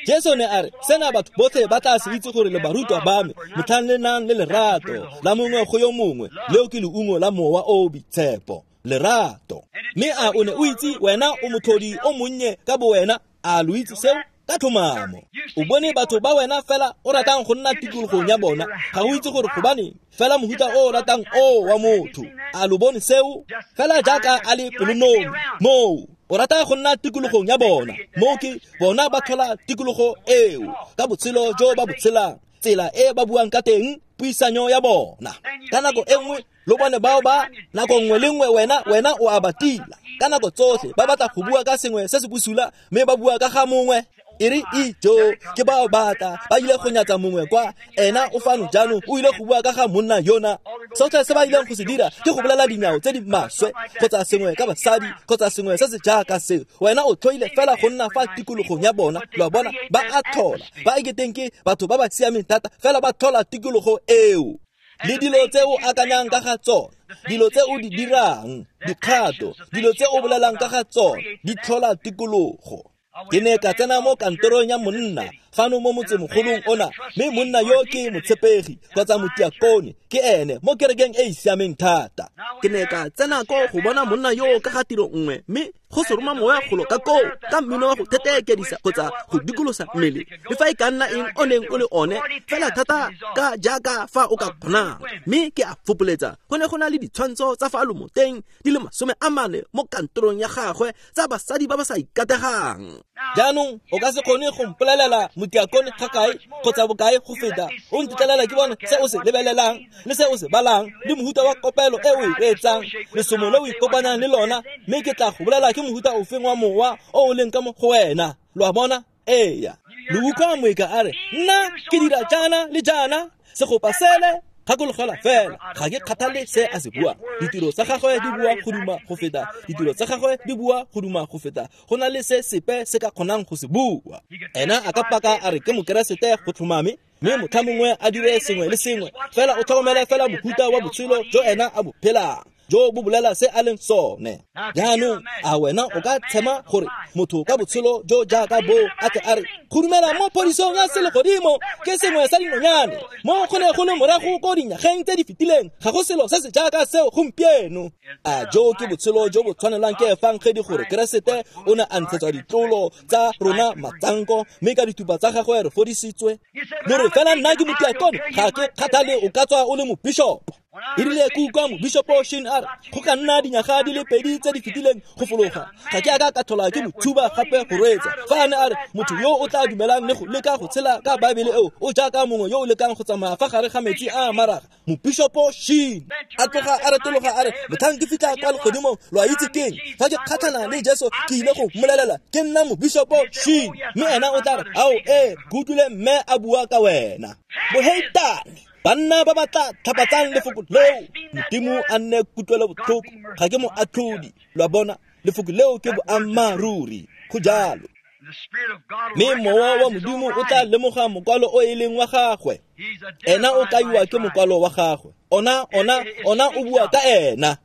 Jesu ne a re, sena batho botlhe ba tla se itse gore le barutwa ba me, motlhang le nang le lerato la mongwe go yo mongwe, leo ke leungo la mowa o o boitshepo, lerato. Mme a o ne o itse wena o motlhodi o monnye ka bo wena, a lo itse seo? Ka tlhomamo. O bone batho ba wena fela o ratang go nna tikologong ya bona, ga o itse gore gobaneng, fela mohuta o o ratang o wa motho. A lo bone seo? Fela jaaka a le pelonomi, moo o rata go nna tikologong ya bona, moo ke bona ba tlhola tikologo eo ka botshelo jo ba bo tshelang, tsela e ba buang ka teng, puisanyo ya bona. Ka nako e nngwe lo bone bao ba nako nngwe le nngwe wena wena o a ba tila. Ka nako tsotlhe ba batla go bua ka sengwe se se bosula, mme ba bua ka ga mongwe. E re ijo ke bao batla ba ile go nyatsa mongwe kwa, ena o fano jaanong o ile go bua ka ga monna yona. Sotlhe se ba ileng go se dira ke go bolela dinao tse di maswe kgotsa sengwe ka basadi kgotsa sengwe se se jaaka seo. Wena o tlhoile fela go nna fa tikologong ya bona. Lo a bona? Ba a tlhola, ba eketeng ke batho ba ba siameng thata, fela ba tlhola tikologo eo. Le dilo tse o akanyang ka ga tsona, dilo tse o di dirang, dikgato, dilo tse o bolelang ka ga tsona, di tlhola tikologo. Ke ne ka tsena mo kantorong ya monna fano mo motsemogolong ona, mme monna yo ke motshepegi kgotsa motiakone, ke ene mo kerekeng e e siameng thata. Ke ne ka tsena ko go bona monna yo ka ga tiro nngwe, mme go se roma moya golo ka koo ka mmino wa go thetekedisa kgotsa go dikolosa mmele, le fa e ka nna eng o neng o le one, fela thata ka jaaka fa o ka kgonang. Mme ke a fopoletsa, go ne go na le ditshwantsho tsa fa lomoteng di le masome a mane mo kantorong ya gagwe tsa basadi ba ba sa ikategang. Jaanong o ka se kgone go mpolelela motiakone ga kae kgotsa bokae go feta o ntetlelela ke bone se o se lebelelang le se o se balang le mohuta wa kopelo e o e reetsang, lesomo le o ikopanyang le lona, mme ke tla go bolela ke mohuta ofeng wa mowa o o leng ka mo go wena. Lo a bona? Eya. Lo utlwa moeka a re, nna ke dira jaana le jaana, segopa sele. Gakologelwa fela, ga ke kgathale se a se buang. Ditiro tsa gagwe di bua go duma go feta, ditiro tsa gagwe di bua go duma go feta. Go na le se sepe se ka kgonang go se bua. Ena a ka paka a re ke mokeresete go tlhomame, mme motlha mongwe a dire sengwe le sengwe, fela o tlhokomele fela mohuta wa botshelo jo ena a bo phelang, jo bo bolela se a leng sone. Jaanong a wena o ka tshema gore motho ka botshelo jo jaaka bo a tle a re go dumela mo phodisong ya selegodimo ke sengwe sa dinonyane, mo go ne go le morago ko dinyageng tse di fetileng, ga go selo se se jaaka seo gompieno. A jo ke botshelo jo bo tshwanelang ke efangedi gore Keresete o ne a ntshetswa ditlolo tsa rona matsanko, mme ka dithupa tsa gagwe re fodisitswe. Lo re fela nna ke motiakone, ga ke kgathale o ka tswa o le mobishopo. E rile ke utlwa mobishopo Shin a re go ka nna dinyaga di le pedi tse di fetileng go fologa, ga ke a ka ka tlhola ke mo thuba gape go reetsa. Fa a ne a re motho yo o tla dumelang le go leka go tshela ka Baebele eo o jaaka mongwe yo o lekang go tsamaya fa gare ga metsi a a maraga. Mobishopo Shin a tloga a retologa a re, motlhang ke fitlha kwa legodimong, lo a itse keng, fa ke kgatlhana le Jesu ke ile go mmolelela ke nna mobishopo Shin, mme ena o tla re, ao ee, ke utlwile mme a bua ka wena. Boheitane, banna ba ba tla tlhapatsang lefoko leo, Modimo a nne kutlwelo botlhoko, ga ke mo atlhodi. Lo a bona? Lefoko leo ke boammaaruri, go jalo. Mme mowa wa Modimo o tla lemoga mokwalo o e leng wa gagwe. Ena o kaiwa ke mokwalo wa gagwe. Ona, ona, ona o bua ka ena.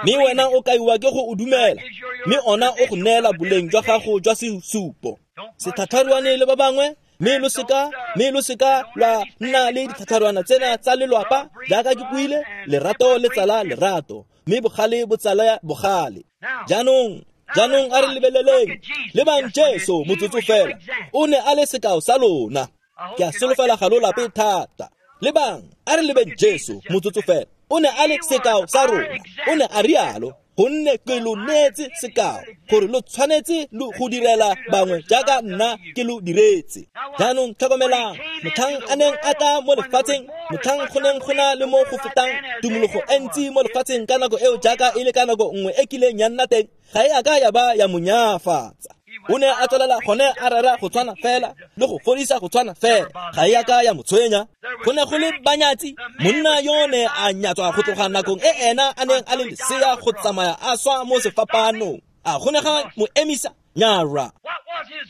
Mme wena o kaiwa ke go o dumela, mme ona o go neela boleng jwa gago jwa sesupo. Setlhatlharuane le ba bangwe, mme lo seka, mme lo seka lwa nna le ditlhatlharuana tsena tsa lelwapa, jaaka ke buile, lerato le tsala lerato, mme bogale bo tsala bogale. Jaanong jaanong a re lebeleleng lebang Jesu motsotso fela. O ne a le sekao sa lona. Ke a solofela ga lo lape thata. Lebang a re lebeng Jesu motsotso fela. O ne a le sekao sa rona. O ne a rialo gonne ke lo neetse sekao gore lo tshwanetse lo go direla bangwe jaaka nna ke lo diretse. Jaanong tlhokomelang motlhang a neng a tla mo lefatsheng, motlhang go neng go na le mo go fetang tumologo e ntsi mo lefatsheng ka nako eo jaaka e le ka nako nngwe e kileng ya nna teng, ga e a ka ya ba ya mo nyafatsa. O ne a tswelela gone a rera go tshwana fela le go fodisa go tshwana fela, ga e a ka ya mo tshwenya. Go ne go le banyatsi, monna yo ne a nyatswa go tloga nakong e ena a neng a le lesea go tsamaya a swa mo sefapanong. A go ne ga mo emisa? Nyara.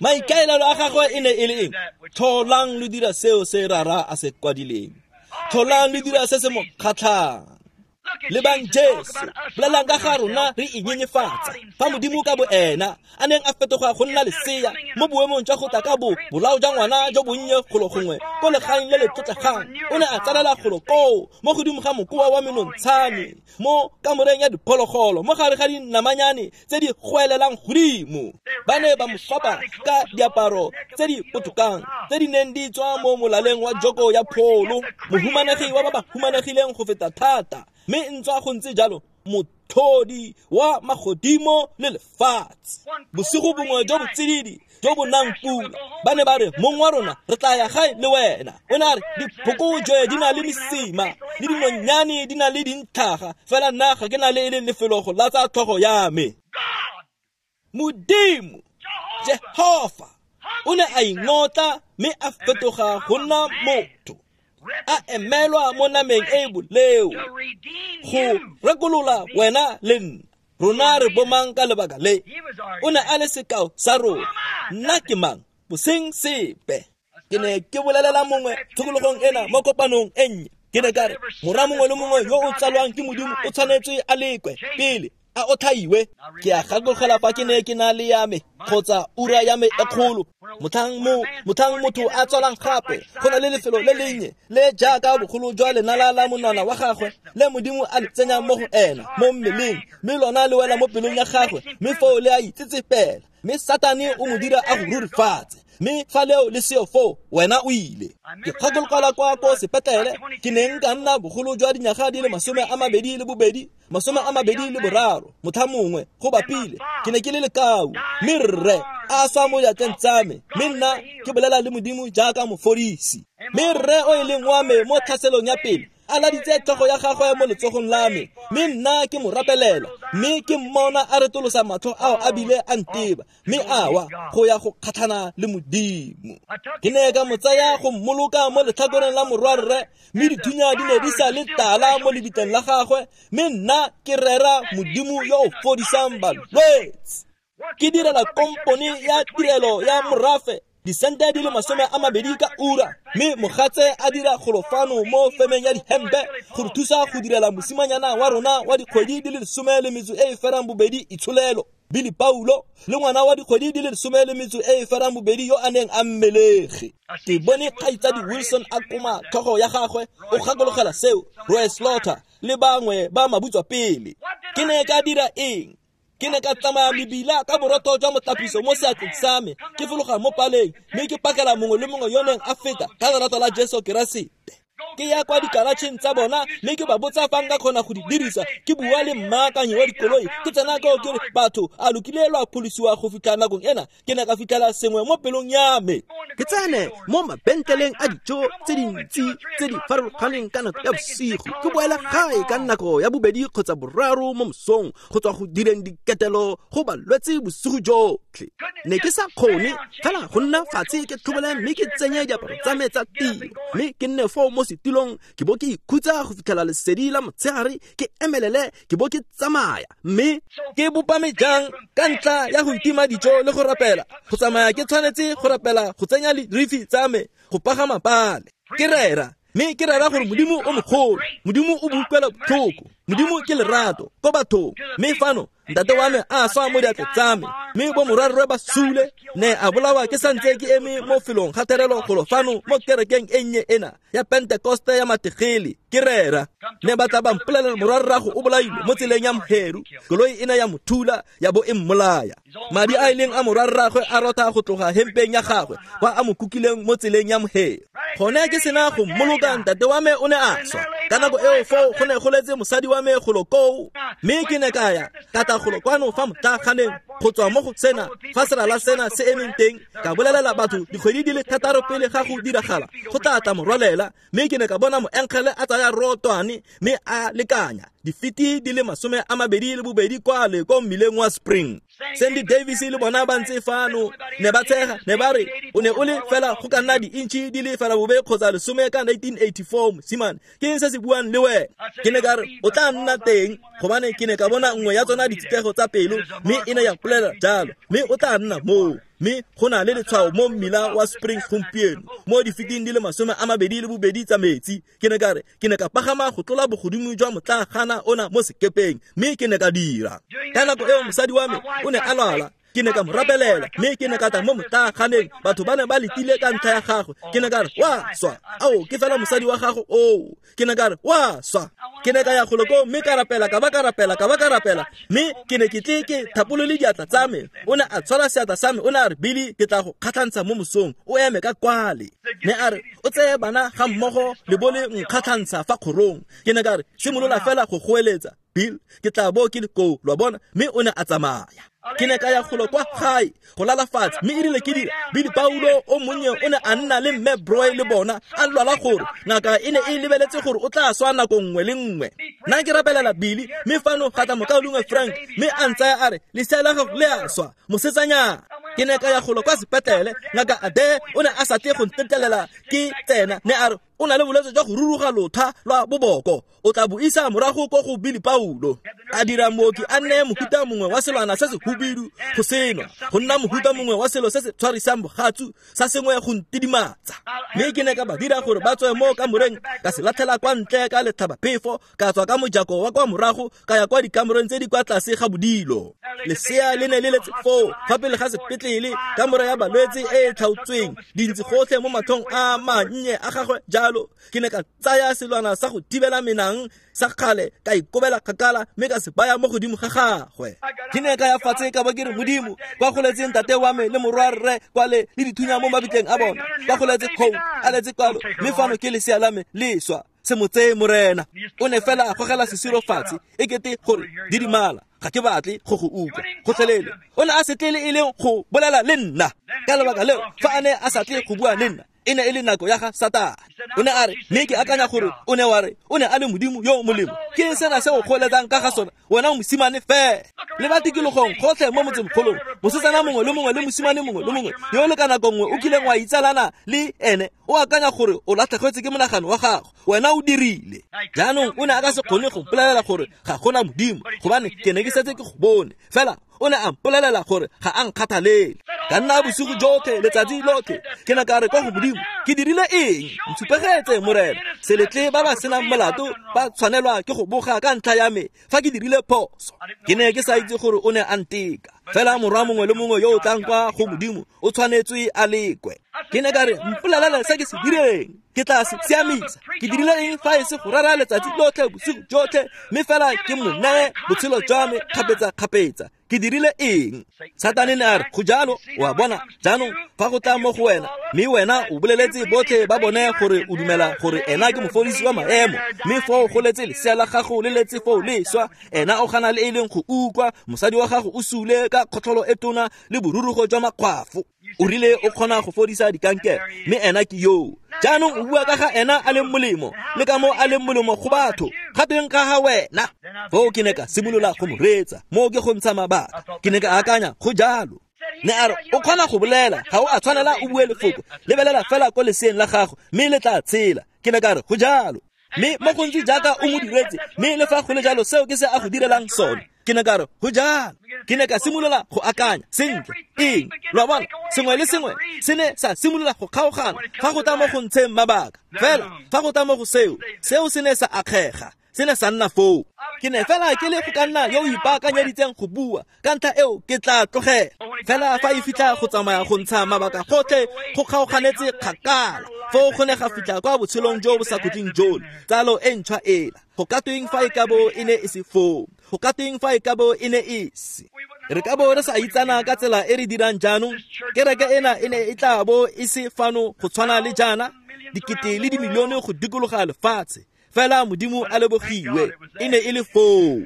Maikaelelo a gagwe e ne e le eng? Tlholang lo dira seo se rara a se kwadileng. Tlholang lo dira se se mo kgatlhang. Lebang Jesu, bolelang ka ga rona re inyenyefatsa. Fa Modimo ka bo ena a neng a fetoga go nna lesea mo boemong jwa go tla ka bo bolao jwa ngwana jo bonnye golo gongwe ko legaeng le le tlotlegang, o ne a tsalela golo koo mo godimo ga mokoa wa menontshane mo kamoreng ya diphologolo mo gare ga dinamanyane tse di goelelang godimo. Ba ne ba mo fapa ka diaparo tse di potokang tse di neng di tswa mo molaleng wa joko ya pholo, mohumanegi wa ba ba humanegileng go feta thata. Mme ntswa go ntse jalo, mothodi wa magodimo le lefatshe. Bosigo bongwe jo bo tsididi jo bo nang pula, ba ne ba re, mong wa rona re tla ya gae le wena. O ne a re, diphokojwe di na le mesima le dinonyane di na le dintlhaga, fela nna ga ke na le e le lefelo go latsa tlhogo ya me. Modimo Jehofa o ne a ingotla mme a fetoga go nna motho, a emelwa mo nameng e boleo go rekolola wena le nna. Rona re bomang ka lebaka le? O ne a le sekao sa rona. Nna ke mang? Boseng sepe. Ke ne ke bolelela mongwe tshokologong ena mo kopanong e nnye. Ke ne ka re, mora mongwe le mongwe yo o tsalwang ke Modimo o tshwanetse a lekwe pele a otlhaiwe. Ke a gakologelwa fa ke ne ke na le ya me kgotsa ura ya me e kgolo. Motlhang mo motlhang motho a tswalang gape, go na le lefelo le lennye le jaaka bogolo jwa lenala la monwana wa gagwe le Modimo a le tsenyang mo go ena mo mmeleng, mme lona le wela mo pelong ya gagwe, mme foo le a itsetsepela, mme Satane o mo dira a go rurifatse. Mme fa leo le seo foo, wena o ile. Ke gakologelwa kwa ko sepetlele ke neng ka nna bogolo jwa dinyaga di le masome a mabedi le bobedi, masome a mabedi le boraro, motlha mongwe go bapile ke ne ke le lekau, mme rre a swa mo diatleng tsa me, mme nna ke bolela le Modimo jaaka mofodisi. Mme rre o e leng wa me mo tlhaselong ya pele a laditse tlhogo ya gagwe mo letsogong la me, mme nna ke mo rapelela, mme ke mmona a retolosa matlho ao a bile a nteba, mme a wa go ya go kgatlhana le Modimo. Ke ne ka mo tsaya go mmoloka mo letlhakoreng la morwarre, mme dithunya di ne di sa le tala mo lebitleng la gagwe, mme nna ke rera Modimo yo o fodisang balwetse. Ke direla kompone ya tirelo ya morafe disente di le masome a mabedi ka ura, mme mogatse a dira golofano mo femeng ya dihempe go re thusa go direla mosimanyana wa rona wa dikgwedi di le lesome le metso e e ferang bobedi itsholelo, Billy Paulo, le ngwana wa dikgwedi di le lesome le metso e e ferang bobedi yo a neng a mmelege. Ke bone kgaitsadi Wilson a koma tlhogo ya gagwe, o gakologela seo, Roy Slaughter le bangwe ba mabutswa pele. Ke ne ka dira eng? Ke ne ka tsamaya mebila ka borotho jwa motlapiso mo seatleng sa me, ke fologa mo paleng, mme ke pakela mongwe le mongwe yo neng a feta ka lerato la Jesu Keresete. Ke ya kwa dikaratšheng tsa bona mme ke ba botsa fa nka kgona go di dirisa. Ke bua le mmaakanyi wa dikoloi, ke tsena koo ke re, batho a lo kile lwa pholosiwa go fitlha nakong ena? Ke ne ka fitlhela sengwe mo pelong ya me. Ke tsene mo mabentleleng a dijo tse dintsi tse di farologaneng ka nako ya bosigo, ke boela gae ka nako ya bobedi kgotsa boraro mo mosong go tswa go direng diketelo go balwetse bosigo jotlhe. Ne ke sa kgone fela go nna fatshe ke tlhobole mme ke tsenye diaparo tsa me tsa tiro, mme ke nne foo mo setilong ke bo ke ikhutsa go fitlhela lesedi la motshegare, ke emelele ke bo ke tsamaya. Mme ke bopame jang ka ntlha ya go itima dijo le go rapela? Go tsamaya ke tshwanetse go rapela go tsenya dirifi tsa me go pagama pale. Ke rera, mme ke rera gore Modimo o mogolo, Modimo o boutlwela botlhoko. Modimo ke lerato ko bathong, mme fano ntate wa me a swa mo diatleng tsa me, mme bo morwarre ba sule, ne a bolawa ke santse ke eme mo felong ga therelo golo fano mo kerekeng e nnye ena ya Pentekoste ya Mategele ke rera. Ne ba tla ba mpolelela morwarrago o bolailwe mo tseleng ya Mheru, koloi e ne ya mo thula ya bo e mmolaya. Madi a ileng a morwarragwe a rotha go tloga hempeng ya gagwe kwa a mo kukileng mo tseleng ya Mheru. Gone ke sena go mmoloka, ntate wa me o ne a swa. Ka nako eo foo go ne go letse mosadi wa me golo koo, mme ke ne ka ya ka tla golo kwano fa motlaganeng go tswa mo go sena fa serala sena se emeng teng, ka bolelela batho dikgwedi di le thataro pele ga go diragala go tla tla morwalela. Mme ke ne ka bona moenkgele a tsaya rotwane mme a lekanya difiti di le masome a mabedi le bobedi kwale ko mmileng wa Spring. Sandy Davis le bona ba ntse fano ne ba tshega, ne ba re o ne o le fela go ka nna di-inch di le fela bobe kgotsa lesome ka nineteen eighty-four, mosimane ke eng se se buang le wena? Ke ne ka re o tla nna teng, gobane ke ne ka bona nngwe ya tsona ditsitego tsa pelo, mme e ne ya mpolelela jalo, mme o tla nna moo. Mme go na le letshwao mo mmila wa Spring gompieno mo difiting di le masome a mabedi le bobedi tsa metsi. Ke ne ka re ke ne ka pagama go tlola bogodimo jwa motlagana ona mo sekepeng, mme ke ne ka dira. Ka nako eo mosadi wa me o ne a lwala, ke ne ka mo rapelela, mme ke ne ka tla mo motlaganeng, batho ba ne ba letile ka ntlha ya gagwe. Ke ne ka re wa swa, ao ke fela mosadi wa gago oo. Ke ne ka re wa swa. Ke ne ka ya golo koo mme ka rapela, ka ba ka rapela, ka ba ka rapela, mme ke ne ke tle ke thapolole diatla tsa me. O ne a tshwara seatla sa me, o ne a re, Billy, ke tla go kgatlhantsha mo mosong, o eme ka kwale. Ne a re o tseye bana ga mmogo le bo le nkgatlhantsha fa kgorong. Ke ne ka re simolola fela go goeletsa, Bill, ke tla bo ke le koo, lo a bona. Mme o ne a tsamaya. Ke ne ka ya golo kwa gae go lala fatshe, mme erile ke dira, Billy Paulo o monnye o ne a nna le mme Broy le bona a lwala gore ngaka e ne e lebeletse gore o tla swa nako nngwe le nngwe. Nna ke rapelela Billy, mme fano ga tla mokaulengwe Frank, mme a ntsaya a re lesea la gago le a swa, mosetsanyana. Ke ne ka ya golo kwa sepetlele, ngaka Ade o ne a sa tle go ntetlelela ke tsena, ne a re o na le bolwetse jwa go ruruga lotha lwa boboko, o tla bo isa morago ko go Billy Paulo. A dira mooki a nne mohuta mongwe wa selwana se se hubidu go senwa, go nna mohuta mongwe wa selo se se tshwarisang bogatsu sa sengwe go ntidimatsa. Mme ke ne ka ba dira gore ba tswe mo kamoreng, ka se latlhela kwa ntle ka letlhabaphefo, ka tswa ka mojako wa kwa morago ka ya kwa dikamoreng tse di kwa tlase ga bodilo. Lesea le ne le letse foo fa pele ga sepetlele, kamora ya balwetse e e tlhaotsweng, dintsi gotlhe mo matlhong a mannye a gagwe jalo. Ke ne ka tsaya selwana sa go thibela menang sa kgale, ka ikobela kgakala mme ka se baya mo godimo ga gagwe. Ke ne ka ya fatshe ka ba ke re, Modimo, kwa go letseng ntate wa me le morwarre kwale le dithunya mo mabitleng a bona, kwa go letse kgou a letse kwalo, mme fano ke lesea la me le swa, se mo tseye Morena. O ne fela a gogela sesiro fatshe e kete gore didimala, ga ke batle go go utlwa gotlhelele. O ne a se tle le e leng go bolela le nna. Ka lebaka leo fa a ne a sa tle go bua le nna, e ne e le nako ya ga Satane. O ne a re, mme ke akanya gore o ne wa re o ne a le Modimo yo o molemo. Ke sena se o kgoletsang ka ga sona, wena o mosimane fela. Le ba tikologong gotlhe mo motsemogolong, mosetsana mongwe le mongwe le mosimane mongwe le mongwe yo le ka nako nngwe o kileng wa itsalana le ene, o akanya gore o latlhegetswe ke monagano wa gago, wena o dirile. Jaanong o ne a ka se kgone go mpolelela gore ga gona Modimo, gobane ke ne ke setse ke go bone. Fela o ne a mpolelela gore ga a nkgathalele. Ka nna bosigo jotlhe, letsatsi lotlhe, ke ne ka re kwa go Modimo, ke dirile eng? Ntshupegetse Morena, se letle ba ba senang molato ba tshwanelwa ke go boga ka ntlha ya me fa ke dirile phoso. Ke ne ke sa itse gore o ne a nteka. Fela morwa mongwe le mongwe yo o tlang kwa go Modimo o tshwanetswe a lekwe. Ke ne ka re mpolelele se ke se direng, ke tla se siamisa. Ke dirile eng fa e se go rera letsatsi lotlhe bosigo jotlhe, mme fela ke mo neye botshelo jwa me kgapetsa-kgapetsa? Ke dirile eng? Satane ne a re, go jalo, o a bona, jaanong fa go tla mo go wena, mme wena o boleletse botlhe ba bone gore o dumela gore ena ke mofodisi wa maemo, mme foo go letse lesea la gago le letse foo le swa, ena o gana le e leng go utlwa, mosadi wa gago o sule ka kgotlholo e tona le borurugo jwa makgwafo. O rile o kgona go fodisa dikankere, mme ena ke yoo. Jaanong o bua ka ga ena a leng molemo, le ka mo a leng molemo go batho, gatweng ka ga wena. Foo ke ne ka simolola go mo reetsa, moo ke go ntsha mabaka. Ke ne ka akanya, go jalo. Ne a re, o kgona go bolela, ga o a tshwanela o bue lefoko, lebelela fela ko leseeng la gago, mme le tla tshela. Ke ne ka re, go jalo. Mme mo gontsi jaaka o mo diretse, mme le fa go le jalo seo ke se a go direlang sone. Ke ne ka re, go jalo. Ke ne ka simolola go akanya, sentle, eng? Lo a bona, sengwe le sengwe se ne sa simolola go kgaogana fa go tla mo go ntsheng mabaka. Fela fa go tla mo go seo, seo se ne sa akgega. Se ne sa nna foo. Ke ne fela ke le go ka nna yo o ipaakanyeditseng go bua, ka ntlha eo ke tla tlogela. Fela fa e fitlha go tsamaya go ntsha mabaka gotlhe go kgaoganetse kgakala. Foo go ne ga fitlha kwa botshelong jo bo sa khutleng jole, tsalo e ntšhwa ela. Go ka tweng fa e ka bo e ne e se foo? Go ka tweng fa e ka bo e ne e se? Re ka bo re sa itsana ka tsela e re dirang jaanong. Kereke ena e ne e tla bo e se fano go tshwana le jaana, dikete le dimilione go dikologa lefatshe. Fela Modimo a lebogiwe, e ne e le foo.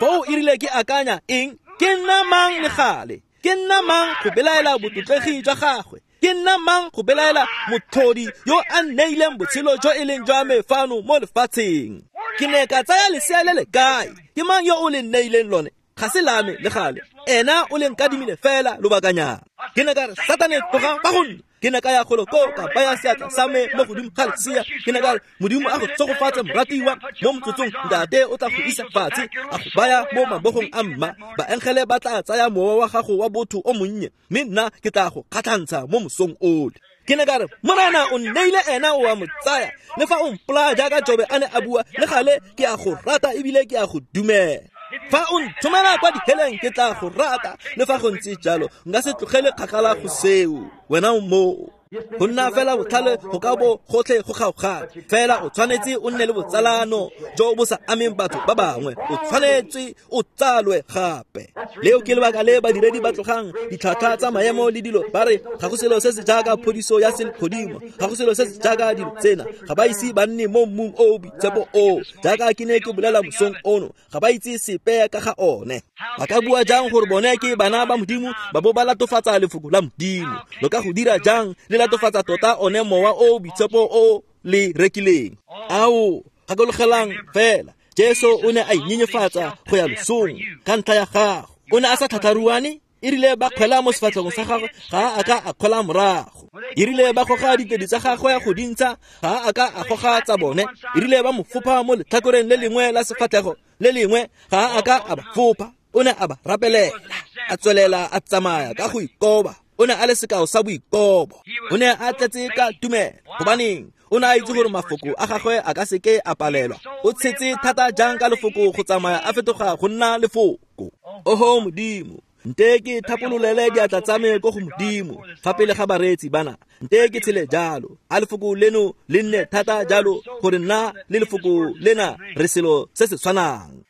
Foo e rile ke akanya eng? Ke nna mang le gale? Ke nna mang go belaela botlotlegi jwa gagwe? Ke nna mang go belaela motlhodi yo a nneileng botshelo jo e leng jwa me fano mo lefatsheng? Ke ne ka tsaya lesea le le kae? Ke mang yo o le nneileng lone? Ga se la me le gale. Ena o le nkadimile fela lobakanyana. Ke ne ka re, Satane, tloga fa go nna. Ke ne ka ya golo koo ka baya seatla sa me mo godimo ga lesea. Ke ne ka re, Modimo a go tshegofatse moratiwa. Mo motsotsong ntate o tla go isa fatshe, a go baya mo mabogong a mma. Baengele ba tla tsaya mowa wa gago wa botho o monnye, mme nna ke tla go kgatlhantsha mo mosong ole. Ke ne ka re, Morena o nneile ena o a mo tsaya. Le fa o mpolaya jaaka Jobe a ne a bua, le gale ke a go rata ebile ke a go dumela. Fa o nthomela kwa diheleng ke tla go rata, le fa go ntse jalo nka se tlogele kgakala go seo. Wena o moo. Go nna fela botlhale go ka bo gotlhe go kgaogana, fela o tshwanetse o nne le botsalano jo bo sa ameng batho ba bangwe. O tshwanetse o tsalwe gape. Leo ke lebaka le badiredi ba tlogang ditlhwatlhwa tsa maemo le dilo ba re ga go selo se se jaaka phodiso ya selegodimo, ga go selo se se jaaka dilo tsena. Ga ba ise ba nne mo mmung o o boitshepo o, jaaka ke ne ke bolela mosong ono, ga ba itse sepe ka ga one. Ba ka bua jang gore bone ke bana ba Modimo ba bo ba latofatsa lefoko la Modimo? Lo ka go dira jang le latofatsa tota one mowa o boitshepo o le rekileng? Ao, gakologelang fela, Jesu o ne a inyenyefatsa go ya losong ka ntlha ya gago. O ne a sa tlhatlharuane. E rile ba kgwela mo sefatlhegong sa gagwe, ga a ka a kgwela morago. E rile ba goga ditedu tsa gagwe go dintsha, ga a ka a goga tsa bone. E rile ba mo fopha mo letlhakoreng le lengwe la sefatlhego le lengwe, ga a ka a ba fopha. O ne a ba rapelela, a tswelela a tsamaya ka go ikoba. O ne a le sekao sa boikobo. O ne a tletse ka tumelo. Gobaneng? O ne a itse gore mafoko a gagwe a ka seke a palelwa. O tshetse thata jang ka lefoko go tsamaya a fetoga go nna lefoko. Oho Modimo, nte ke thapololele diatla tsa me ko go Modimo fa pele ga bareetsi bana. Nte ke tshele jalo. A lefoko leno le nne thata jalo gore nna le lefoko lena re selo se se tshwanang.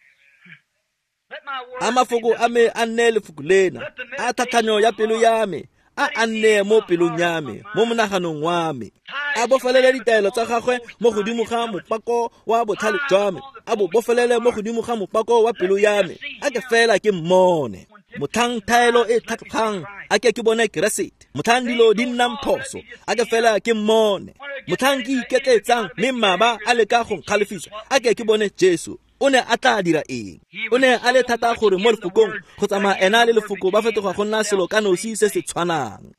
A mafoko a me a nne lefoko lena, a tlhatlhanyo ya pelo ya me a a nne mo pelong ya me, mo monaganong wa me. A bofelele ditaelo tsa gagwe mo godimo ga mopako wa botlhale jwa me, a bo bofelele mo godimo ga mopako wa pelo ya me. A ke fela ke mmone. Motlhang thaelo e tlhatlogang, a ke ke bone Keresete. Motlhang dilo di nnang phoso, a ke fela ke mmone. Motlhang ke iketletsang mme mmaba a leka go nkgalefisa, a ke ke bone Jesu. O ne a tla dira eng? O ne a le thata gore mo lefokong go tsamaya ena le lefoko ba fetoga go nna selo ka nosi se se tshwanang.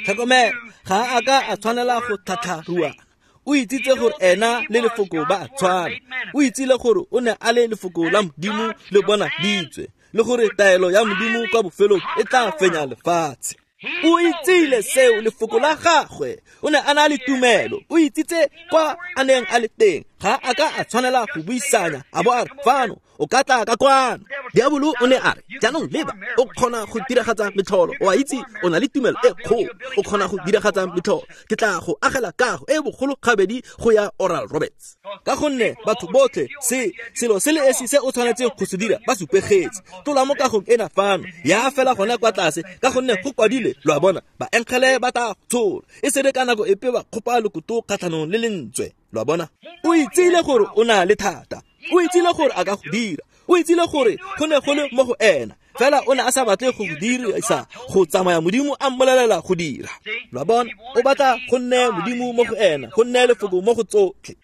Tlhokomela, ga a ka a tshwanela go tlhatlharuana. O itsitse gore ena le lefoko ba a tshwana. O itsile gore o ne a le lefoko la Modimo le bonaditswe, le gore taelo ya Modimo kwa bofelong e tla fenya lefatshe. O itsile seo lefoko la gagwe. O ne a na le tumelo. O itsitse kwa a neng a le teng. Ga a ka a tshwanela go buisanya a bo a re, fano o ka tla ka kwano. Diabolo o ne a re, jaanong leba, o kgona go diragatsa metlholo. O a itse o na le tumelo e kgolo, o kgona go diragatsa metlholo. Ke tla go agela kago e bogolo gabedi go ya Oral Roberts. Ka gonne batho botlhe se selo se le esi se o tshwanetseng go se dira ba supegetse. Tlola mo kagong ena fano, ya fela gona kwa tlase, ka gonne go kwadile, lo a bona, baengele ba tla tshola. E se re ka nako epe ba kgopa lokoto kgatlhanong le lentswe. Lo a bona? O itsile gore o na le thata. O itsile gore a ka go dira. O itsile gore go ne go le mo go ena. Fela o ne a sa batle go go dirisa go tsamaya Modimo a mmolelela go dira. Lo a bona? O batla go nne Modimo mo go ena, go nne lefoko mo go tsotlhe.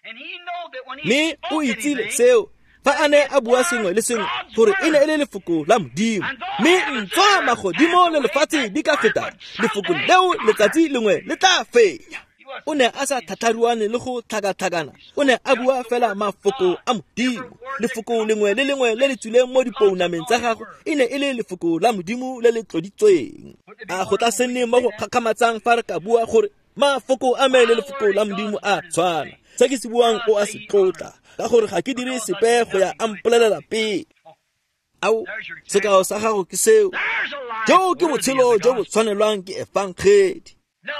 Mme o itsile seo fa a ne a bua sengwe le sengwe gore e ne e le lefoko la Modimo. Mme ntswa magodimo le lefatshe di ka feta, lefoko leo letsatsi lengwe le tla fenya. O ne a sa tlhatlharuane le go tlhakatlhakana. O ne a bua fela mafoko a Modimo. Lefoko lengwe le lengwe le le tswileng mo dipounameng tsa gagwe e ne e le lefoko la Modimo le le tloditsweng. A go tla se nne mo go kgakgamatsang fa re ka bua gore mafoko a me le lefoko la Modimo a tshwana. Se ke se buang o a se tlotla, ka gore ga ke dire sepe go ya a mpolelela pele. Ao, sekao sa gago ke seo. Jo ke botshelo jo bo tshwanelwang ke efangedi.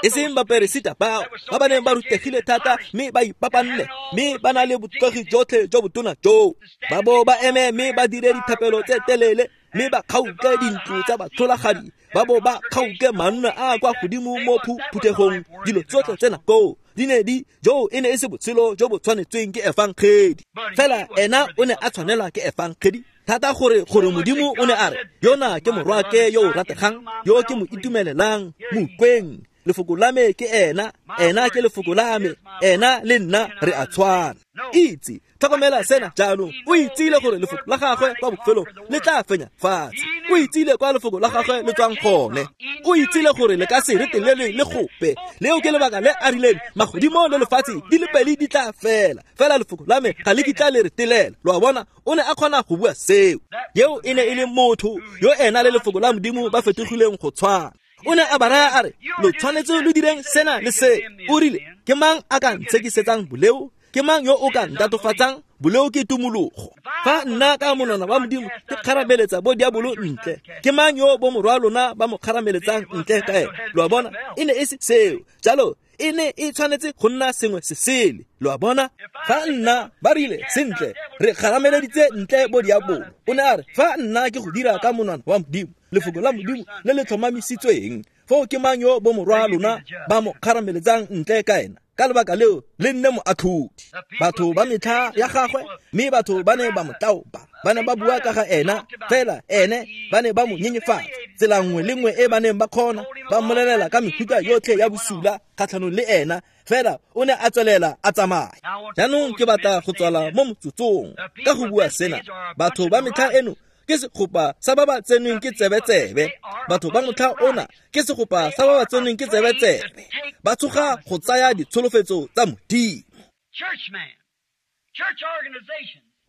E seng baperesita bao ba ba neng ba rutegile thata mme ba ipapanne mme ba na le botlotlogi jotlhe jo botona joo, ba bo ba eme mme ba dire dithapelo tse telele mme ba kgaoke dintlo tsa batlholagadi, ba bo ba kgaoke manna a kwa godimo mo phuthegong. Dilo tsotlhe tsena koo di ne di joo e ne e se botshelo jo bo tshwanetsweng ke efangedi. Fela ena o ne a tshwanelwa ke efangedi thata gore gore Modimo o ne a re, yona ke morwake yo o rategang, yo ke mo itumelelang, mo utlweng. Lefoko la me ke ena, ena ke lefoko la me, ena le nna re a tshwana. Itse, tlhokomela sena jaanong. O itsile gore lefoko la gagwe kwa bofelong le tla fenya fatshe. O itsile kwa lefoko la gagwe le tswang gone. O itsile gore le ka se retelelwe le gope. Leo ke lebaka le a rileng magodimo le lefatshe di le pedi di tla fela, fela lefoko la me ga le kitla le retelela. Lo a bona, o ne a kgona go bua seo. Yeo e ne e le motho yo ena le lefoko la Modimo ba fetogileng go tshwana. O ne a ba raya a re, lo tshwanetse lo direng sena le se. O rile, ke mang a ka ntshekisetsang boleo? Ke mang yo o ka ntatofatsang? Boleo ke tumologo. Fa nna ka monwana wa Modimo ke kgarameletsa bo diabolo ntle, ke mang yo bo morwa lona ba mo kgarameletsang ntle ka ene? Lo a bona, e ne e se seo. Jalo e ne e tshwanetse go nna sengwe se sele. Lo a bona, fa nna ba rile sentle re kgarameleditse ntle bo diabolo, o ne a re, fa nna ke go dira ka monwana wa Modimo, lefoko la Modimo le le tlhomamisitsweng, foo ke mang yo bo morwa lona ba mo kgarameletsang ntle ka ena? Ka lebaka leo le nne moatlhodi. Batho ba metlha ya gagwe, mme batho ba ne ba mo tlaopa, ba ne ba bua ka ga ena, fela ene ba ne ba mo nyenyefatsa tsela nngwe le nngwe e ba neng ba kgona, ba mmolelela ka mefuta yotlhe ya bosula kgatlhanong le ena, fela o ne a tswelela a tsamaya. Jaanong ke batla go tswala mo motsotsong ka go bua sena. Batho ba metlha eno ke segopa sa ba ba tsenweng ke tsebetsebe. Batho ba motlha ona ke segopa sa ba ba tsenweng ke tsebetsebe. Ba tsoga go tsaya ditsholofetso tsa Modimo.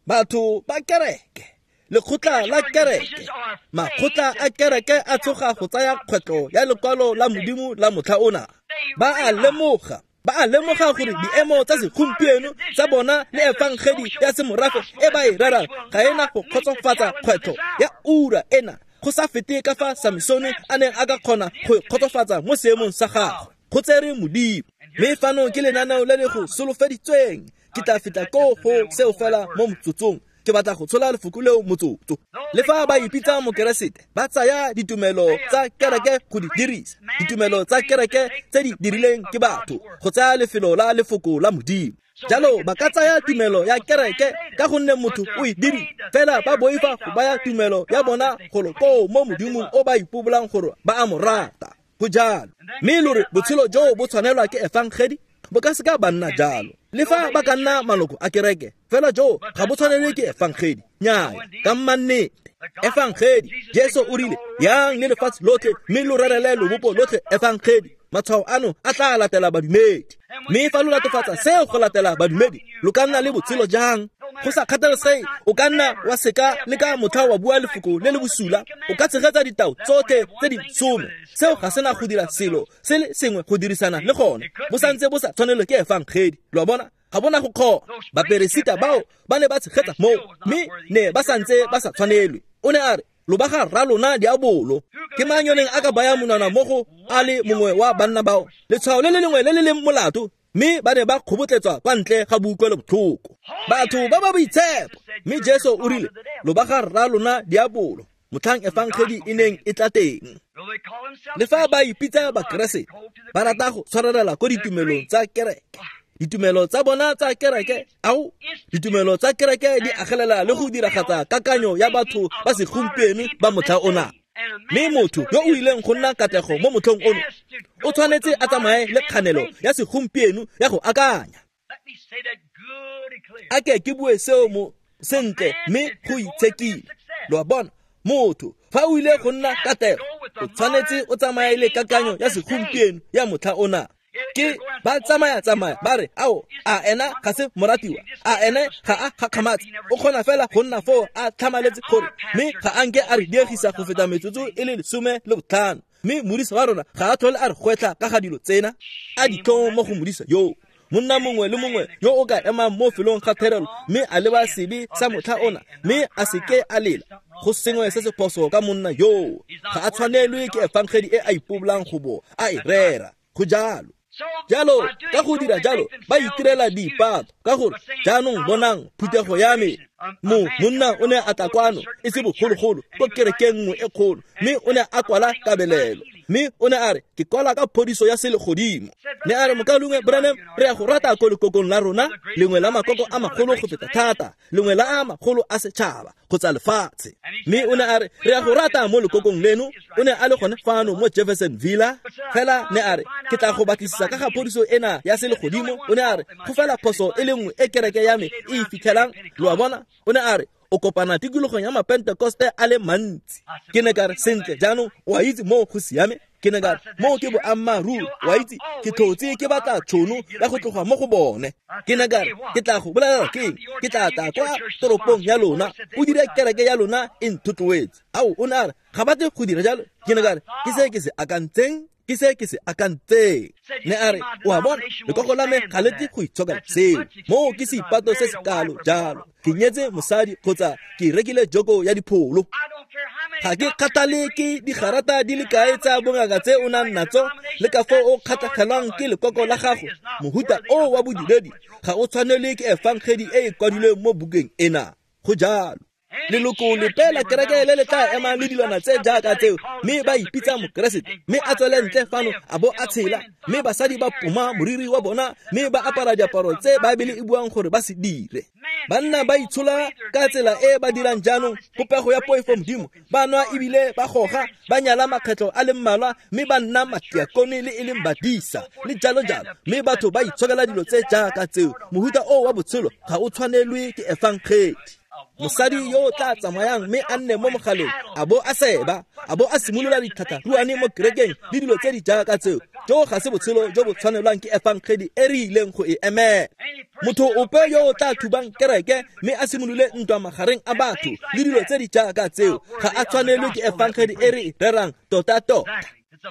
Batho ba kereke, lekgotla la kereke, makgotla a kereke a tsoga go tsaya kgwetlo ya lekwalo la Modimo la motlha ona. Ba a lemoga, ba a lemoga gore diemo tsa segompieno tsa bona le efangedi ya semorafe e ba e rerang ga ena go kgotsofatsa kgwetlho ya ura ena, go sa fete ka fa Samsone a neng a ka kgona go e kgotsofatsa mo seemong sa gagwe. Go tsere Modimo. Mme fano ke lenaneo le le go solofeditsweng. Ke tla feta koo go seo fela mo motsotsong. Ke batla go tshola lefoko leo motsotso. Le fa ba ipitsa mokeresete, ba tsaya ditumelo tsa kereke go di dirisa, ditumelo tsa kereke tse di dirileng ke batho go tsaya lefelo la lefoko la Modimo. Jalo ba ka tsaya tumelo ya kereke ka gonne motho o e diri, fela ba boifa go baya tumelo ya bona golo koo mo Modimong o ba ipobolang gore ba a mo rata. Go jalo. Mme lo re botshelo joo bo tshwanelwa ke efangedi, bo ka seka ba nna jalo. Le fa ba ka nna maloko a kereke, fela joo ga bo tshwanelwe ke efangedi. Nnyaya, ka mmannete. Efangedi, Jesu o rile, yang le lefatshe lotlhe mme lo rerele lobopo lotlhe efangedi. Matshwao ano a tla latela badumedi. Mme fa lo latofatsa seo go latela badumedi, lo ka nna le botshelo jang? Go sa kgathalesege, o ka nna wa seka le ka motlha wa bua lefoko le le bosula, o ka tshegetsa ditao tsotlhe tse di some. Seo ga sena go dira selo se le sengwe go dirisana le gone, bo santse bo sa tshwanelwe ke efangedi. Lo a bona, ga bona go kgona. Baperesita bao ba ne ba tshegetsa moo, mme ne ba santse ba sa tshwanelwe. O ne a re, lo ba ga rra lona diabolo. Ke mang yo neng a ka baya monwana mo go a le mongwe wa banna bao? Letshwao le le lengwe le le leng molato, mme ba ne ba kgobotletswa kwa ntle ga boutlwelobotlhoko. Batho ba ba boitshepo. Mme Jesu o rile, lo ba ga rra lona diabolo, motlhang efangedi e neng e tla teng. Le fa ba ipitsa bakeresete, ba rata go tshwarelela ko ditumelong tsa kereke. Ditumelo tsa bona tsa kereke, ao, ditumelo tsa kereke di agelela le go diragatsa kakanyo ya batho ba segompieno ba motlha ona. Mme motho yo o ileng go nna katlego mo motlhong ono o tshwanetse a tsamaye le kganelo ya segompieno ya go akanya. A ke ke bue seo mo sentle mme go itshekile. Lo a bona, motho fa o ile go nna katlego o tshwanetse o tsamaye le kakanyo ya segompieno ya motlha ona. Ke ba tsamaya tsamaya ba re, ao, a ena ga se moratiwa, a ene ga a gakgamatse, o kgona fela go nna foo a tlhamaletse gore, mme ga a nke a re diegisa go feta metsotso e le lesome le botlhano. Mme modisa wa rona ga a tlhole a re gwetlha ka ga dilo tsena. A ditlhong mo go modisa yoo. Monna mongwe le mongwe yo o ka emang mo felong ga therelo mme a leba sebe sa motlha ona mme a seke a lela, go sengwe se se phoso ka monna yoo. Ga a tshwanelwe ke efangedi e a ipobolang go bo a e rera. Go jalo. Jalo ka go dira jalo ba itirela diipato ka gore jaanong bonang phuthego ya me. Mo monna o ne a tla kwano e se bogologolo ko kerekeng nngwe e kgolo, mme o ne a kwala kabelelo, mme o ne a re ke kwala ka phodiso ya selegodimo. Ne a re mokaulengwe Branham, re ya go rata ko lekokong la rona, lengwe la makoko a magolo go feta thata, lengwe la a magolo a setšhaba kgotsa lefatshe. Mme o ne a re re ya go rata mo lekokong leno. O ne a le gone fano mo Jefferson Villa. Fela ne a re ke tla go batlisisa ka ga phodiso ena ya selegodimo. O ne a re go fela phoso e le nngwe e kereke ya me e e fitlhelang, lo a bona. O ne a re o kopana tikologong ya mapentekoste a le mantsi. Ke ne ka re sentle jaanong o a itse moo go siame. Ke ne ka re moo ke boammaaruri, o a itse ke tlhotse ke batla tšhono ya go tloga mo go bone. Ke ne ka re ke tla go bolelela ke eng, ke tla tla kwa toropong ya lona, o dire kereke ya lona e nthotloetse. Ao, o ne a re ga batle go dira jalo. Ke ne ka re ke se ke se akantseng, ke se ke se akantseng. Ne a re o a bona lekoko la me ga le tle go itshokela seo, moo ke seipato se se kalo jalo. Ke nyetse mosadi kgotsa ke rekile joko ya dipholo. Ga ke kgathale ke digarata di le kae tsa bongaka tse o nang natso le ka foo o kgatlhegelwang ke lekoko la gago. Mohuta o wa bodiredi ga o tshwanelwe ke efangedi e e kwadilweng mo bukeng ena. Go jalo. Leloko lepe la kereke le le tla emang le dilwana tse jaaka tseo mme ba ipitsa mokeresete, mme a tswele ntle fano a bo a tshela, mme basadi ba poma moriri wa bona mme ba apara diaparo tse Baebele e buang gore ba se dire. Banna ba itshola ka tsela e ba dirang jaanong, popego ya poifo modimo, ba nwa ebile ba goga, ba nyala makgetlho a le mmalwa mme ba nna matiakone le e leng badisa le jalo jalo, mme batho ba itshokela dilo tse jaaka tseo. Mohuta o wa botshelo ga o tshwanelwe ke efangedi. Mosadi yo o tla tsamayang mme a nne mo mogaleng a bo a seba, a bo a simolola dithatharuane mo kerekeng le dilo tse di jaaka tseo, jo ga se botshelo jo bo tshwanelwang ke efangedi e re ileng go e emela. Motho ope yo o tla thubang kereke mme a simolole ntwa magareng a batho le dilo tse di jaaka tseo ga a tshwanelwe ke efangedi e re e rerang tota-tota.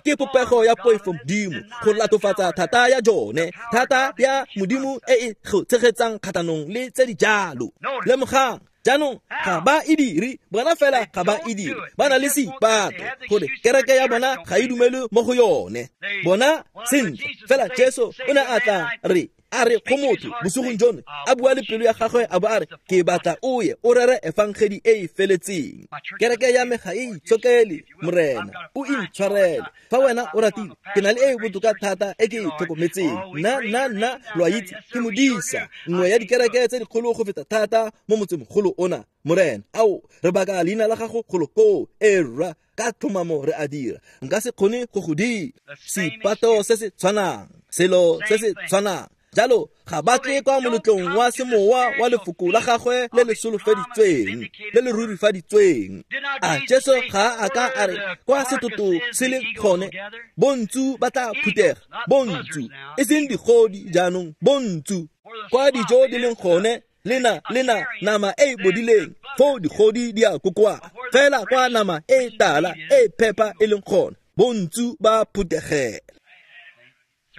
Ke popego ya poifo modimo go latofatsa thata ya jone, thata ya modimo e e go tshegetsang kgatlhanong le tse di jalo. Lemogang jaanong ga ba e dire, bona fela ga ba e dire, ba na le seipato gore kereke ya bona ga e dumele mo go yone. Bona sentle fela Jesu o ne a tla re a re go motho bosigong jono, a bua le pelo ya gagwe a bo a re ke batla o ye o rere efangedi e e feletseng. Kereke ya me ga e itshokele, Morena o intshwarele. Fa wena o ratile, ke na le e e botoka thata e ke e tlhokometseng. Nna nna nna lo a itse ke modisa nngwe ya dikereke tse dikgolo go feta thata mo motsemogolo ona. Morena, ao re baka leina la gago golo koo, e rra ka tlhomamo re a dira. Nka se kgone go go dira. Seipato se se tshwanang, selo se se tshwanang. Jalo ga ba tle kwa moletlong wa semowa wa lefoko la gagwe le le solofeditsweng, le le rurifaditsweng. A Jesu ga a ka a re kwa setoto se le gone, bontsu ba tla phuthega, bontsu e seng digodi jaanong, bontsu kwa dijo di leng gone, lena lena nama e e bodileng, foo digodi di a kokoana. Fela kwa nama e tala e phepa e leng gone, bontsu ba phuthegela.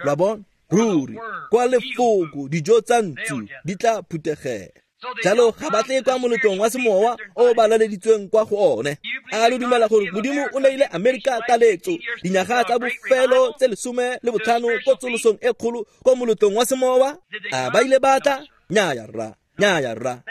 Lo a bona? Ruri kwa lefoko dijo tsa ntsu di tla phuthegela. Jalo ga ba tle kwa moletlong wa semowa o ba laleditsweng kwa go one. A lo dumela gore modimo o neile Amerika taletso dinyaga tsa bofelo tse lesome le botlhano ko tsolosong e kgolo ko moletlong wa semowa? A ba ile ba tla? Nnyaya rra, nnyaya rra.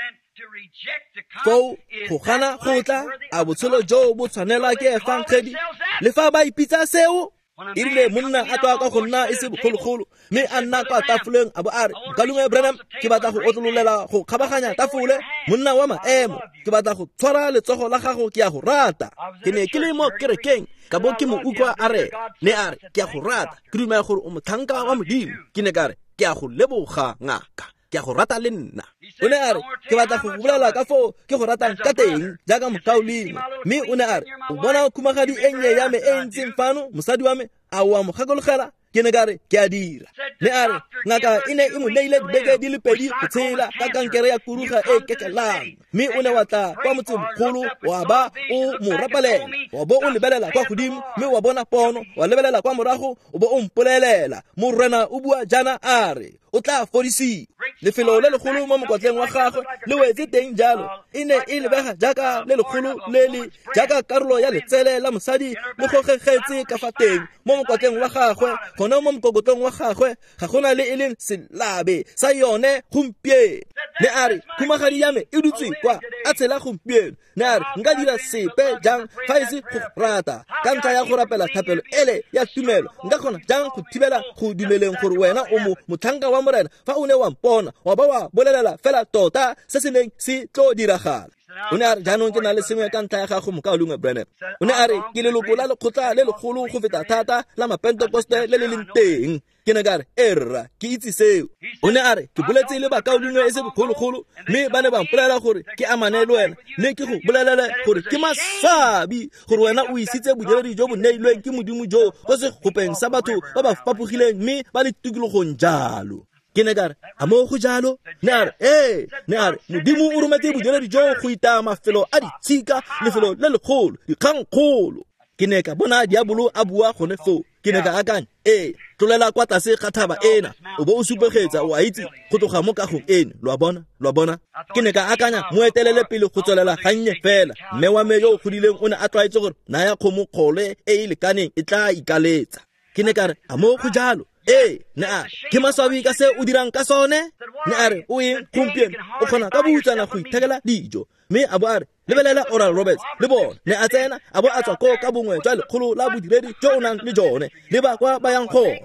Foo go gana go tla, a botshelo jo bo tshwanelwa ke efangedi le fa ba ipitsa seo? E rile monna a tswa kwa go nna e se bogologolo mme a nna kwa tafoleng a bo a re mokaulengwe Branham, ke batla go otlololela go kgabaganya tafole, monna wa maemo, ke batla go tshwara letsogo la gago, ke a go rata. Ke ne ke le mo kerekeng ka bo ke mo utlwa a re, ne a re ke a go rata, ke dumela gore o motlhanka wa modimo. Ke ne ka re ke a go leboga ngaka, ke a go rata le nna. O ne a re ke batla go bolela ka foo ke go ratang ka teng jaaka mokaulengwe. Mme o ne a re o bona khumagadi e nnye ya me e ntseng fano, mosadi wa me, a o a mo gakologela? Ke ne ka re ke a dira. Ne a re ngaka e ne e mo neile dibeke di le pedi go tshela ka kankere ya kuruga e kekelang, mme o ne wa tla kwa motsemogolo wa ba o mo rapalela, wa bo o lebelela kwa godimo mme wa bona pono, wa lebelela kwa morago o bo o mpolelela, Morena o bua jaana a re o tla fodisiwa. Lefelo le legolo mo mokwatleng wa gagwe le wetse teng jalo, e ne e lebega jaaka le legolo le le jaaka karolo ya letsele la mosadi le gogegetse ka fa teng mo mokwatleng wa gagwe, gone mo mokokotlong wa gagwe ga gona le e leng selabe sa yone gompieno. Ne a re, khumagadi ya me e dutse kwa a tshela gompieno. Ne a re, nka dira sepe jang fa e se go rata ka ntlha ya go rapela thapelo ele ya tumelo? Nka kgona jang go thibela go dumeleng gore wena o mo motlhanka wa Morena fa o ne wa mpona wa ba wa bolelela fela tota se se neng se tlo diragala? O ne a re, jaanong ke na le sengwe ka ntlha ya gago, mokaulengwe Branham. O ne a re, ke leloko la lekgotla le legolo go feta thata la mapentekoste le le leng teng. Ke ne ka re, e rra, ke itse seo. O ne a re, ke boletse le bakaulengwe e se bogologolo, mme ba ne ba mpolelela gore ke amane le wena, mme ke go bolelele gore ke maswabi gore wena o isitse bodiredi jo bo neilweng ke Modimo jo ko segopeng sa batho ba ba fapogileng mme ba le tikologong jalo. Ke ne ka re, a mo go jalo? Ne a re, ee. Ne a re, Modimo o rometse bodiredi jo go itaya mafelo a ditshika, lefelo le legolo, dikgangkgolo. Ke ne ka bona diabolo a bua gone foo. Ke ne ka akanya, ee, tlolela kwa tlase ga thaba ena o bo o supegetsa, o a itse, go tloga mo kagong eno. Lo a bona? Lo a bona? Ke ne ka akanya, mo etelele pele go tswelela gannye fela. Mme wa me yo o godileng o ne a tlwaetse gore naya kgomo kgole e e lekaneng e tla ikaletsa. Ke ne ka re, a mo go jalo? Ee. Ne a re, ke maswabi ka se o dirang ka sone. Ne a re, o eng gompieno o kgona ka boutsana go ithekela dijo. Mme a bo a re, lebelela Oral Roberts le bone. Ne a tsena a bo a tswa koo ka bongwe jwa lekgolo la bodiredi jo o nang le jone, le ba kwa ba yang gone.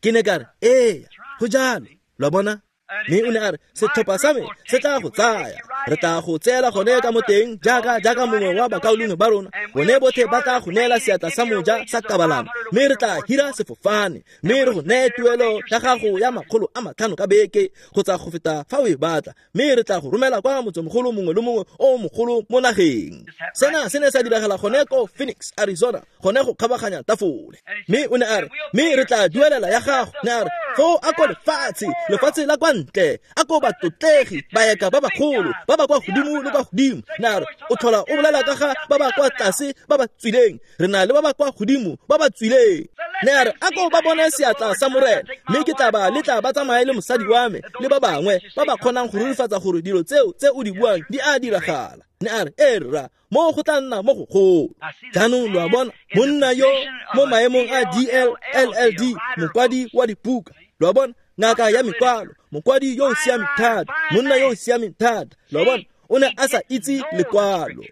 Ke ne ka re, ee, go jalo. Lo a bona? Mme o ne a re, setlhopha sa me se tla go tsaya, re tla go tseela gone ka mo teng jaaka jaaka mongwe wa bakaulengwe ba rona. Bone botlhe ba tla go neela seatla sa moja sa kabalano, mme re tla hira sefofane, mme re go neye tuelo ya gago ya makgolo a matlhano ka beke kgotsa go feta fa o e batla, mme re tla go romela kwa motsemogolo mongwe le mongwe o mogolo mo nageng. Sena se ne sa diragala gone ko Phoenix, Arizona, gone go kgabaganya tafole. Mme o ne a re, mme re tla duelela ya gago. Ne a re, foo a ko lefatshe, lefatshe la kwa ntle, a ko batlotlegi, baeka ba bagolo, ba ba kwa godimo le kwa godimo. Ne a re, o tlhola o bolela ka ga ba ba kwa tlase ba ba tswileng, re na le ba ba kwa godimo ba ba tswileng. Ne a re, a ko ba bone seatla sa Morena, mme ke tla ba letla ba tsamaye le mosadi wa me le ba bangwe ba ba kgonang go rurifatsa gore dilo tseo tse o di buang di a diragala. Ne a re, e rra, mo go tla nna mo gogolo. Jaanong lo a bona, monna yo mo maemong a D L L L D, mokwadi wa dibuka. Lo a bona, ngaka ya mekwalo, mokwadi yo o siameng thata, monna yo o siameng thata. Lo a bona, o ne a sa itse lekwalo.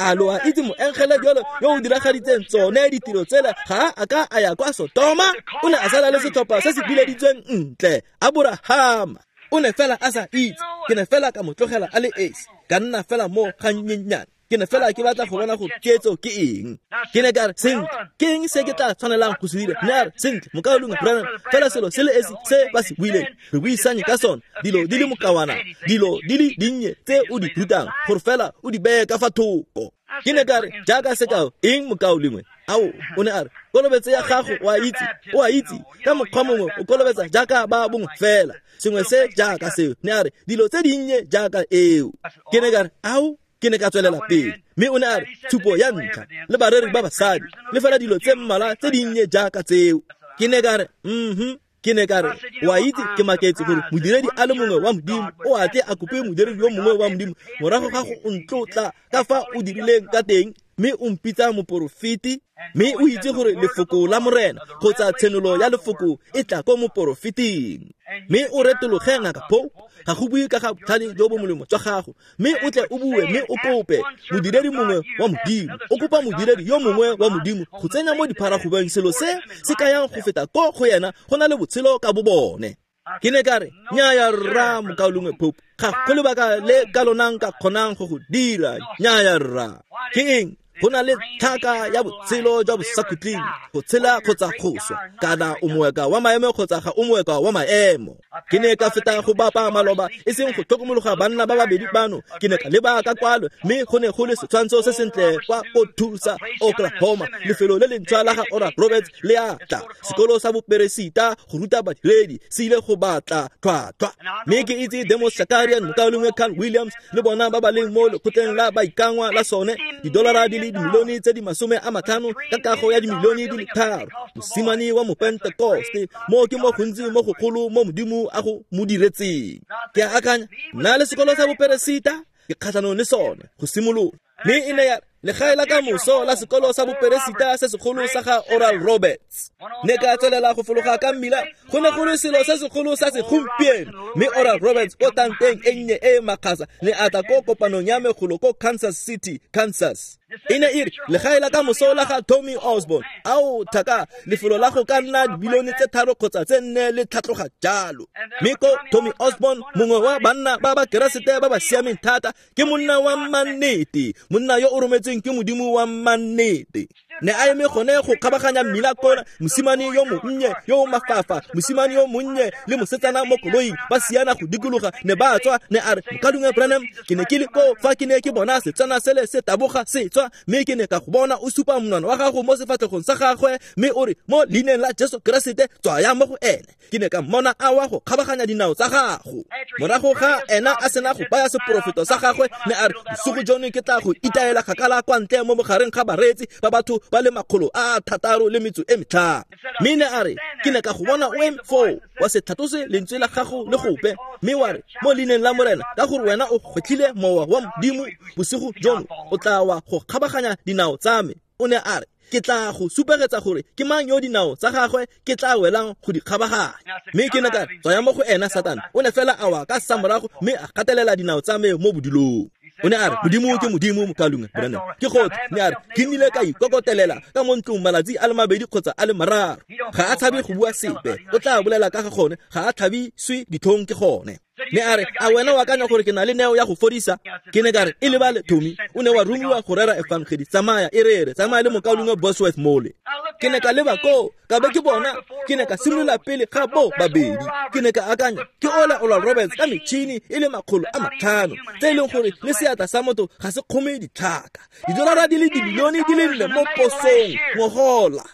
A lo a itse moengele jalo yo o diragaditseng tsone ditiro tsela ga a ka a ya kwa Sotoma? O ne a sala le setlhopha se se bileditsweng ntle, Aborahama. O ne fela a sa itse. Ke ne fela ka mo tlogela a le esi, ka nna fela mo gannyenyane. Ke ne fela ke batla go bona gore ketso ke eng. Ke ne ka re, sentle, ke eng se ke tla tshwanelang go se dira? Ne a re, sentle, mokaulengwe Branham, fela selo se le esi se ba se buileng, re buisanye ka sone, dilo di le mokawana, dilo di le dinnye tse o di rutang, gore fela o di beye ka fa thoko. Ke ne ka re, jaaka sekao, eng mokaulengwe? Ao, o ne a re, kolobetso ya gago o a itse, o a itse, ka mokgwa mongwe o kolobetsa jaaka ba bongwe fela, sengwe se jaaka seo. Ne a re, dilo tse dinnye jaaka eo. Ke ne ka re, ao, ke ne ka tswelela pele. Mme o ne a re, tshupo ya ntlha, le bareri ba basadi, le fela dilo tse mmalwa tse dinnye jaaka tseo. Ke ne ka re, mhm. Ke ne ka re, o a itse, ke maketse gore modiredi a le mongwe wa Modimo o a tle a kope modiredi yo mongwe wa Modimo morago ga go ntlotla ka fa o dirileng ka teng, mme o mpitsa moporofeti, mme o itse gore lefoko la Morena kgotsa tshenolo ya lefoko e tla ko moporofeting. Mme o retologe ngaka Pope, ga go bue ka ga botlhale jo bo molemo jwa gago, mme o tle o bue mme o kope modiredi mongwe wa Modimo, o kopa modiredi yo mongwe wa Modimo go tsenya mo dipharagobeng selo se se kayang go feta ko go yena go na le botshelo ka bo bone. Ke ne ka re, nnyaya rra, mokaulengwe Pope, ga go lebaka le ka lona nka kgonang go go dira. Nnyaya rra. Ke eng? Go na le tlhaka ya botshelo jwa bosakhutleng, go tshela kgotsa go swa, kana o moeka wa maemo kgotsa ga o moeka wa maemo. Ke ne ka feta go bapa maloba, e seng go tlhokomologa banna ba babedi bano. Ke ne ka leba ka kwalo, mme go ne go le setshwantsho se sentle kwa ko Tulsa, Oklahoma, lefelo le lentšhwa la ga Oral Roberts le a tla. Sekolo sa boperesita go ruta badiredi se ile go batla tlhwatlhwa. Mme ke itse Demos Shakarian, mokaulengwe Carl Williams le bona ba ba leng mo lekgotleng la baikangwa la sone, didolara di le le dimilione tse di masome a matlhano ka kago ya dimilione di le tharo, mosimane wa Mopentekoste, mo ke mo gontsi mo gogolo mo Modimo a go mo diretseng. Ke a akanya, nna le sekolo sa boperesita ke kgatlhanong le sone go simolola. Mme e ne ya legae la kamoso la sekolo sa boperesita se segolo sa ga Oral Roberts. Ne ka tswelela go fologa ka mmila, go ne go le selo se segolo sa segompieno. Mme Oral Roberts ko tanteng e nnye e makgasa ne a tla ko kopanong ya megolo ko Kansas City, Kansas. E ne e re legae la kamoso la ga Tommy Osborn, ao thaka lefelo la go ka nna dibilione tse tharo kgotsa tse nne le tlhatloga jalo. Mme ko Tommy Osborn, mongwe wa banna ba ba Keresete ba ba siameng thata, ke monna wa mannete, monna yo o rometsweng ke Modimo wa mannete. Ne a eme gone go kgabaganya mmila kona, mosimane yo monnye yo o mafafa, mosimane yo monnye le mosetsana mo koloing ba siana go dikologa, ne ba tswa. Ne a re, Mokaulengwe Branham, ke ne ke le koo fa ke ne ke bona setsana sele se taboga se tswa, mme ke ne ka go bona o supa monwana wa gago mo sefatlhegong sa gagwe, mme o re, mo leineng la Jesu Keresete tswaya mo go ene. Ke ne ka mmona a wa go kgabaganya dinao tsa gago. Morago ga ena a sena go baya seporofeto sa gagwe, ne a re, bosigo jono ke tla go itaela kgakala kwa ntle mo mogareng ga bareetsi ba batho ba le makgolo a thataro le metso e metlhano. Mme ne a re, ke ne ka go bona o eme foo, wa se tlhatlose lentswe la gago le gope, mme wa re, mo leineng la Morena, ka gore wena o gwetlhile mowa wa Modimo bosigo jono, o tla wa go kgabaganya dinao tsa me. O ne a re, ke tla go supegetsa gore ke mang yo dinao tsa gagwe ke tla welang go di kgabaganya. Mme ke ne ka re, tswaya mo go ena, Satane. O ne fela a wa ka samorago mme a gatelela dinao tsa me mo bodilong. O ne a re, Modimo ke Modimo, Mokaulengwe Branham. Ke gotlhe. Ne a re, ke nnile ka ikokotelela ka mo ntlong malatsi a le mabedi kgotsa a le mararo. Ga a tshabe go bua sepe, o tla bolela ka ga gone, ga a tlhabiswe ditlhong ke gone. Ne a re, a wena o akanya gore ke na le neo ya go fodisa? Ke ne ka re, e lebale Tommy, o ne wa romiwa go rera efangedi, tsamaya e rere, tsamaya le mokaulengwe Bosworth mole. Ke ne ka leba koo, ka be ke bona, ke ne ka simolola pele ga bo babedi. Ke ne ka akanya, ke ola Oral Roberts ka metšhini e le makgolo a matlhano, tse e leng gore le seatla sa motho ga se kgome ditlhaka. Didolara di le dibilione di le nne mo posong ngogola.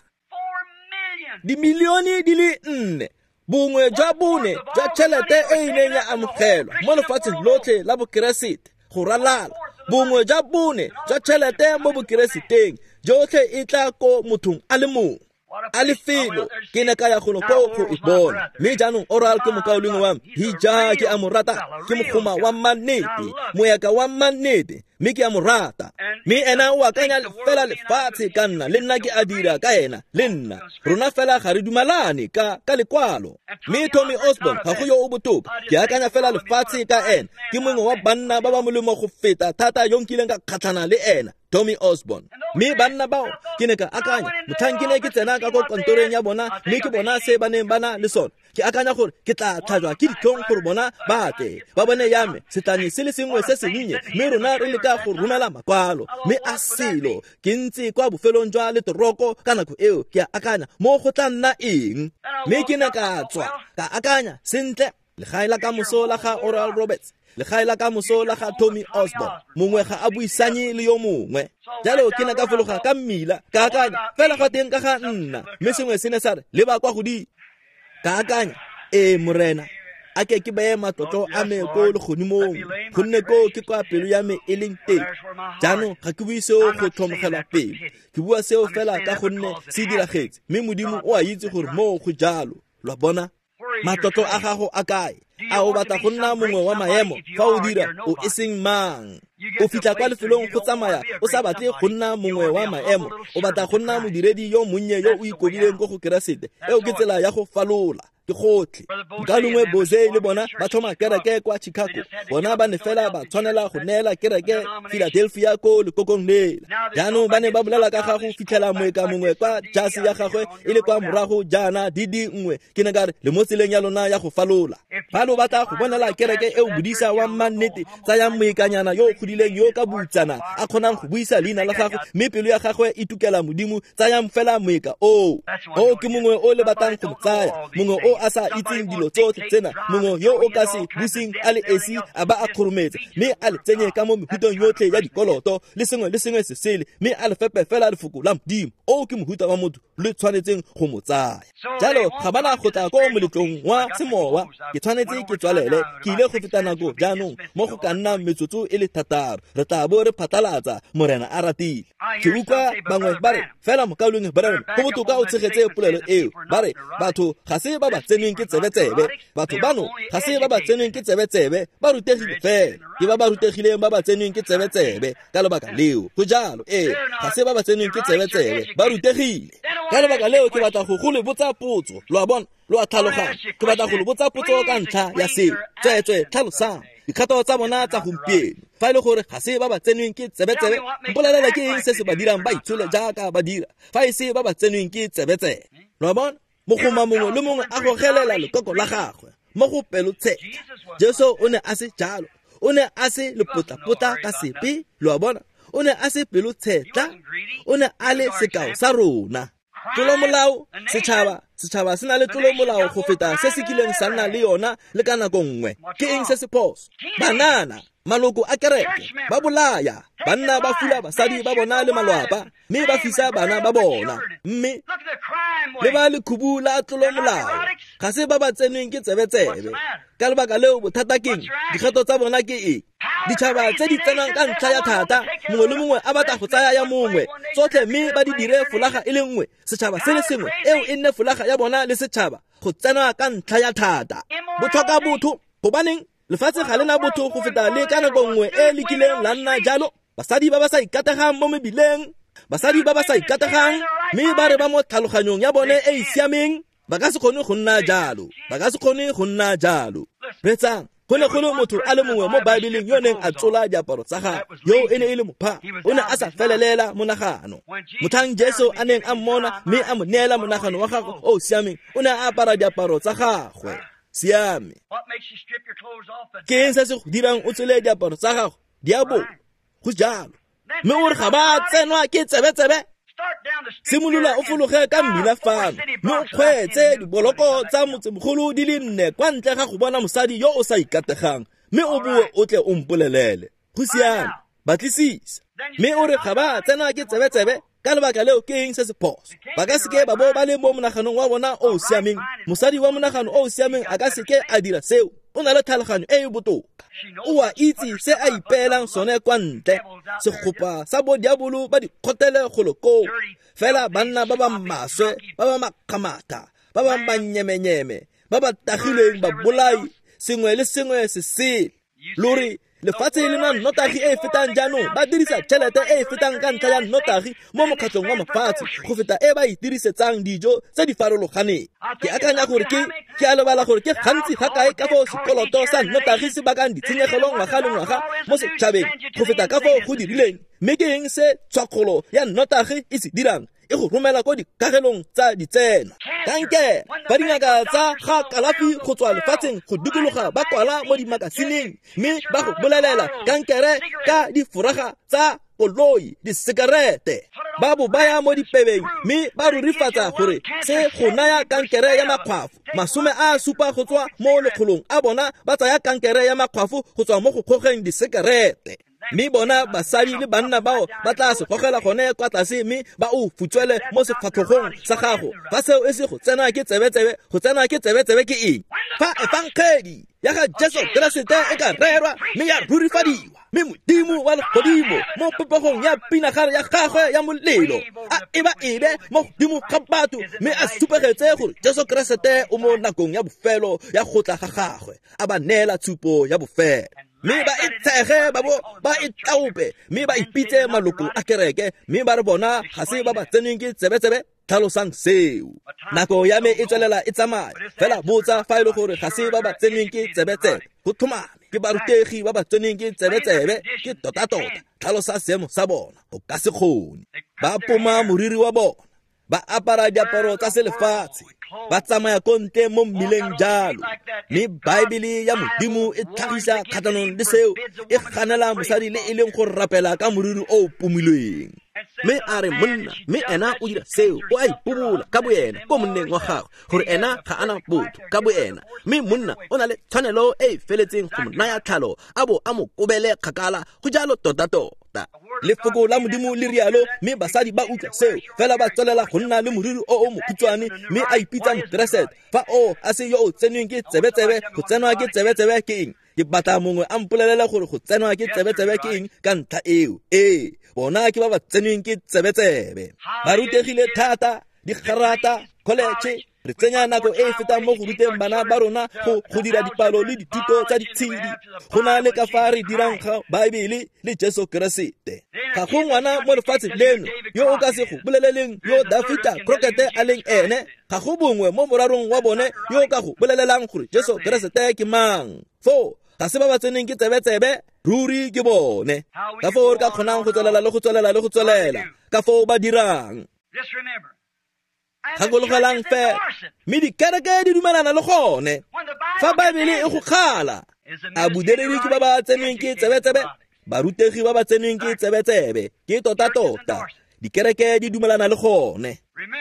Dimilione di le nne. Bongwe jwa bone jwa tšhelete e e neng ya amogelwa mo lefatsheng lotlhe la Bokeresete go ralala. Bongwe jwa bone jwa tšhelete mo Bokereseteng jotlhe e tla ko mothong a le mongwe. A lefelo ke ne ka ya golo koo go e bona. Mme jaanong Oral ke mokaulengwe wa me, hija ke a mo rata, ke mogoma wa mannete, moeka wa mannete, mme ke a mo rata. Mme ena o akanya fela lefatshe ka nna, le nna ke a dira ka ena, le nna. Rona fela ga re dumalane ka, ka lekwalo. Mme Tommy Osborn ga go yo o botoka, ke akanya fela lefatshe ka ena, ke mongwe wa banna ba ba molemo go feta thata yo nkileng ka kgatlhana le ena, Tommy Osborn. Mme banna bao ke ne ka akanya, motlhang ke ne ke tsena ka ko kantoreng ya bona, mme ke bona se ba neng ba na le sone. Ke akanya gore ke tla tlhajwa ke ditlhong gore bona ba tle ba bone ya me setlane se le sengwe se sennye, mme rona re leka go romela makwalo. Mme a selo ke ntse kwa bofelong jwa letoroko ka nako eo, ke a akanya mo go tla nna eng. Mme ke ne ka tswa ka akanya, sentle, legae la kamoso la ga Oral Roberts, legae la kamoso la ga Tommy Osborn, mongwe ga a buisanye le yo mongwe. Jalo ke ne ka fologa ka mmila, ka akanya fela ga teng ka ga nna, mme sengwe se ne sa re leba kwa godimo. Ka akanya, ee Morena, a ke ke beye matlotlo a me ko legodimong, gonne koo ke kwa pelo ya me e leng teng. Jaanong ga ke bue seo go tlhomogelwa pelo, ke bua seo fela ka gonne se diragetse, mme Modimo o a itse gore moo go jalo. Lo a bona? Matlotlo a gago a kae? A o batla go nna mongwe wa maemo? Fa o dira, o e seng mang? O fitlha kwa lefelong go tsamaya o sa batle go nna mongwe wa maemo, o batla go nna modiredi yo monnye yo o ikobileng ko go Keresete. Eo ke tsela ya go falola. Ke gotlhe. Mokaulengwe Boze le bona ba tlhoma kereke kwa Chicago. Bona ba ne fela ba tshwanela go neela kereke Philadelphia ko lekokong lela. Jaanong ba ne ba bolela ka ga go fitlhela moeka mongwe kwa jase ya gagwe e le kwa morago jaana di di nngwe. Ke ne ka re, le mo tseleng ya lona ya go falola. Fa lo batla go bonela kereke eo bodisa wa mannete, tsayang moekanyana yo o godileng yo ka boutsana a kgonang go buisa leina la gagwe, mme pelo ya gagwe e tukela Modimo, tsayang fela moeka oo. O ke mongwe o le batlang go mo tsaya, mongwe o yo a sa itseng dilo tsotlhe tsena, mongwe yo o ka se buseng a le esi a ba a kgorometse, mme a le tsenye ka mo mehuteng yotlhe ya dikoloto le sengwe le sengwe se sele, mme a le fepe fela lefoko la Modimo. O ke mohuta wa motho le tshwanetseng go mo tsaya. Jalo ga bana go tla ko moletlong wa semowa. Ke tshwanetse ke tswalele, ke ile go feta nako jaanong mo go ka nna metsotso e le thataro. Re tla bo re phatlalatsa, Morena a ratile. Ke utlwa bangwe ba re fela mokaulengwe Branham, go botoka o tshegetse polelo eo. Ba re batho ga se ba ba tsenweng ke tsebetsebe, batho bano ga se ba ba tsenweng ke tsebetsebe, ba rutegile fela. Ke ba ba rutegileng ba ba tsenweng ke tsebetsebe ka lebaka leo. Go jalo, ee, ga se ba ba tsenweng ke tsebetsebe, ba rutegile. Ka lebaka leo ke batla go go le botsa potso. Lo a bona, lo a tlhaloganya. Ke batla go le botsa potso ka ntlha ya seo. Tsweetswee tlhalosang dikgato tsa bona tsa gompieno. Fa e le gore ga se ba ba tsenweng ke tsebetsebe, mpolelela ke eng se se ba dirang ba itshole jaaka ba dira, fa e se ba ba tsenweng ke tsebetsebe. Lo a bona, mogoma mongwe le mongwe a gogelela lekoko la gagwe mo go pelotshetlha. Jesu o ne a se jalo, o ne a se lepotlapotla ka sepe. Lo a bona, o ne a se pelotshetlha, o ne a le sekao sa rona. Tlolomolao, setšhaba, setšhaba se na le tlolomolao go feta se se kileng sa nna le yona le ka nako nngwe. Ke eng se se phoso? Banana, maloko a kereke, ba bolaya banna, ba fula basadi ba bona le malwapa, mme ba fisa bana ba bona. Mme le ba lekhubu la tlolomolao ga se ba ba tsenweng ke tsebetsebe. Ka lebaka leo bothata keng? Dikgato tsa bona ke eng? Ditšhaba tse di tsenang ka ntlha ya thata, mongwe le mongwe a batla go tsaya ya mongwe tsotlhe, mme ba di dire folaga e le nngwe, setšhaba se le sengwe, eo e nne folaga ya bona le setšhaba, go tsena ka ntlha ya thata. Botlhoka botho, gobaneng lefatshe ga le na botho go feta le ka nako nngwe e le kileng la nna jalo. Basadi ba ba sa ikategang mo mebileng, basadi ba ba sa ikategang, mme ba re ba mo tlhaloganyong ya bone e e siameng, ba ka se kgone go nna jalo, ba ka se kgone go nna jalo. Reetsang, go ne go le motho a le mongwe mo Baebeleng yo neng a tsola diaparo tsa gagwe, yo e ne e le mopha, o ne a sa felelela monagano. Motlhang Jesu a neng a mmona mme a mo neela monagano wa gagwe o o siameng, o ne a apara diaparo tsa gagwe. Siame. Ke eng se se go dirang o tsole diaparo tsa gago? Diabolo. Go jalo. Mme o re ga ba tsenwa ke tsebetsebe? Simolola o fologe ka mmila fano, mme o kgweetse diboloko tsa motsemogolo di le nne kwa ntle ga go bona mosadi yo o sa ikategang, mme o boe o tle o mpolelele. Go siame, batlisisa. Mme o re ga ba tsenwa ke tsebetsebe? Ka lebaka leo ke eng se se phoso? Ba ka seke ba bo ba le mo monaganong wa bona o o siameng. Mosadi wa monagano o o siameng a ka seke a dira seo. O na le tlhaloganyo e e botoka. O a itse se a ipeelang sone kwa ntle. Segopa sa bo diabolo ba di kgotele golo koo. Fela banna ba ba maswe, ba ba makgamatha, ba ba manyemenyeme, ba ba tagilweng ba bolai, sengwe le sengwe se sele. Lori lefatshe le na nnotagi e e fetang jaanong, ba dirisa tšhelete e e fetang ka ntlha ya nnotagi mo mokgatlhong wa mafatshe go feta e ba e dirisetsang dijo tse di farologaneng. Ke akanya gore ke ke a lebala gore ke gantsi ga kae ka foo sekoloto sa nnotagi se bakang ditshenyegelo ngwaga le ngwaga mo setšhabeng go feta ka foo go dirileng. Mme ke eng se tshwakgolo ya nnotagi e se dirang? E go romela ko dikagelong tsa ditsena. Kankere, fa dingaka tsa ga kalafi go tswa lefatsheng go dikologa ba kwala mo dimakasineng, mme ba go bolelela kankere ka diforaga tsa koloi, disekerete, ba bo baya mo dipebeng, mme ba rurifatsa gore se go naya kankere ya makgwafo. Masome a supa go tswa mo lekgolong a bona ba tsaya kankere ya makgwafo go tswa mo go kgogeng disekerete. Mme bona basadi le banna bao ba tla se gogela gone kwa tlase, mme ba o futswele mo sefatlhogong sa gago. Fa seo e se go tsena ke tsebetsebe, go tsena ke tsebetsebe ke eng? Fa efangedi ya ga Jesu Keresete e ka rerwa mme ya rurifadiwa, mme Modimo wa legodimo mo popegong ya pinagare ya gagwe ya molelo a eba ebe mo godimo ga batho, mme a supegetse gore Jesu Keresete o mo nakong ya bofelo ya go tla ga gagwe, a ba neela tshupo ya bofelo. Mme ba e tshege, ba bo ba e taope, mme ba ipitse maloko a kereke, mme ba re bona ga se ba ba tsenweng ke tsebetsebe. Tlhalosang seo. Nako ya me e tswelela e tsamaya. Fela botsa fa e le gore ga se ba ba tsenweng ke tsebetsebe. Go tlhomame ke barutegi ba ba tsenweng ke tsebetsebe, ke tota-tota. Tlhalosa seemo sa bona, o ka se kgone. Ba poma moriri wa bona, ba apara diaparo tsa selefatshe, ba tsamaya ko ntle mo mmileng jalo. Mme Baebele ya Modimo e tlhagisa kgatlhanong le seo, e ganela mosadi le e leng go rapela ka moriri o o pomilweng. Mme a re monna, mme ena o dira seo, o a ipobola ka boena ko monneng wa gagwe gore ena ga ana botho ka boena. Mme monna o na le tshwanelo e e feletseng go mo naya tlhalo a bo a mo kobele kgakala, go jalo tota-tota. Lefoko la Modimo le rialo, mme basadi ba utlwa seo fela ba tswelela go nna le moriri o o mokhutshwane, mme a ipitsa mokeresete. Fa o a se yo o tsenweng ke tsebetsebe, go tsenwa ke tsebetsebe ke eng? Ke batla mongwe a mpolelele gore go tsenwa ke tsebetsebe ke eng ka ntlha eo. Ee, bona ke ba ba tsenweng ke tsebetsebe. Ba rutegile thata, digarata, college. Re tsenya nako e e fetang mo go ruteng bana ba rona go go dira dipalo le dithuto tsa ditshedi go na le ka fa re dirang ga Baebele le Jesu Keresete. Ga go ngwana mo lefatsheng leno yo o ka se go boleleleng yo Dafita Crockett a leng ene, ga go bongwe mo morarong wa bone yo o ka go bolelelang gore Jesu Keresete ke mang. Foo ga se ba ba tseneng ke tsebetsebe, ruri ke bone. Ka foo re ka kgonang go tswelela le go tswelela le go tswelela, ka foo ba dirang. Gakologelang fela, mme dikereke di dumelana le gone. Fa Baebele e go kgala, a bodiredi ke ba ba tsenweng ke tsebetsebe, barutegi ba ba tsenweng ke tsebetsebe, ke tota-tota. Dikereke di dumelana le gone.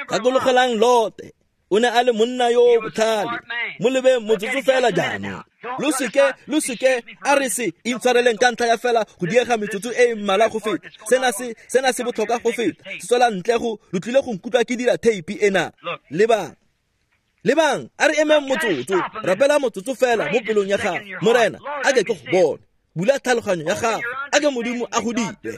Gakologelang Lote, o ne a le monna yo o botlhale. Mo lebeng motsotso fela jaanong. Lo seke, lo seke, a re se intshwareleng ka ntlha ya fela go diega metsotso e e mmalwa go feta. Sena se, sena se botlhokwa go feta. Se tswela ntle go, lo tlile go nkutlwa ke dira theipi ena. Lebang, lebang, a re emeng motsotso, rapela motsotso fela mo pelong ya gago. Morena, a ke ke go bone. Bula tlhaloganyo ya gago, a ke Modimo a go dire.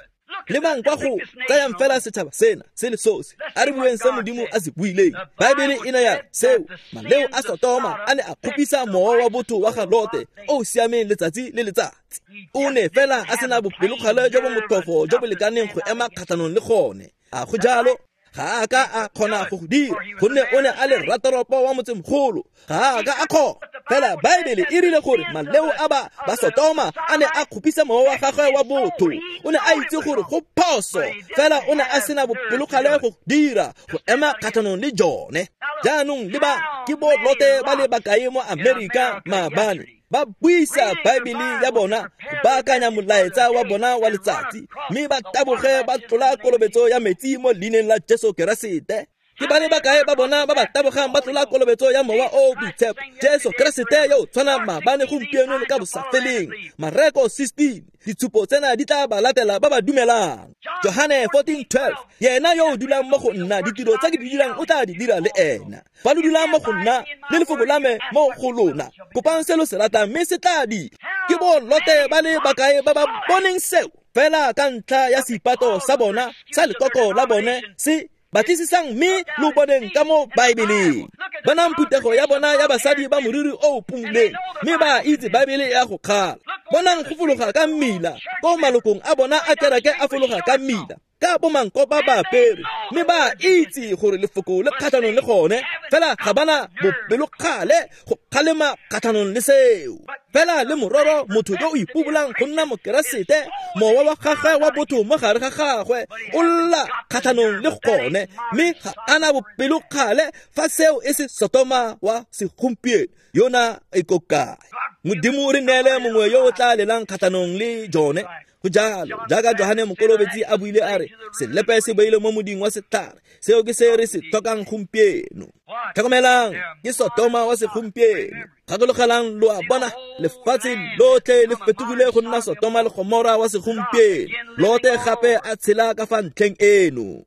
Lebang kwa go tsayang fela setšhaba sena se le sosi, a re bueng se Modimo a se buileng. Baebele e ne ya seo, maleo a Sotoma a ne a kgopisa mowa wa botho wa ga Lote o o siameng letsatsi le letsatsi. O ne fela a sena bopelokgale jo bo motlhofo jo bo lekaneng go ema kgatlhanong le gone. A go jalo? Ga a ka a kgona go go dira, gonne o ne a le ratoropo wa motsemogolo. Ga a ka a kgona. Fela Baebele e rile gore maleo a ba ba Sotoma a ne a kgopisa mowa wa gagwe wa botho. O ne a itse gore go phoso, fela o ne a sena bopelokgale go dira, go ema kgatlhanong le jone. Jaanong le ba ke bo Lote ba le bakae mo Amerika maabane, ba buisa Baebele ya bona go baakanya molaetsa wa bona wa letsatsi, mme ba taboge ba tlola kolobetso ya metsi mo leineng la Jesu Keresete. Ke ba le bakae ba bona ba ba tabogang ba tlola kolobetso ya mowa o o boitshepo, Jesu Keresete yo o tshwanang maabane gompieno le ka bosafeleng. Mareko sixteen, ditshupo tsena di tla ba latela ba ba dumelang. Johane fourteen twelve, yena yo o dulang mo go nna, ditiro tse ke di dirang o tla di dira le ena. Fa lo dulang mo go nna, le lefoko la me mo go lona, kopang se lo se ratang mme se tla dira. Ke bo Lote ba le bakae ba ba boneng seo, fela ka ntlha ya seipato sa bona, sa lekoko la bone se batlisisang mme lo boneng ka mo Baebeleng. Bonang phuthego ya bona ya basadi ba moriri o o pumuleng, mme ba itse Baebele ya go kgala. Bonang go fologa ka mmila, ko malokong a bona a kereke a fologa ka mmila, ka bomankopa ba apere, mme ba itse gore lefoko le kgatlhanong le gone, fela ga bana bopelokgale go kgalema kgatlhanong le seo. Fela le mororo motho yo o ipobolang go nna mokeresete, mowa wa gagwe wa botho mo gare ga gagwe o lla kgatlhanong le gone, mme ga ana bopelokgale fa seo e se Sotoma wa segompieno yona e ko kae. Modimo re neele mongwe yo o tla lelang kgatlhanong le jone. Go jalo, jaaka Johane Mokolobetsi a buile a re, selepe se beile mo moding wa setlhare, seo ke se re se tlhokang gompieno. Tlhokomelang, ke Sotoma wa segompieno. Gakologelang, lo a bona, lefatshe lotlhe le fetogile go nna Sotoma le Gomora wa segompieno. Lote gape a tshela ka fa ntlheng eno.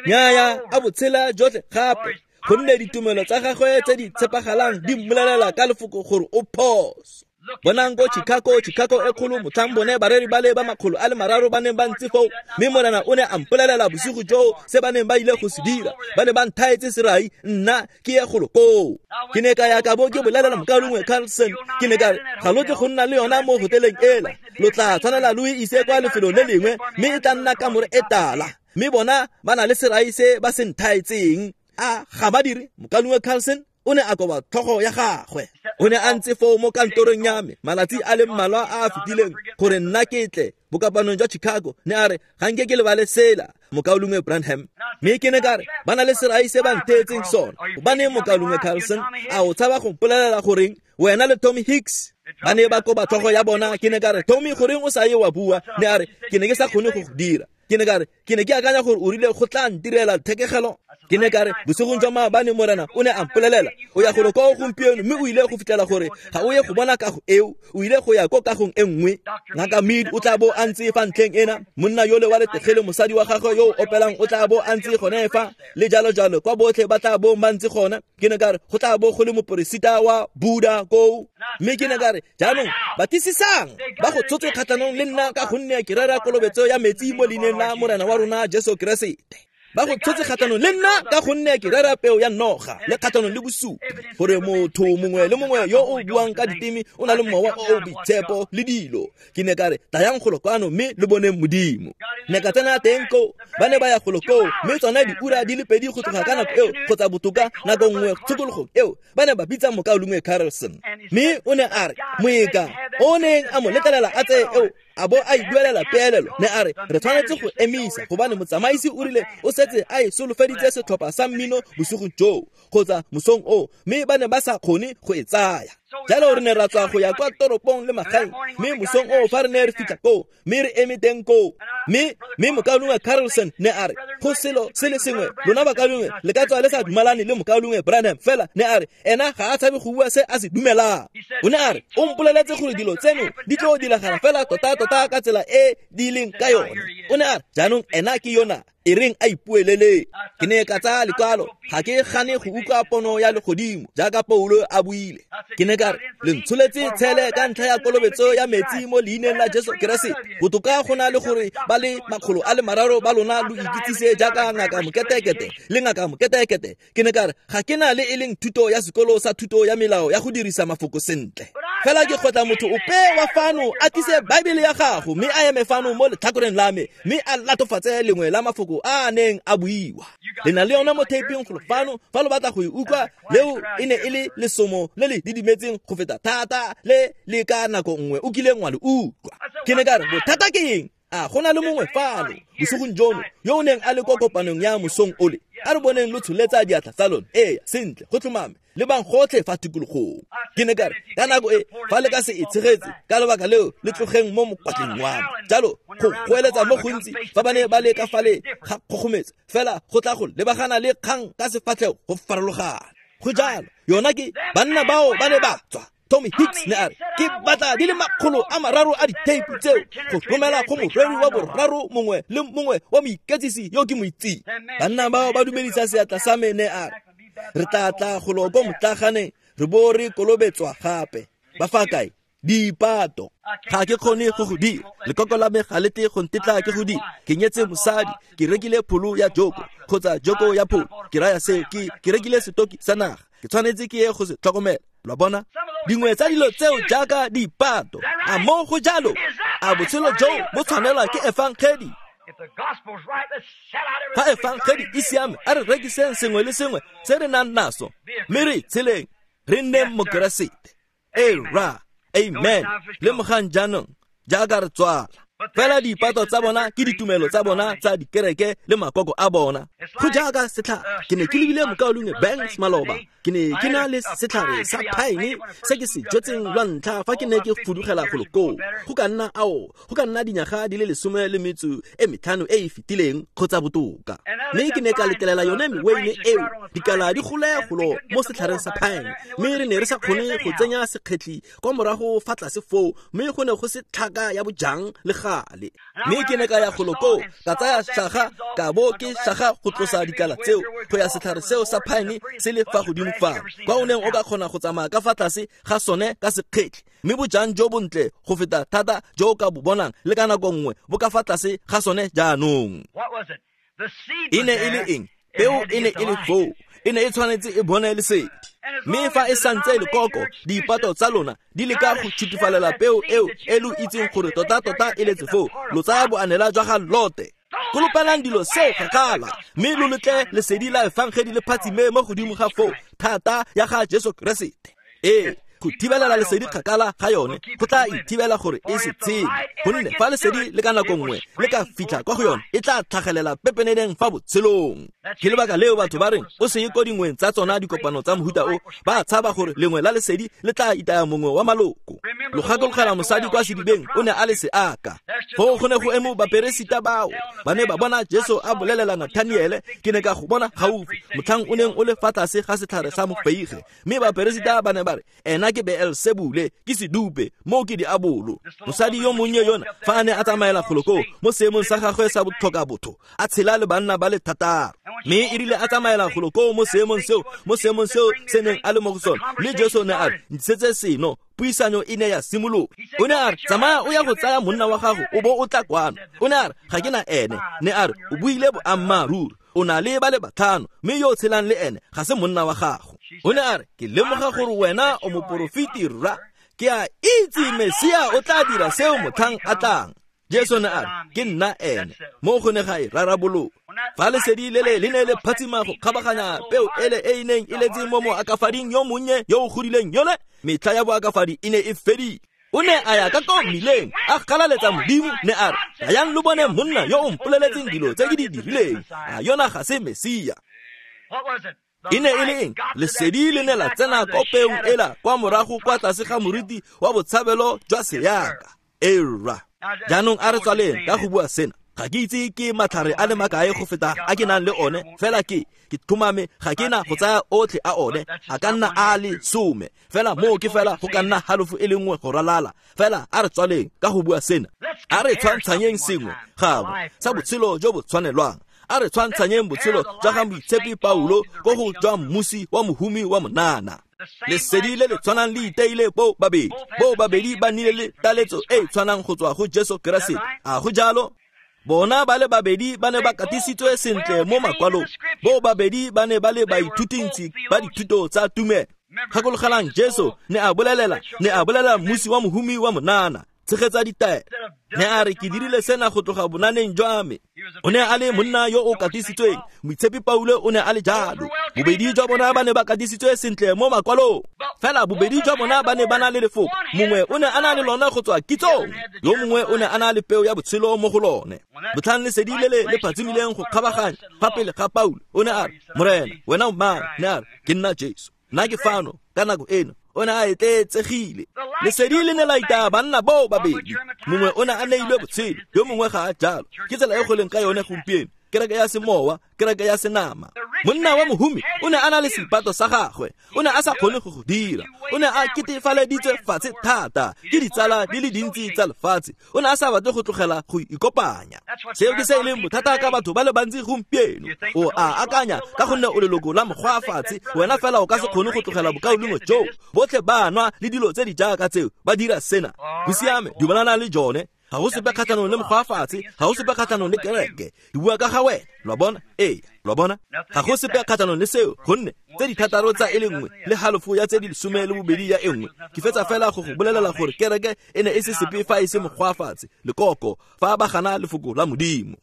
Nnyaya, a botshela jotlhe gape, gonne ditumelo tsa gagwe tse di tshepagalang di mmolelela ka lefoko gore o phoso. Bonang ko Chicago, Chicago e kgolo, motlhang bone bareri ba le ba makgolo a le mararo ba neng ba ntse foo, mme Morena o ne a mpolelela bosigo joo se ba neng ba ile go se dira. Ba ne ba nthaetse serai, nna ke ye golo koo. Ke ne ka ya ka bo ke bolelela mokaulengwe Carlson, ke ne ka re, ga lo tle go nna le yona mo hoteleng ela, lo tla tshwanela lo e ise kwa lefelong le lengwe, mme e tla nna kamore e tala. Mme bona ba na le serai se ba se nthaetseng. A ga ba dire? Mokaulengwe Carlson o ne a koba tlhogo ya gagwe. O ne a ntse foo mo kantorong ya me malatsi a le mmalwa a a fetileng gore nna ke tle bokopanong jwa Chicago. Ne a re, ga nke ke lebale sela, mokaulengwe Branham. Mme ke ne ka re, ba na le serai se ba ntheetseng sona. Gobaneng mokaulengwe Carlson a o tshaba go mpolelela goreng wena le Tommy Hicks ba ne ba koba tlhogo ya bona? Ke ne ka re, Tommy, goreng o sa ye wa bua? Ne a re, ke ne ke sa kgone go go dira. Ke ne ka re ke ne ke akanya gore o rile go tla ntirela thekegelo. Ke ne ka re bosigong jwa maabane Morena o ne a mpolelela o ya golo ko gompieno mme o ile go fitlhela gore ga o ye go bona kago eo, o ile go ya ko kagong e nngwe. Ngaka Mead o tla bo a ntse fa ntlheng ena, monna yole wa letegele mosadi wa gagwe yo o opelang o tla bo a ntse gone fa, le jalo jalo kwa botlhe ba tla bo ba ntse gona. Ke ne ka re go tla bo go le moporesita wa Buddha koo. Mme ke ne ka re jaanong batlisisang ba go tshotse kgatlhanong le nna ka gonne ke rera kolobetso ya metsi mo leineng la Morena wa rona Jesu Keresete. Ba go tshotse kgatlhanong le nna ka gonne ke rera peo ya noga le kgatlhanong le bosupi gore motho mongwe le mongwe yo o buang ka diteme o na le mowa o o boitshepo le dilo. Ke ne ka re tlayang golo kwano mme le boneng Modimo. Ne ka tsena teng koo, ba ne ba ya golo koo mme tsona diura di le pedi go tloga ka nako eo kgotsa botoka nako nngwe tshokologong eo ba ne ba bitsa mokaulengwe Carlson. Mme o ne a re moeka o neng a mo letlelela a tseye eo a bo a iduelela peelelo, ne a re re tshwanetse go emisa gobane motsamaisi o rile o setse a e solofeditse setlhopha sa mmino bosigong joo kgotsa mosong oo, mme ba ne ba sa kgone go e tsaya. Jalo re ne ra tswa go ya kwa toropong le magaeng, mme mosong oo fa re ne re fitlha koo mme re eme teng koo, mme mme mokaulengwe Carlson ne a re go selo se le sengwe lona bakaulengwe le ka tswa le sa dumalane le mokaulengwe Branham, fela ne a re ena ga a tshabe go bua se a se dumelang. O ne a re o mpoleletse gore dilo tseno di tlo diragala fela tota-tota ka tsela e di leng ka yone. O ne a re jaanong ena ke yona e reng a ipuelele. Ke ne ka tsaya lekwalo, ga ke gane go utlwa pono ya legodimo jaaka Paulo a buile. Ke ne ka re le ntsholetse tshele ka ntlha ya kolobetso ya metsi mo leineng la Jesu Keresete, botoka go na le gore ba le makgolo a le mararo ba lona lo ikitsise jaaka ngaka moketekete le ngaka moketekete. Ke ne ka re ga ke na le e leng thuto ya sekolo sa thuto ya melao ya go dirisa mafoko sentle, fela ke kgotla motho ope wa fano a tlise Baebele ya gago mme a eme fano mo letlhakoreng la me mme a latofatse lengwe la mafoko a a neng a buiwa. Le na le yona mo taping golo fano fa lo batla go e utlwa. Leo e ne e le lesomo le le didimetseng go feta thata le le ka nako nngwe o kileng wa le utlwa. Ke ne ka re bothata ke eng? A go na le mongwe fano bosigong jono yo o neng a le ko kopanong ya mosong ole? A re boneng lo tsholetsa diatla tsa lona. Ee, sentle, go tlhomame, le bang gotlhe fa tikologong. Ke ne ka re ka nako e fa le ka se e tshegetse ka lebaka leo le tlogeng mo mokwatleng wa me. Jalo go goeletsa mo gontsi fa ba ne ba le ka fale ga kgogometse fela go tla go lebagana le kgang ka sefatlhego go farologana. Go jalo yona ke banna bao ba ne ba tswa. Tommy Hicks ne a re ke batla di le makgolo a mararo a ditheipi tseo go romela go moreri wa boraro mongwe le mongwe wa moiketsisi yo ke mo itseng. Banna bao ba dumedisa seatla sa me, ne a re re tla tla golo ko motlaganeng re bo re kolobetswa gape. Ba fa kae? Dipato. Ga ke kgone go go dira, lekoko la me ga le tle go ntetla ke go dira. Ke nyetse mosadi, ke rekile pholo ya joko kgotsa joko ya pholo, ke raya seo, ke ke rekile setoki sa naga, ke tshwanetse ke ye go se tlhokomela. Lo bona dingwe tsa dilo tseo jaaka dipato. A mo go jalo? A botshelo joo bo tshwanelwa ke efangedi? Fa efangedi e siame, a re rekiseng sengwe le sengwe se re nang naso mme re tsheleng re nneng mokeresete. Ee ra, amen. Lemogang jaanong jaaka re tswala. Fela dipato tsa bona ke ditumelo tsa bona tsa dikereke le makoko a bona. Go jaaka setlhare, ke ne ke lebile mokaulengwe Banks maloba. Ke ne ke na le setlhare sa pine se ke se jetseng lwa ntlha fa ke ne ke fudugela golo koo. Go ka nna ao, go ka nna dinyaga di le lesome le metso e metlhano e e fetileng kgotsa botoka. Mme ke ne ka letlelela yone meweine eo dikala di gole golo mo setlhareng sa pine, mme re ne re sa kgone go tsenya sekgetli kwa morago fa tlase foo, mme go ne go se tlhaka ya bojang le gale. Mme ke ne ka ya golo koo ka tsaya saga ka bo ke saga go tlosa dikala tseo go ya setlhare seo sa pine se le fa godimo fa kwa o neng o ka kgona go tsamaya ka fa tlase ga sone ka sekgetli, mme bojang jo bontle go feta thata jo o ka bo bonang le ka nako nngwe bo ka fa tlase ga sone jaanong. E ne e le eng? Peo e ne e le foo, e ne e tshwanetse e bone lesedi. Mme fa e santse lekoko dipato tsa lona di leka go tshutifalela peo eo e lo itseng gore tota-tota e letse foo, lo tsaya boanela jwa ga Lote. Kolopelang dilo seo kgakala mme lo letle lesedi la efangedi le phatsime mo godimo ga foo thata ya ga Jesu Keresete. Ee, Go thibelela lesedi kgakala ga yone go tla e thibela gore e se tshele, gonne fa lesedi le ka nako nngwe le ka fitlha kwa go yone e tla tlhagelela pepeneneng fa botshelong. Ke lebaka leo batho ba reng o se ye ko dingweng tsa tsona dikopano tsa mohuta o, ba tshaba gore lengwe la lesedi le tla itaya mongwe wa maloko. Lo gakologela mosadi kwa sedibeng o ne a le seaka. Foo go ne go eme baperesita bao ba ne ba bona Jesu a bolelela Nathaniele, ke ne ka go bona gaufi motlhang o neng o le fa tlase ga setlhare sa mofeige. Mme baperesita ba ne ba re ena ke Beelsebule, ke sedupe, moo ke diabolo. Mosadi yo monnye yona fa a ne a tsamaela golo koo mo seemong sa gagwe sa botlhoka botho, a tshela le banna ba le thataro. Mme e rile a tsamaela golo koo mo seemong seo, mo seemong seo se neng a le mo go sone, mme Jesu ne a re ntshetse seno. Puisano e ne ya simologa. O ne a re tsamaya o ya go tsaya monna wa gago o bo o tla kwano. O ne a re ga ke na ene. Ne a re o buile boammaaruri, o na le ba le batlhano, mme yo o tshelang le ene ga se monna wa gago. O ne a re ke lemoga gore wena o moporofeti rra, ke a itse Mesia o tla dira seo motlhang a tlang. Jesu ne a re ke nna ene. Mo go ne ga e rarabologa. Fa lesedi le le le ne le phatsima go kgabaganya peo ele e e neng e letse mo moakafading yo monnye yo o godileng yone, metlha ya boakafadi e ne e fedile. O ne a ya ka ko mmileng a galaletsa Modimo, ne a re ayang lo bone monna yo o mpoleletseng dilo tse ke di dirileng, a yona ga se Mesia. E ne e le eng? Lesedi le ne la tsena ko peong ela kwa morago kwa tlase ga moriti wa botshabelo jwa seaka. Era jaanong a re tswaleng ka go bua sena. Ga ke itse ke matlhare a le makae go feta a ke nang le one, fela ke ke tlhomame ga ke na go tsaya otlhe a one, a ka nna a le some, fela moo ke fela go ka nna halofo e le nngwe go ralala. Fela a re tswaleng ka go bua sena. A re tshwantshanyeng sengwe gangwe sa botshelo jo bo tshwanelwang. A re tshwantshanyeng botshelo jwa ga Moitshepi Paulo ko go jwa mmusi wa mohumi wa monana. Lesedi le le tshwanang le iteile bo babedi, bo babedi ba nnile le taletso e e tshwanang go tswa go Jesu Keresete. A go jalo? Bona ba le babedi ba ne ba katisitswe sentle mo makwalong. Bo babedi ba ne ba le baithutintsi ba dithuto tsa tumelo. Gakologelang Jesu ne a bolelela, ne a bolelela mmusi wa mohumi wa monana, tshegetsa ditaelo. Ne a re ke dirile sena go tloga bonaneng jwa me. O ne a le monna yo o katisitsweng. Moitshepi Paulo o ne a le jalo. Bobedi jwa bona ba ne ba katisitswe sentle mo makwalong. Fela bobedi jwa bona ba ne ba na le lefoko. Mongwe o ne a na le lona go tswa kitsong, yo mongwe o ne a na le peo ya botshelo mo go lone. Motlhang lesedi le le le phatsimileng go kgabaganya fa pele ga Paulo, o ne a re, Morena, wena o mang? Ne a re, ke nna Jesu. Nna ke fano ka nako eno. O ne a etletsegile. Lesedi le ne la itaya banna bao babedi. Mongwe o ne a neilwe botshelo, yo mongwe ga a jalo. Ke tsela e go leng ka yone gompieno. Kereke ya semowa, kereke ya senama. Monna wa mohumi o ne a na le seipato sa gagwe. O ne a sa kgone go go dira. O ne a ketefaleditswe fatshe thata ke ditsala di le dintsi tsa lefatshe. O ne a sa batle go tlogela go ikopanya. Seo ke se e leng bothata ka batho ba le bantsi gompieno. O a akanya ka gonne o leloko la mokgwa fatshe, wena fela o ka se kgone go tlogela bokaulengwe joo. Botlhe ba nwa le dilo tse di jaaka tseo, ba dira sena. Go siame, dumelana le jone. Ga go sepe kgatlhanong le mokgwa fatshe, ga go sepe kgatlhanong le kereke. Di bua ka ga wena, lo a bona? Ee, lo a bona? Ga go sepe kgatlhanong le seo, gonne tse di thataro tsa e le nngwe le halofo ya tse di lesome le bobedi ya e nngwe. Ke fetsa fela go go bolelela gore kereke e ne e se sepe fa e se mokgwa fatshe, lekoko, fa ba gana lefoko la Modimo.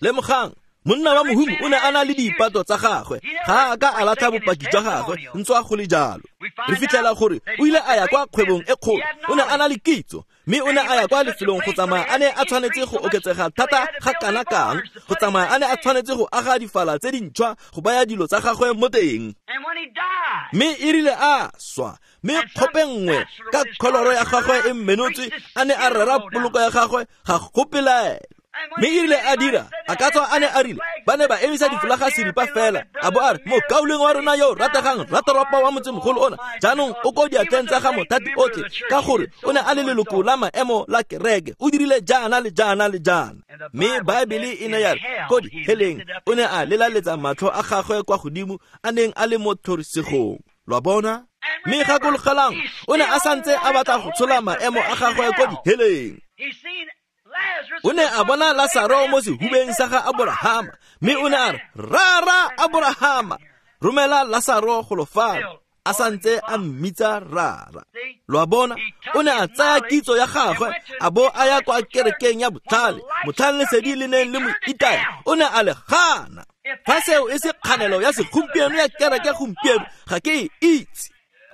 Lemogang, monna wa mohumi o ne a na le diipato tsa gagwe, ga a ka a latlha bopaki jwa gagwe ntswa go le jalo. Re fitlhela gore o ile a ya kwa kgwebong e kgolo, o ne a na le kitso, mme o ne a ya kwa lefelong go tsamaya a ne a tshwanetse go oketsega thata ga kana kang, go tsamaya a ne a tshwanetse go aga difala tse dintšhwa go baya dilo tsa gagwe mo teng. Mme e rile a swa, mme kgope nngwe ka kholoro ya gagwe e mmenotswe a ne a rera poloko ya gagwe ga go pelaelo. Mme e rile a dira, a ka tswa a ne a rile, ba ne ba emisa difolaga seripa fela, a bo a re, mokaulengwe wa rona yo o rategang, ratoropo wa motsemogolo ona, jaanong o ko diatleng tsa ga mothati otlhe, ka gore o ne a le leloko la maemo la kereke, o dirile jaana le jaana le jaana. Mme Baebele e ne ya re, ko diheleng, o ne a lelaletsa matlho a gagwe kwa godimo, a neng a le mo tlhorisegong. Lo a bona? Mme gakologelang, o ne a santse a batla go tshola maemo a gagwe ko diheleng. O ne a bona Lasaro mo sehubeng sa ga Aborahama, mme o ne a re, Rara Aborahama, romela Lasaro golo fano, a santse a mmitsa rara. Lo a bona? O ne a tsaya kitso ya gagwe, a bo a ya kwa kerekeng ya botlhale, motlhale lesedi le neng le mo itaya, o ne a le gana. Fa seo e se kganelo ya segompieno ya kereke gompieno, ga ke e itse.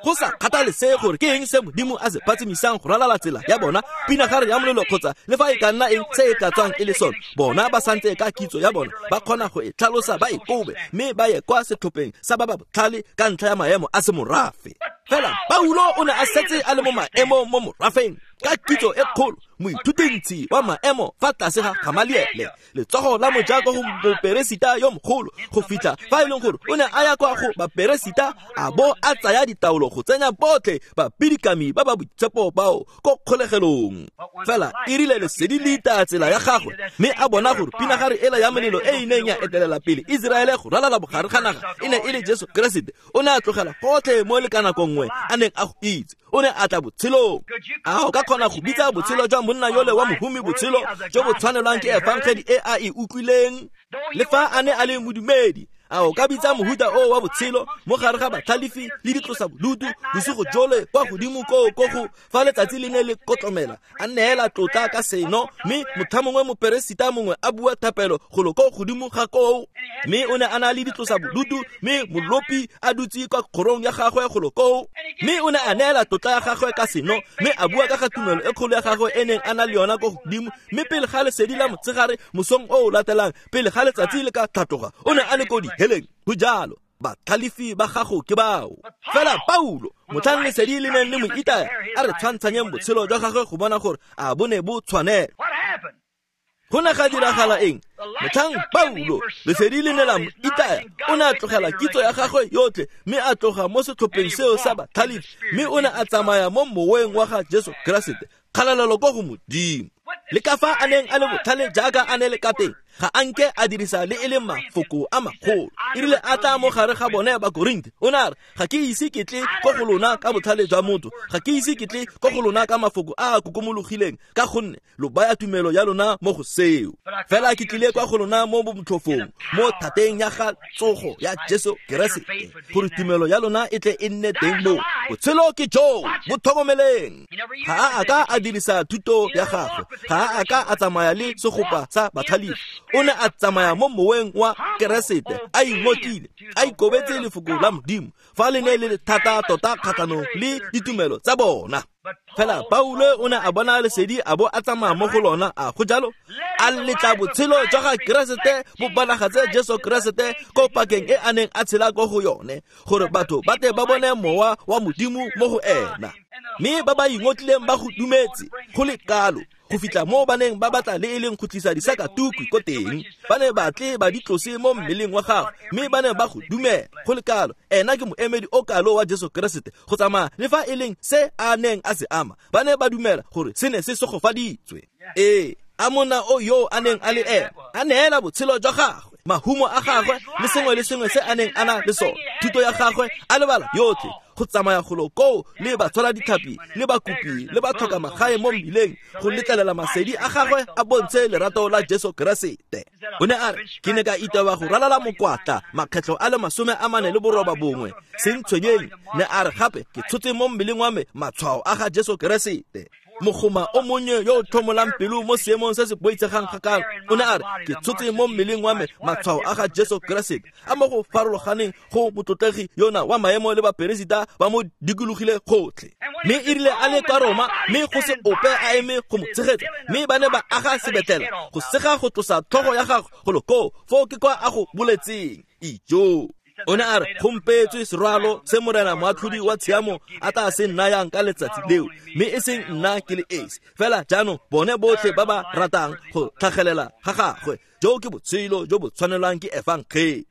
Go sa kgathalesege gore ke eng se Modimo a se phatsimisang go ralala tsela ya bona, pinagare ya molelo kgotsa le fa e ka nna eng se e ka tswang e le sone, bona ba santse ka kitso ya bona ba kgona go e tlhalosa ba e kobe mme ba ye kwa setlhopheng sa ba ba botlhale ka ntlha ya maemo a semorafe. Fela Paulo o ne a setse a le mo maemong mo morafeng ka kitso e kgolo, moithutintshi wa maemo fa tlase ga Gamaliele, letsogo la moja ko go moperesita yo mogolo, go fitlha fa e leng gore o ne a ya kwa go baperesita a bo a tsaya ditaolo go tsenya botlhe bapidikami ba ba boitshepo bao ko kgolegelong. Fela e rile lesedi le itaya tsela ya gagwe mme a bona gore pinagare ela ya molelo e e neng ya etelela pele Iseraele go ralala bogare ga naga e ne e le Jesu Keresete. O ne a tlogela gotlhe mo le ka nako nngwe a neng a go itse, o ne a tla botshelong. A o ka kgona go bitsa botshelo jwa monna yole wa mohumi botshelo jo bo tshwanelwang ke efangedi e a e utlwileng? Le fa a ne a le modumedi, a o ka bitsa mohuta o wa botshelo mo gare ga batlhalefi le ditlosa bolutu bosigo jole kwa godimo koo ko go fa letsatsi le ne le kotlomela, a neela tlotla ka seno, mme motho mongwe moperesita mongwe a bua thapelo golo ko godimo ga koo, mme o ne a na le ditlosa bolutu, mme molopi a dutse kwa kgorong ya gagwe golo koo, mme o ne a neela tlotla ya gagwe ka seno, mme a bua ka ga tumelo e kgolo ya gagwe e neng a na le yona ko godimo. Mme pele ga lesedi la motshegare mosong o o latelang, pele ga letsatsi le ka tlhatloga, o ne a le ko diheleng. Go jalo, batlhalefi ba gago ke bao. Fela Paulo, motlhang lesedi le neng le mo itaya, a re tshwantshanyeng botshelo jwa gagwe go bona gore a bo ne bo tshwanela. Go ne ga diragala eng? Motlhang Paulo lesedi le ne la mo itaya, o ne a tlogela kitso ya gagwe yotlhe mme a tloga mo setlhopheng seo sa batlhalefi, mme o ne a tsamaya mo moweng wa ga Jesu Keresete. Kgalalelo ko go Modimo. Le ka fa a neng a le botlhale jaaka a ne le ka teng, ga a nke a dirisa le e leng mafoko a magolo. E rile a tla mo gare ga bone ba Korinthe, o ne a re, ga ke ise ke tle ko go lona ka botlhale jwa motho, ga ke ise ke tle ko go lona ka mafoko a a kokomologileng, ka gonne lo baya tumelo ya lona mo go seo. Fela ke tlile kwa go lona mo bomotlhofong, mo thateng ya ga tsogo ya Jesu Keresete, gore tumelo ya lona e tle e nne teng moo. Botshelo ke joo, bo tlhokomeleng. Ga a a ka a dirisa thuto ya gagwe, ga a ka a tsamaya le segopa sa batlhalefi. O ne a tsamaya mo moweng wa Keresete, a ingokile, a ikobetse lefoko la Modimo fa le ne le le thata tota kgatlhanong le ditumelo tsa bona. Fela Paulo o ne a bona lesedi a bo a tsamaya mo go lona, a go jalo, a letla botshelo jwa ga Keresete bo bonagatse Jesu Keresete ko pakeng e a neng a tshela ko go yone, gore batho ba tle ba bone mowa wa Modimo mo go ena. Mme ba ba ingotlileng ba go dumetse go le kalo go fitlha mo ba neng ba batla le e leng go tlisa disakatukwi ko teng, ba ne ba tle ba di tlose mo mmeleng wa gagwe, mme ba ne ba go dumela go le kalo. Ena ke moemedi o kalo wa Jesu Keresete go tsamaya le fa e leng se a neng a se ama, ba ne ba dumela gore se ne se segofaditswe. Ee, a monna o yo a neng a le ena a neela botshelo jwa gagwe, mahumo a gagwe le sengwe le sengwe se a neng a na le sone, thuto ya gagwe a lebala yotlhe, go tsamaya golo koo le batshwara ditlhapi le bakopi le ba tlhoka magae mo mmileng, go letlelela masedi a gagwe a bontshe lerato la Jesu Keresete. O ne a re, ke ne ka itewa go ralala mokwatla makgetlho a le masome a mane le boroba bongwe, se ntshwenyeng. Ne a re gape ke tshotse mo mmeleng wa me matshwao a ga Jesu Keresete. Mogoma o monnye yo o tlhomolang pelo mo seemong se se boitshegang kgakala, o ne a re, ke tshotse mo mmeleng wa me matshwao a ga Jesu Keresete, a mo go farologaneng go motlotlegi yona wa maemo le baperesita ba mo dikologile gotlhe. Mme e rile a le kwa Roma, mme go se ope a eme go mo tshegetsa, mme ba ne ba aga sebetlela go sega go tlosa tlhogo ya gagwe golo koo, foo ke kwa a go boletseng. Ijo! O ne a re, go mpeetswe serwalo se Morena moatlhodi wa tshiamo a tla se nnayang ka letsatsi leo, mme e seng nna ke le esi fela, jaanong bone botlhe ba ba ratang go tlhagelela ga gagwe. Jo ke botshelo jo bo tshwanelwang ke efangedi.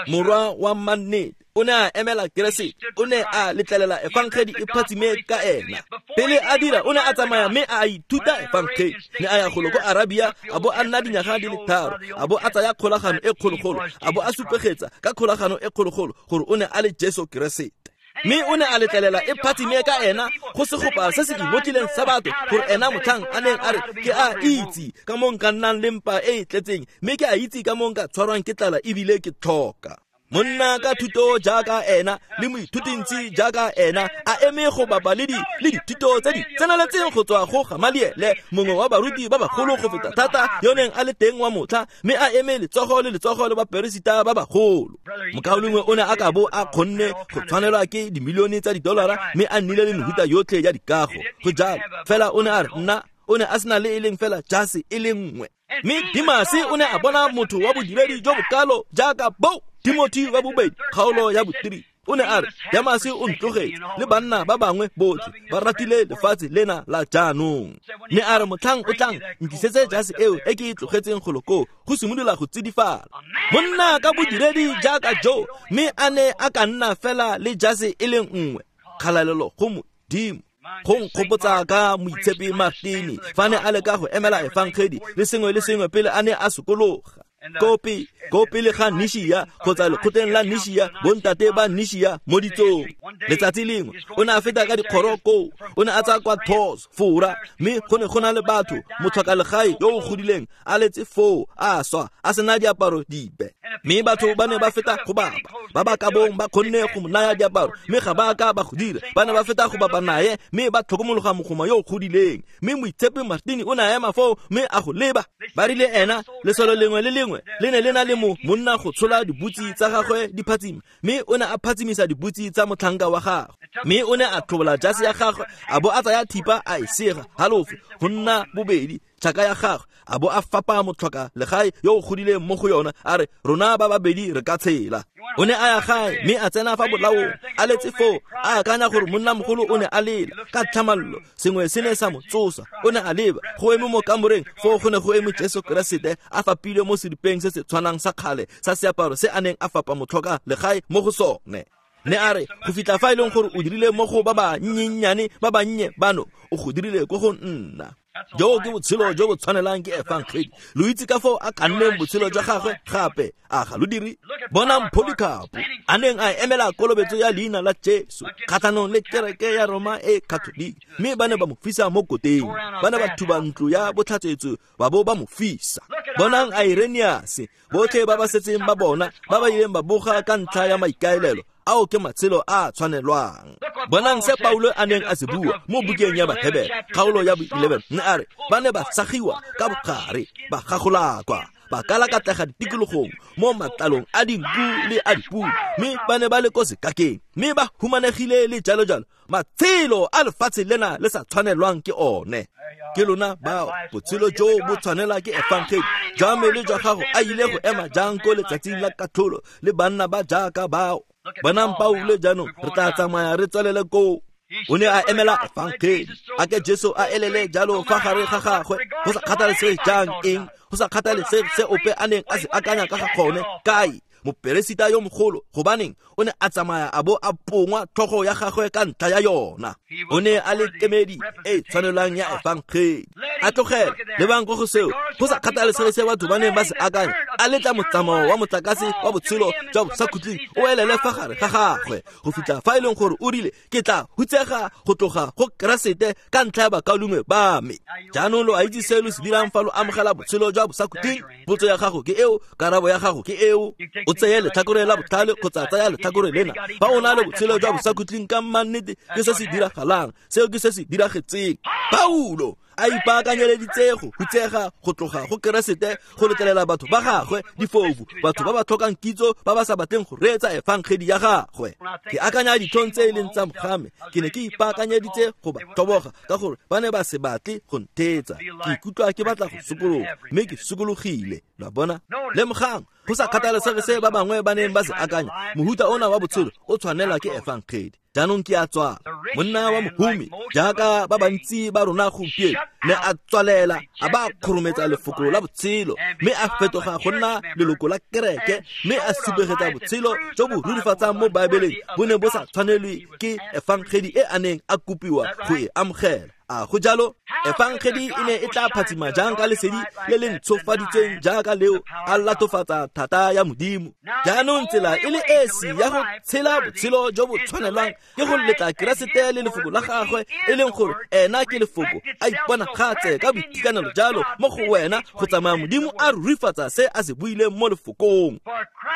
Morwa wa mannete o ne a emela Keresete, o ne a letlelela efangedi e phatsime ka ena. Pele a dira, o ne a tsamaya mme a ithuta efangedi. Ne a ya golo ko Arabia, a bo a nna dinyaga di le tharo, a bo a tsaya kgolagano e kgologolo, a bo a supegetsa ka kgolagano e kgologolo gore o ne a le Jesu Keresete. Mme o ne a letlelela e phatsime ka ena go segopa se se ingotlileng sa batho, gore ena motlhang a neng a re, ke a itse ka mo nka nnang le mpa e e tletseng, mme ke a itse ka mo nka tshwarwang ke tlala ebile ke tlhoka. Monna ka thuto jaaka ena le moithutintsi jaaka ena a eme go bapa le di le dithuto tse di tseneletseng go tswa go Gamaliele, mongwe wa baruti ba bagolo go feta thata yo neng a le teng wa motlha, mme a eme letsogo le letsogo le baperesita ba bagolo. Mokaulengwe o ne a ka bo a kgonne go tshwanelwa ke dimilione tsa didolara mme a nnile le mehuta yotlhe ya dikago. Go jalo fela o ne a re nna o ne a sena le e leng fela jase e le nngwe. Mme Demase o ne a bona motho wa bodiredi jo bokalo jaaka bo Timothy wa bobedi kgaolo ya botiri. O ne a re Demase o ntlogetse le banna ba bangwe botlhe ba ratile lefatshe lena la jaanong. Mme a re motlhang o tlang nkisetse jase eo e ke e tlogetseng golo koo go simolola go tsidifala. Monna ka bodiredi jaaka jo mme a ne a ka nna fela le jase e le nngwe. Kgalalelo go Modimo. Go nkgopotsa ka Moitshepi Martini fa ne a leka go emela efangedi le sengwe le sengwe pele a ne a sokologa. Kopi ko pele ga Nishia kgotsa lekgotleng la Nishia, bontate ba Nishia mo ditsong. Letsatsi lengwe o ne a feta ka dikgoro koo, o ne a tsaya kwa Tours, Fora, mme go ne go na le batho, motlhokalegae yo o godileng a letse foo a swa a sena diaparo dipe. Mme batho ba ne ba feta go bapa, ba ba ka bong ba kgonne go mo naya diaparo, mme ga ba ka ba go dira. Ba ne ba feta go bapa naye, mme ba tlhokomologa mogoma yo o godileng. Mme Moitshepi Martini o ne a ema foo mme a go leba. Ba rile ena lesolo lengwe le lengwe le ne le na le mo monna go tshola dibutsi tsa gagwe di phatsima, mme o ne a phatsimisa dibutsi tsa motlhanka wa gagwe. Mme o ne a tlhobola jase ya gagwe a bo a tsaya thipa a e sega halofo go nna bobedi tšhaka ya gagwe, a bo a fapa motlhoka legae yo o godileng mo go yona, a re rona ba babedi re ka tshela. O ne a ya gae mme a tsena fa bolaong a letse foo a akanya gore monnamogolo o ne a lela ka tlhamallo. Sengwe se ne sa mo tsosa. O ne a leba go eme mo kamoreng foo go ne go eme Jesu Keresete a fapilwe mo seripeng se se tshwanang sa kgale sa seaparo se a neng a fapa motlhoka legae mo go sone. Ne a re go fitlha fa e leng gore o dirile mo go ba ba nnyennyane ba bannye bano, o go dirile ko go nna. Jo ke botshelo jo bo tshwanelang ke efangedi. Lo itse ka foo a kanneng botshelo jwa gagwe gape a ga lo dire. Bonang Polycarp a neng a emela kolobetso ya leina la Jesu kgatlhanong le kereke ya Roma e Catholic, mme ba ne ba mo fisa mo koteng. Ba ne ba thuba ntlo ya botlhatsetso ba bo ba mo fisa. Bonang Irenaeus, botlhe ba ba setseng ba bona ba ba ileng ba boga ka ntlha ya maikaelelo ao ke matshelo a tshwanelwang. Bonang se Paulo a neng a se bua mo bukeng ya Bahebere kgaolo ya bo eleven, ne a re ba ne ba sagiwa ka bogare, ba gagolakwa, ba kalakatlega ditikologong mo matlalong a dinku le a dipudi, mme ba ne ba le ko sekakeng, mme ba humanegile le jalo jalo. Matshelo a lefatshe lena le sa tshwanelwang ke one. Ke lona bao botshelo jo bo tshwanela ke efangedi. Jwa me le jwa gago a ile go ema jang ko letsatsing la katlholo le banna ba jaaka bao. Bonang Paulo jaanong re tla tsamaya re tswelele koo. O ne a emela efangedi. A ke Jesu a elele jalo fa gare ga gagwe, go sa kgathalesege jang eng, go sa kgathalesege se ope a neng a se akanya ka ga gone. Kae moperesita yo mogolo, gobaneng o ne a tsamaya a bo a pongwa tlhogo ya gagwe ka ntlha ya yona. O ne a le kemedi e tshwanelang ya efangedi. A tlogela lebang ko go seo, go sa kgathalesege se batho ba neng ba se akanya, a letla motsamao wa motlakase wa botshelo jwa bosakhutleng o elele fa gare ga gagwe go fitlha fa e leng gore o rile ke tla hutsega go tloga go Keresete ka ntlha ya bakaulengwe ba me. Jaanong lo a itse se lo se dirang fa lo amogela botshelo jwa bosakhutleng. Potso ya gago ke eo, karabo ya gago ke eo. O tseye letlhakore la botlhale kgotsa tsaya letlhakore lena. Fa o na le botshelo jwa bosakhutleng ka mannete, ke se se diragalang, seo ke se se diragetseng. Paulo a ipaakanyeleditse go hutsega go tloga go Keresete go letlelela batho ba gagwe difofu, batho ba ba tlhokang kitso, ba ba sa batleng go reetsa efangedi ya gagwe. Ke akanya ditlhong tse e leng tsa mogame, ke ne ke ipaakanyeditse go ba tlhoboga ka gore ba ne ba se batle go ntheetsa. Ke ikutlwa ke batla go sokologa, mme ke sokologile. Lo a bona? Lemogang, go sa kgathalesege se ba bangwe ba neng ba se akanya, mohuta ona wa botshelo o tshwanelwa ke efangedi. Jaanong ke a tswala. Monna wa mohumi jaaka ba bantsi ba rona gompieno ne a tswalela a ba kgorometsa lefoko la botshelo, mme a fetoga go nna leloko la kereke, mme a supegetsa botshelo jo bo rurifatsang mo Baebeleng bo ne bo sa tshwanelwe ke efangedi e a neng a kopiwa go e amogela. A go jalo? Efangedi e ne e tla phatsima jang ka lesedi le le ntshofaditsweng jaaka leo a latofatsa thata ya Modimo? Jaanong tsela e le esi ya go tshela botshelo jo bo tshwanelwang ke go letla Keresete le lefoko la gagwe, e leng gore ena ke lefoko, a iponagatse ka boitekanelo jalo mo go wena go tsamaya Modimo a rurifatsa se a se buileng mo lefokong.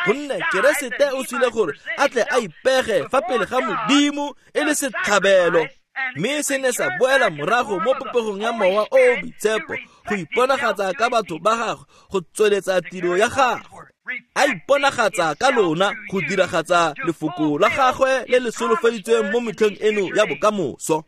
Gonne Keresete o tswile gore a tle a ipege fa pele ga Modimo e le setlhabelo, mme se ne sa boela morago mo popegong ya Mowa o o Boitshepo go iponagatsa ka batho ba gagwe go tsweletsa tiro ya gagwe. A iponagatsa ka lona go diragatsa lefoko la gagwe le le solofeditsweng mo metlheng eno ya bokamoso.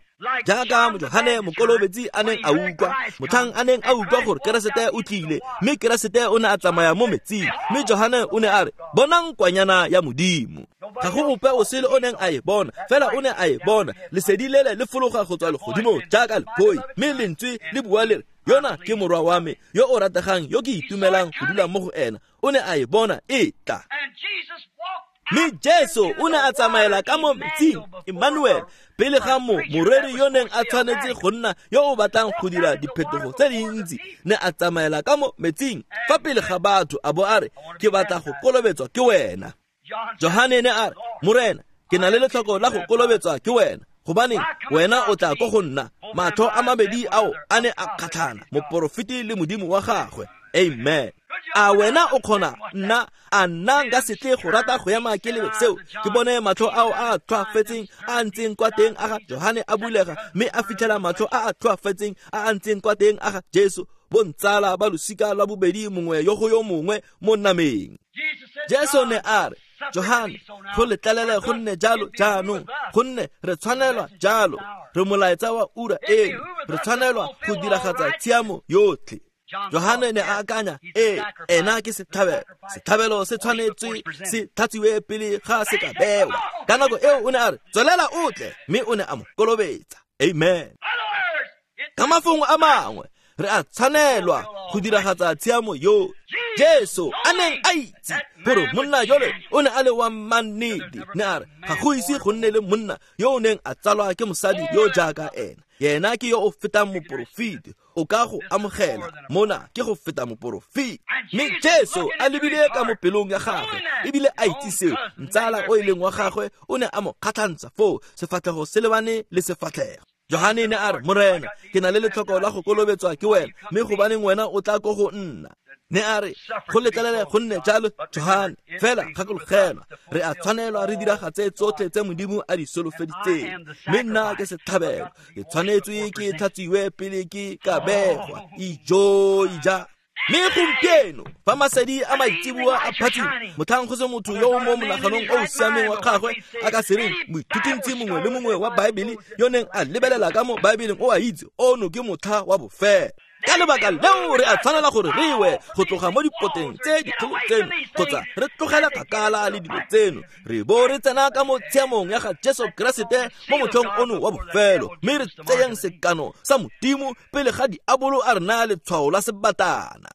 Jaaka Johane Mokolobetsi a neng a utlwa, motlhang a neng a utlwa gore Keresete o tlile, mme Keresete o ne a tsamaya mo metsing, mme Johane o ne a re, bonang kwanyana ya Modimo. Ga go ope o sele o neng a e bona, fela o ne a e bona. Lesedi lele le fologa go tswa legodimo jaaka lephoi, mme lentswe le bua le re, yona ke morwa wa me yo o rategang yo ke itumelang go dula mo go ena. O ne a e bona e tla. Mme Jesu o ne a tsamaela ka mo metsing, Emmanuel, pele ga mo moreri yo neng a tshwanetse go nna yo o batlang go dira diphetogo tse dintsi, ne a tsamaela ka mo metsing fa pele ga batho a bo a re, ke batla go kolobetswa ke wena. Johane ne a re, Morena, ke na le letlhoko la go kolobetswa ke wena, gobane wena o tla ko go nna. Matlho a mabedi ao a ne a kgatlhana, moporofeti le Modimo wa gagwe. Amen. A wena o kgona nna a nna nka se tle go rata go ema ke lebe seo, ke bone matlho ao a tlhoafetseng a ntseng kwa teng a ga Johane a bulega, mme a fitlhela matlho a a tlhoafetseng a a ntseng kwa teng a ga Jesu, bontsala ba losika lwa bobedi mongwe yo go yo mongwe mo nameng. Jesu ne a re, Johane, go letlelele go nne jalo jaanong, gonne re tshwanelwa jalo, re molaetsa wa ura eno, re tshwanelwa go diragatsa tshiamo yotlhe. Johane ne a akanya, ee, ena ke setlhabelo, setlhabelo se tshwanetswe se tlhatsiwe pele ga se ka bewa. Ka nako eo o ne a re, tswelela o tle, mme o ne a mo kolobetsa. Amen. Ka mafoko a mangwe, re a tshwanelwa go diragatsa tshiamo yo Jesu a neng a itse gore monna jole o ne a le wa mannete, ne a re ga go ise go nne le monna yo o neng a tsalwa ke mosadi yo jaaka ena. Yena ke yo o fetang moporofeti, o ka go amogela mona ke go feta moporofeti. Mme Jesu a lebile ka mo pelong ya gagwe ebile a itse seo, ntsala o e leng wa gagwe o ne a mo kgatlhantsha foo, sefatlhego se lebane le sefatlhego. Johane ne a re, Morena, ke na le letlhoko la go kolobetswa ke wena, mme gobaneng wena o tla ko go nna? Ne a re, go letlelele go nne jalo, Johane, fela gakologelwa, re a tshwanelwa re diragatse tsotlhe tse Modimo a di solofeditseng, mme nna ke setlhabelo, ke tshwanetswe ke tlhatsiwe pele ke ka begwa. Ijo ija. Mme gompieno fa masedi a maitseboa a phatsima, motlhang go se motho yo o mo monaganong o o siameng wa gagwe a ka se reng moithutuntsi mongwe le mongwe wa Baebele yo neng a lebelela ka mo Baebeleng o a itse ono ke motlha wa bofelo. Ka lebaka leo re a tshwanela gore re we go tloga mo dipoteng tse dikgolo tseno, kgotsa re tlogela kgakala le dilo tseno, re bo re tsena ka mo tshiamong ya ga Jesu Keresete mo motlhong ono wa bofelo, mme re tseyeng sekano sa Modimo pele ga diabolo a re naya letshwao la sebatana.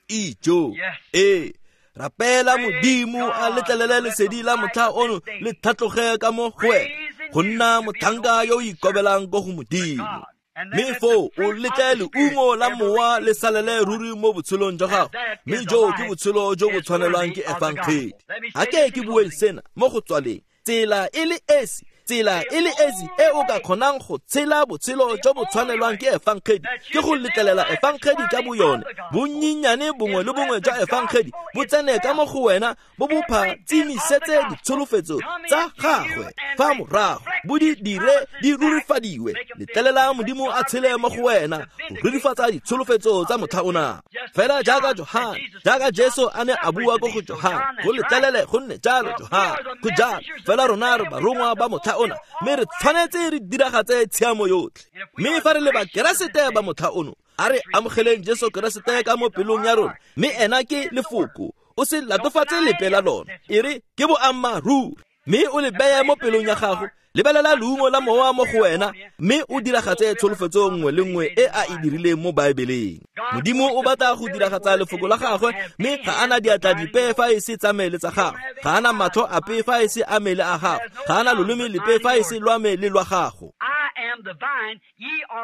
Ijo, ee, rapela Modimo a letlelele lesedi la motlha ono le tlhatloge ka mo go wena, go nna motlhanka yo o ikobelang ko go Modimo. Mme foo o letle leungo la mowa le salele ruri mo botshelong jwa gago, mme jo ke botshelo jo bo tshwanelwang ke efangedi. A ke ke bueng sena mo go tswaleng, tsela e le esi, tsela e le esi e o ka kgonang go tshela botshelo jo bo tshwanelwang ke efangedi ke go letlelela efangedi ka boyone. Bonnyenyane bongwe le bongwe jwa efangedi bo tsene ka mo go wena, bo bo phatsimisetse ditsholofetso tsa gagwe fa morago, bo di dire di rurifadiwe. Letlelela Modimo a tshele mo go wena go rurifatsa ditsholofetso tsa motlha ona. Fela jaaka Johane, jaaka Jesu a ne a bua ko go Johane, go letlelele go nne jalo Johane, go jalo. Fela rona re barongwa ba motlha ona, mme re tshwanetse re diragatse tshiamo yotlhe. Mme fa re le Bakeresete ba motlha ono, a re amogeleng Jesu Keresete ka mo pelong ya rona, mme ena ke lefoko, o se latofatse lepe la lona, e re ke boammaaruri, mme o le beye mo pelong ya gago. Lebelela leungo la mowa mo go wena, mme o diragatse tsholofetso nngwe le nngwe e a e dirileng mo Baebeleng. Modimo o batla go diragatsa lefoko la gagwe, mme ga ana diatla dipe fa e se tsa mele tsa gago, ga ana matlho ape fa e se a mele a gago, ga ana loleme lepe fa e se lwa me le lwa gago.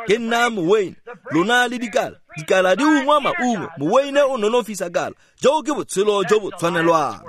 Ke nna moweine, lona le dikala. Dikala di ungwa maungo, moweine o nonofisa kala. Jo ke botshelo jo bo tshwanelwang.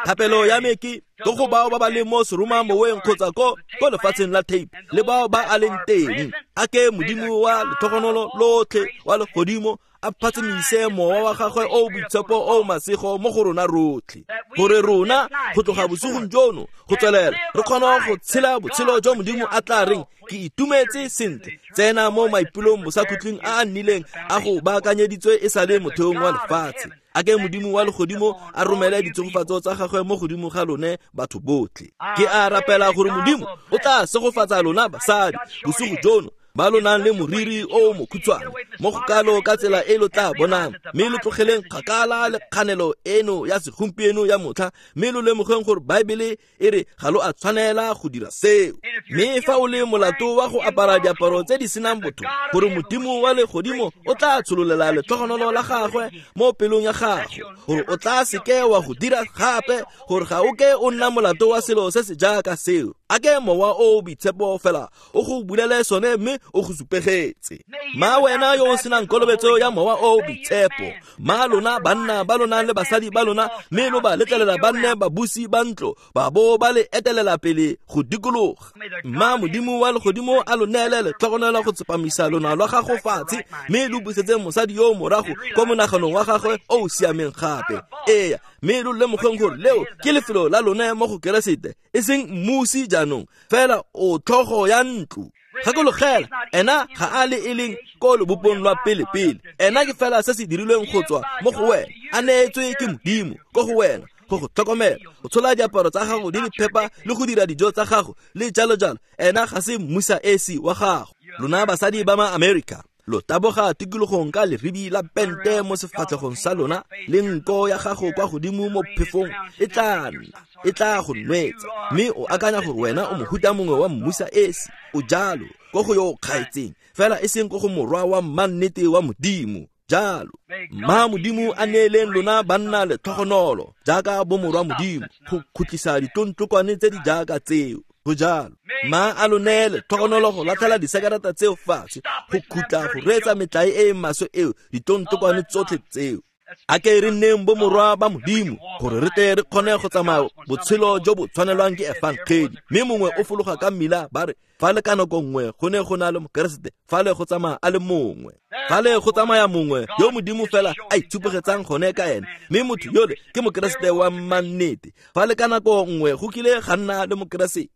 Thapelo ya me ke ko go bao ba ba leng mo seroma moweng kgotsa ko ko lefatsheng la tape le bao ba a leng teng. A ke Modimo wa letlhogonolo lotlhe wa legodimo a phatsimise mowa wa gagwe o boitshepo o masego mo go rona rotlhe, gore rona go tloga bosigong jono go tswelela re kgone go tshela botshelo jo Modimo a tla reng ke itumetse sentle. Tsena mo maipulong bosakhutleng a a nnileng a go baakanyeditswe e sa le motheong wa lefatshe. A ke Modimo wa legodimo a romele ditshegofatso tsa gagwe mo godimo ga lone batho botlhe. Ke a rapela gore Modimo o tla segofatsa lona basadi bosigo jono ba lo nang le moriri o mokhutshwane mo go kalo ka tsela e lo tla bonang, mme lo tlogeleng kgakala le kganelo eno ya segompieno ya motlha, mme lo lemogeng gore Baebele e re ga lo a tshwanela go dira seo. Mme fa o le molato wa go apara diaparo tse di senang botho, gore Modimo wa legodimo o tla tshololela letlhogonolo la gagwe mo pelong ya gago, gore o tla seke wa go dira gape, gore ga o ke o nna molato wa selo se se jaaka seo. A ke mowa o boitshepo fela o go bulele sone mme o go supegetse. Ma wena yo o senang kolobetso ya mowa o boitshepo, ma lona banna ba lona le basadi ba lona, mme lo ba letlelela ba nne babusi ba ntlo, ba bo ba le etelela pele go dikologa. Ma Modimo wa legodimo a lo neele letlhogonolo go tsepamisa lona lwa gago fatshe, mme lo busetse mosadi yo morago ko monaganong wa gagwe o o siameng gape. Ee, mme lo lemogeng gore leo ke lefelo la lone mo go Keresete, e seng mmusi jaanong, fela o tlhogo ya ntlo. Gakologela, ena ga a le e leng ko lobopong lwa pele-pele. Ena ke fela se se dirilweng go tswa mo go wena, a neetswe ke Modimo ko go wena go go tlhokomela, go tshola diaparo tsa gago di le phepa le go dira dijo tsa gago le jalo jalo. Ena ga se mmusa esi wa gago. Lona basadi ba ma-Amerika, lo taboga tikologong ka leribi la pente mo sefatlhegong sa lona le nko ya gago kwa godimo mo phefong e tla nna e tla go nwetsa, mme o akanya gore wena o mohuta mongwe wa mmusa esi. O jalo ko go yo o kgaetseng, fela e seng ko go morwa wa mmannete wa Modimo. Jalo ma Modimo a neeleng lona banna letlhogonolo jaaka bomorwa Modimo go khutlisa ditontlokwane tse di jaaka tseo. Go jalo ma a lo neele tlhogonolo go latlhela disekereta tseo fatshe, go khutla go reetsa metlae e e maswe eo, ditontlokwane tsotlhe tseo. A ke re nneng bomorwa ba Modimo gore re tle re kgone go tsamaya botshelo jo bo tshwanelwang ke efangedi. Mme mongwe o fologa ka mmila ba re fa le ka nako nngwe go ne go na le Mokeresete, fa le go tsamaya a le mongwe, fa le go tsamaya mongwe yo Modimo fela a itshupegetsang gone ka ene, mme motho yole ke Mokeresete wa mmannete. Fa le ka nako nngwe go kile ga nna le Mokeresete,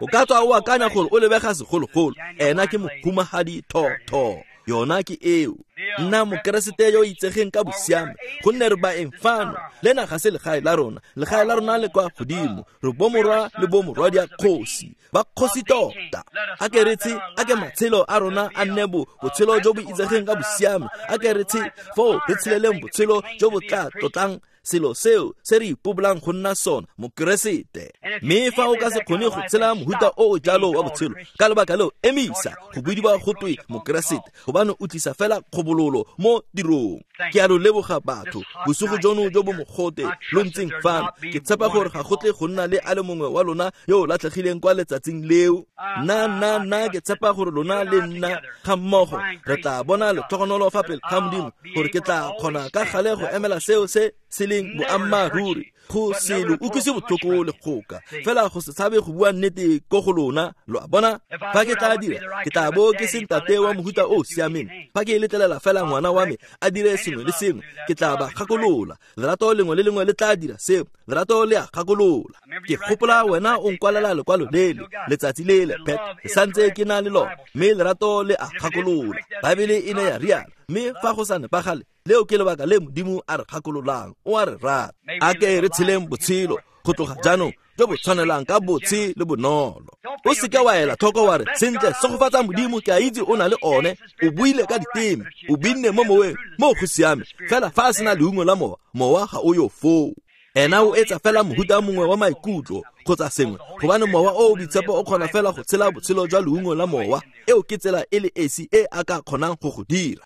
o ka tswa o akanya gore o lebega segologolo, ena ke mohumagadi thotho. Yona ke eo. Nna Mokeresete yo itsegeng ka bosiame, gonne re baeng fano. Lena ga se legae la rona, legae la rona le kwa godimo. Re bomorwa le bomorwadia kgosi, ba kgosi tota. A ke re tse, a ke matshelo a rona a nne bo botshelo jo bo itsegeng ka bosiame. A ke re tse foo re tsheleleng botshelo jo bo tla tlotlang selo seo se re ipobolang go nna sona, Mokeresete. Mme fa o ka se kgone go tshela mohuta o o jalo wa botshelo, ka lebaka leo emisa go bidiwa go twe Mokeresete, gobane o tlisa fela kgobololo mo tirong. Ke a lo leboga batho bosigo jono jo bo mogote lo ntseng fano. Ke tshepa gore ga go tle go nna le a le mongwe wa lona yo o latlhegileng kwa letsatsing leo. Nna nna nna ke tshepa gore lona le nna ga mmogo re tla bona letlhogonolo fa pele ga Modimo, gore ke tla kgona ka gale go emela seo se se leng boammaaruri, go se lo utlwise botlhoko le kgoka, fela go se tshabe go bua nnete ko go lona. Lo a bona, fa ke tla dira, ke tla bo ke se ntate wa mohuta o siameng. Fa ke letlelela fela ngwana wa me a dire sengwe le sengwe, ke tla ba gakolola. Lerato lengwe le lengwe le tla dira seo, lerato le a gakolola. Ke gopola wena o nkwalela lekwalo lele letsatsi lele, Pet, ke santse ke na le lona, mme lerato le a gakolola. Baebele e ne ya rialo, mme fa go sa nepagale, leo ke lebaka le Modimo a re gakololang, o a re rata. A ke re tsheleng botshelo go tloga jaanong jo bo tshwanelang ka botshe le bonolo. O seke wa ela tlhoko wa re sentle segofatsa Modimo, ke a itse o na le one, o buile ka diteme, o binne mo moweng, mo go siame. Fela fa a sena leungo la mowa, mowa ga o yo foo. Ena o etsa fela mohuta mongwe wa maikutlo kgotsa sengwe, gobane mowa o o boitshepo o kgona fela go tshela botshelo jwa leungo la mowa. Eo ke tsela e le esi e a ka kgonang go go dira.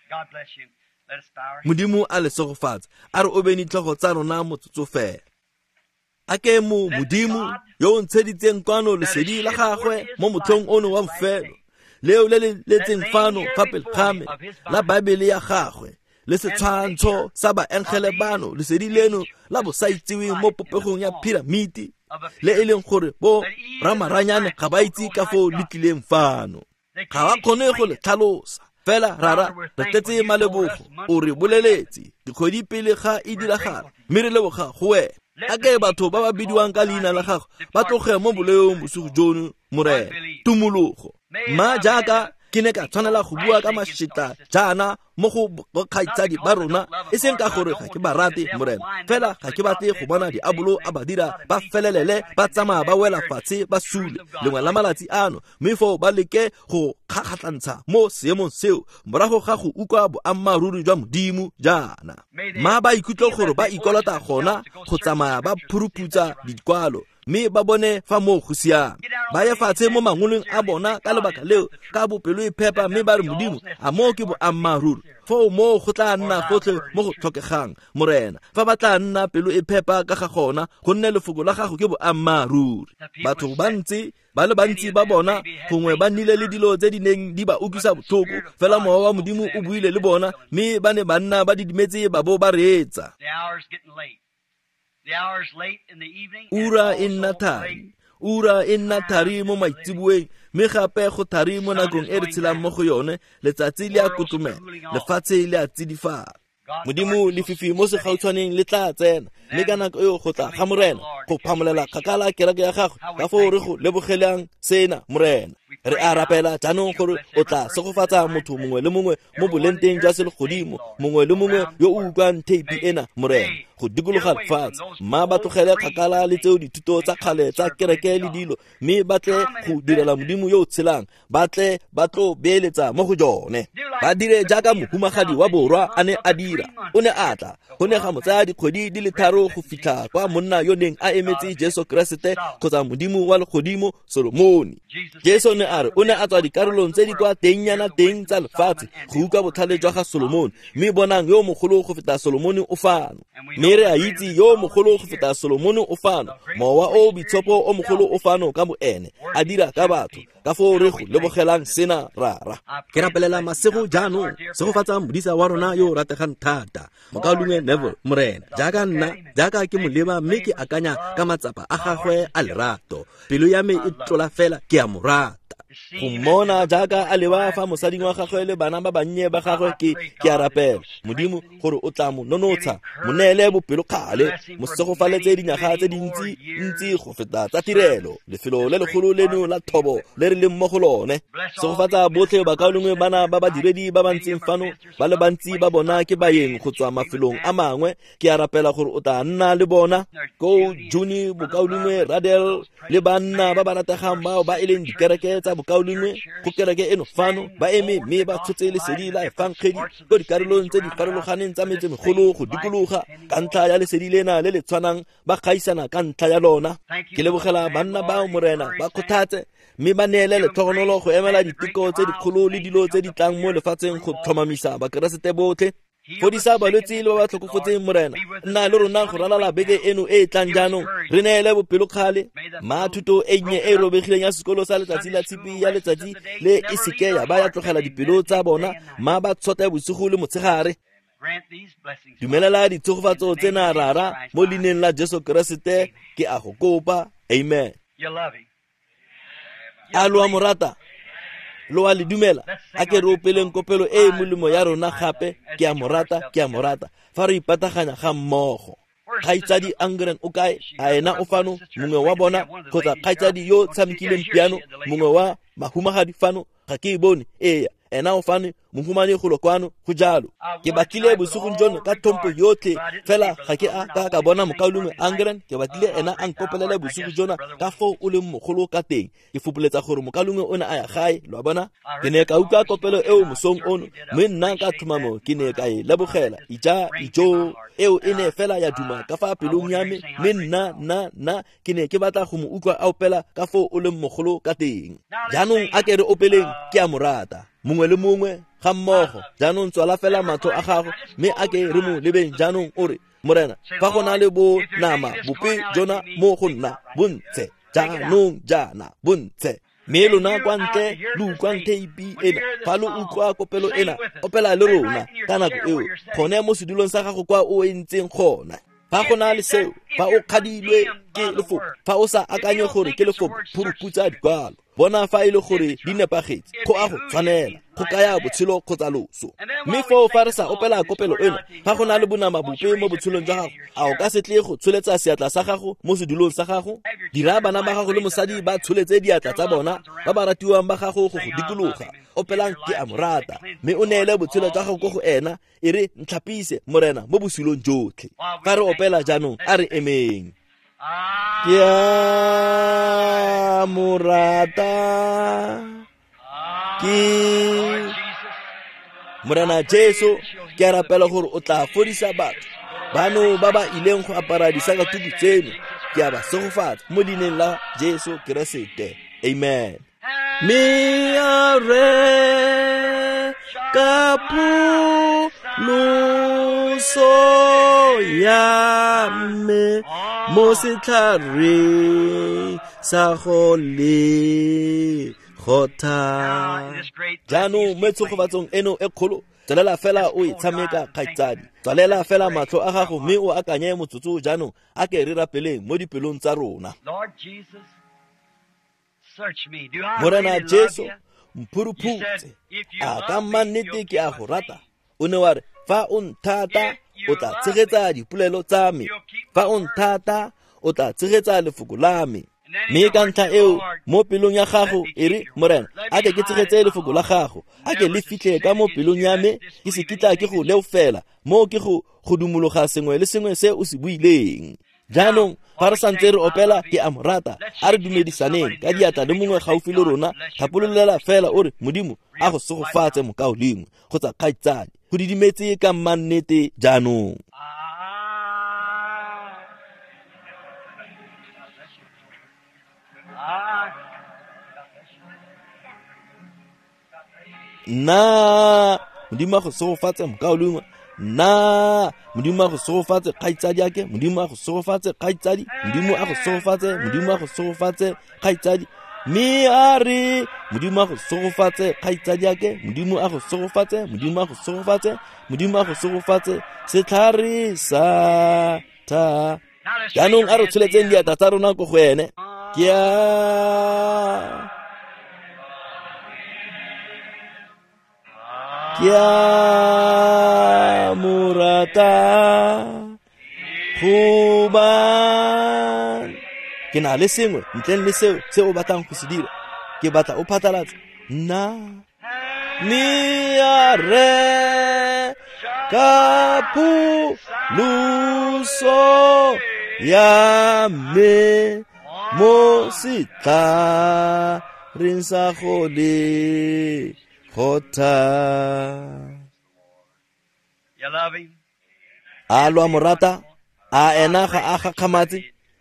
Modimo a le segofatse, a re obeng ditlhogo tsa rona motsotso fela. A ke mo Modimo yo o ntsheditseng kwano lesedi la gagwe mo motlhong ono wa bofelo, Leo le le letseng fano fa pele ga me la Baebele ya gagwe le setshwantsho sa baengele bano lesedi leno la bosaitseweng mo popegong ya piramiti le e leng gore bo ramaranyane ga ba itse ka foo le tlileng fano. Ga ba kgone go le tlhalosa. Fela rara re tletse malebogo o re boleletse dikgwedi pele ga e diragala mme re leboga go wena. A ke batho ba ba bidiwang ka leina la gago ba tloge mo boleong bosigo jono Morena. Tumologo. Mma jaaka ke ne ka tshwanela go bua ka mašetla jaana mo go bokgaitsadi ba rona e seng ka gore ga ke ba rate Morena, fela ga ke batle go bona diabolo a ba dira ba felelele ba tsamaya ba wela fatshe ba sule lengwe la malatsi ano, mme foo ba leke go kgakgatlantsha mo seemong seo morago ga go utlwa boammaaruri jwa Modimo jaana. Mma ba ikutlwe gore ba ikolota gona go tsamaya ba phuruputsa dikwalo mme ba bone fa moo go siame. Ba ye fatshe mo mangolong a bona ka lebaka leo ka bopelo e phepa mme ba re Modimo a moo ke boammaaruri. Foo moo go tla nna gotlhe mo go tlhokegang Morena fa ba tla nna pelo e phepa ka ga gona gonne lefoko la gago ke boammaaruri. Batho ba ntse ba le bantsi ba bona gongwe ba nnile le dilo tse di neng di ba utlwisa botlhoko, fela mowa wa Modimo o buile le bona mme ba ne ba nna ba didimetse ba bo ba reetsa. Ura e nna thari, ura e nna thari mo maitseboeng mme gape go thari mo nakong e re tshelang mo go yone. Letsatsi le a kotlomela, lefatshe le a tsidifala. Modimo lefifi mo segautshwaneng le tla tsena mme ka nako eo go tla ga Morena go phamolela kgakala kereke ya gagwe. Ka foo re go lebogelang sena Morena. Re a rapela jaanong gore o tla segofatsa motho mongwe le mongwe mo bolenteng jwa selegodimo, mongwe le mongwe yo o utlwang theipi ena Morena go dikologa lefatshe. Mma ba tlogele kgakala le tseo dithuto tsa kgale tsa kereke le dilo mme ba tle go direla Modimo yo o tshelang, ba tle ba tlo beeletsa mo go jone. Ba dire jaaka mohumagadi wa borwa a ne a dira. O ne a tla go ne ga mo tsaya dikgwedi di le tharo go fitlha kwa monna yo neng a emetse Jesu Keresete kgotsa Modimo wa legodimo Solomone. Jesu ne a re o ne a tswa dikarolong tse di kwa tengnyana teng tsa lefatshe go utlwa botlhale jwa ga Solomone, mme bonang yo mogolo go feta Solomone o fano. Mme re a itse yo mogolo go feta Solomone o fano, mowa o boitshepo o mogolo o fano ka boene a dira ka batho. Ka foo re go lebogelang sena rara. Ke rapelela masego jaanong segofatsa modisa wa rona yo o rategang thata mokaulengwe Neville Morena, jaaka nna jaaka ke mo leba mme ke akanya ka matsapa a gagwe a lerato, pelo ya me e tlola fela ke a mo rata. Go mmona jaaka a leba fa mosading wa gagwe le bana ba bannye ba gagwe ke ke a rapela Modimo gore o tla mo nonotsha, mo neele bopelokgale, mo segofaletse dinyaga tse dintsi ntsi go feta tsa tirelo lefelo le legolo leno la thobo le re leng mo go lone. Segofatsa botlhe bakaulengwe bana ba badiredi ba ba ntseng fano, ba le bantsi ba bona ke baeng go tswa mafelong a mangwe. Ke a rapela gore o tla nna le bona ko Juni bokaulengwe Radel le banna ba ba rategang bao ba e leng dikereke tsa bokaulengwe go kereke eno fano ba eme mme ba tshotse lesedi la efangedi ko dikarolong tse di farologaneng tsa metsemegolo go dikologa ka ntlha ya lesedi lena le le tshwanang ba gaisana ka ntlha ya lona. Ke lebogela banna bao Morena, ba kgothatse mme ba neele letlhogonolo go emela diteko tse dikgolo le dilo tse di tlang mo lefatsheng go tlhomamisa bakeresete botlhe. Fodisa balwetse le ba ba tlhokofotseng Morena, nna le rona go ralala beke eno e e tlang jaanong, re neele bopelokgale. Ma thuto e nnye e e robegileng ya sekolo sa letsatsi la tshipi ya letsatsi le e seke ya ba ya tlogela dipelo tsa bona, ma ba tshote bosigo le motshegare. Dumelela ditshegofatso tsena rara mo leineng la Jesu Keresete ke a go kopa, amen. A lo a mo rata? Lo a le dumela? A ke re opeleng kopelo e e molemo ya rona gape, ke a mo rata, ke a mo rata, fa re ipataganya ga mmogo. Kgaitsadi Angren o kae? A ena o fano? Mongwe wa bona kgotsa kgaitsadi yo tshamekileng piano, mongwe wa mahumagadi fano? Ga ke e bone. Ee, ena o fano, mohumane golo kwano, go jalo. Ke batlile bosigong jono ka tlhompho yotlhe, fela ga ke a ka ka bona mokaulengwe Angren. Ke batlile ena a nkopelele bosigo jona ka foo o leng mogolo ka teng. Ke fopoletsa gore mokaulengwe o ne a ya gae, lo a bona. Ke ne ka utlwa kopelo eo mosong ono, mme nna ka tlhomamo ke ne ka e lebogela. Ija ijo eo e ne fela ya duma ka fa pelong ya me, mme nna nna nna ke ne ke batla go mo utlwa a opela ka foo o leng mogolo ka teng. Jaanong a ke re opeleng ke a mo rata, mongwe le mongwe ga mmogo. Jaanong tswala fela matlho a gago mme a ke re mo lebeng jaanong o re, Morena, fa go na le bo nama bope jona mo go nna, bontshe jaanong jaana, bontshe. Mme lona kwa ntle lo utlwang theipi ena, fa lo utlwa kopelo ena, opela le rona ka nako eo, gone mo sedulong sa gago kwa o entseng gona. Fa go na le seo, fa o kgadilwe ke lefoko, fa o sa akanye gore ke lefoko, phuruputsa dikwalo, bona fa e le gore di nepagetse, go a go tshwanela, go kaya botshelo kgotsa loso. Mme foo fa re sa opela kopelo eno, fa go na le bonama bope mo botshelong jwa gago, a o ka se tle go tsholetsa seatla sa gago mo sedulong sa gago? Dira bana ba gago le mosadi ba tsholetse diatla tsa bona, ba ba ratiwang ba gago go go dikologa. Opelang ke a mo rata, mme o neele botshelo jwa gago ko go ena, e re ntlhapise Morena mo bosulong jotlhe. Fa re opela jaanong, a re emeng. Ke a mo rata, ke Morena Jesu, ke a rapela gore o tla fodisa batho bano ba ba ileng go apara disakatuku tseno. Ke a ba segofatsa mo leineng la Jesu Keresete. Amen. Mme a re ka pholoso ya me mo setlhareng sa go le gotha. Jaanong mo tshegofatsong eno e kgolo, tswelela fela o e tshameka kgaitsadi. Tswalela fela matlho a gago mme o akanye motsotso jaanong, a ke re rapeleng mo dipelong tsa rona. Morena Jesu, mphuruphutse, a ka mannete ke a go rata. O ne wa re, fa o nthata, o tla tshegetsa dipolelo tsa me. Fa o nthata, o tla tshegetsa lefoko la me. Mme ka ntlha eo, mo pelong ya gago, e re, Morena, a ke ke tshegetse lefoko la gago, a ke le fitlhe ka mo pelong ya me, ke se kitla ke go leofela, mo ke go go dumologa sengwe le sengwe se o se buileng. Jaanong fa re santse re opela ke a mo rata, a re dumedisaneng ka diatla le mongwe gaufi le rona. Thapololela fela o re, Modimo a go segofatse mokaulengwe kgotsa kgaitsadi. Go didimetse ka mannete jaanong. Nna Modimo a go segofatse mokaulengwe. Nna Modimo a go segofatse kgaitsadi ake. Modimo a go segofatse kgaitsadi. Modimo a go segofatse, Modimo a go segofatse kgaitsadi. Mme a re Modimo a go segofatse kgaitsadi ake. Modimo a go segofatse, Modimo a go segofatse, Modimo a go segofatse setlhare sa tha. Jaanong a re tsholetseng diatla tsa rona ko go ene. Ke a Ke a mo rata gobane ke na le sengwe ntleng le seo se o batlang go se dira. Ke batla o phatlalatse nna. Mme a re ka pholoso ya me mo setlhareng sa go le gotha. A lo a mo rata? A ena ga a gakgamatse?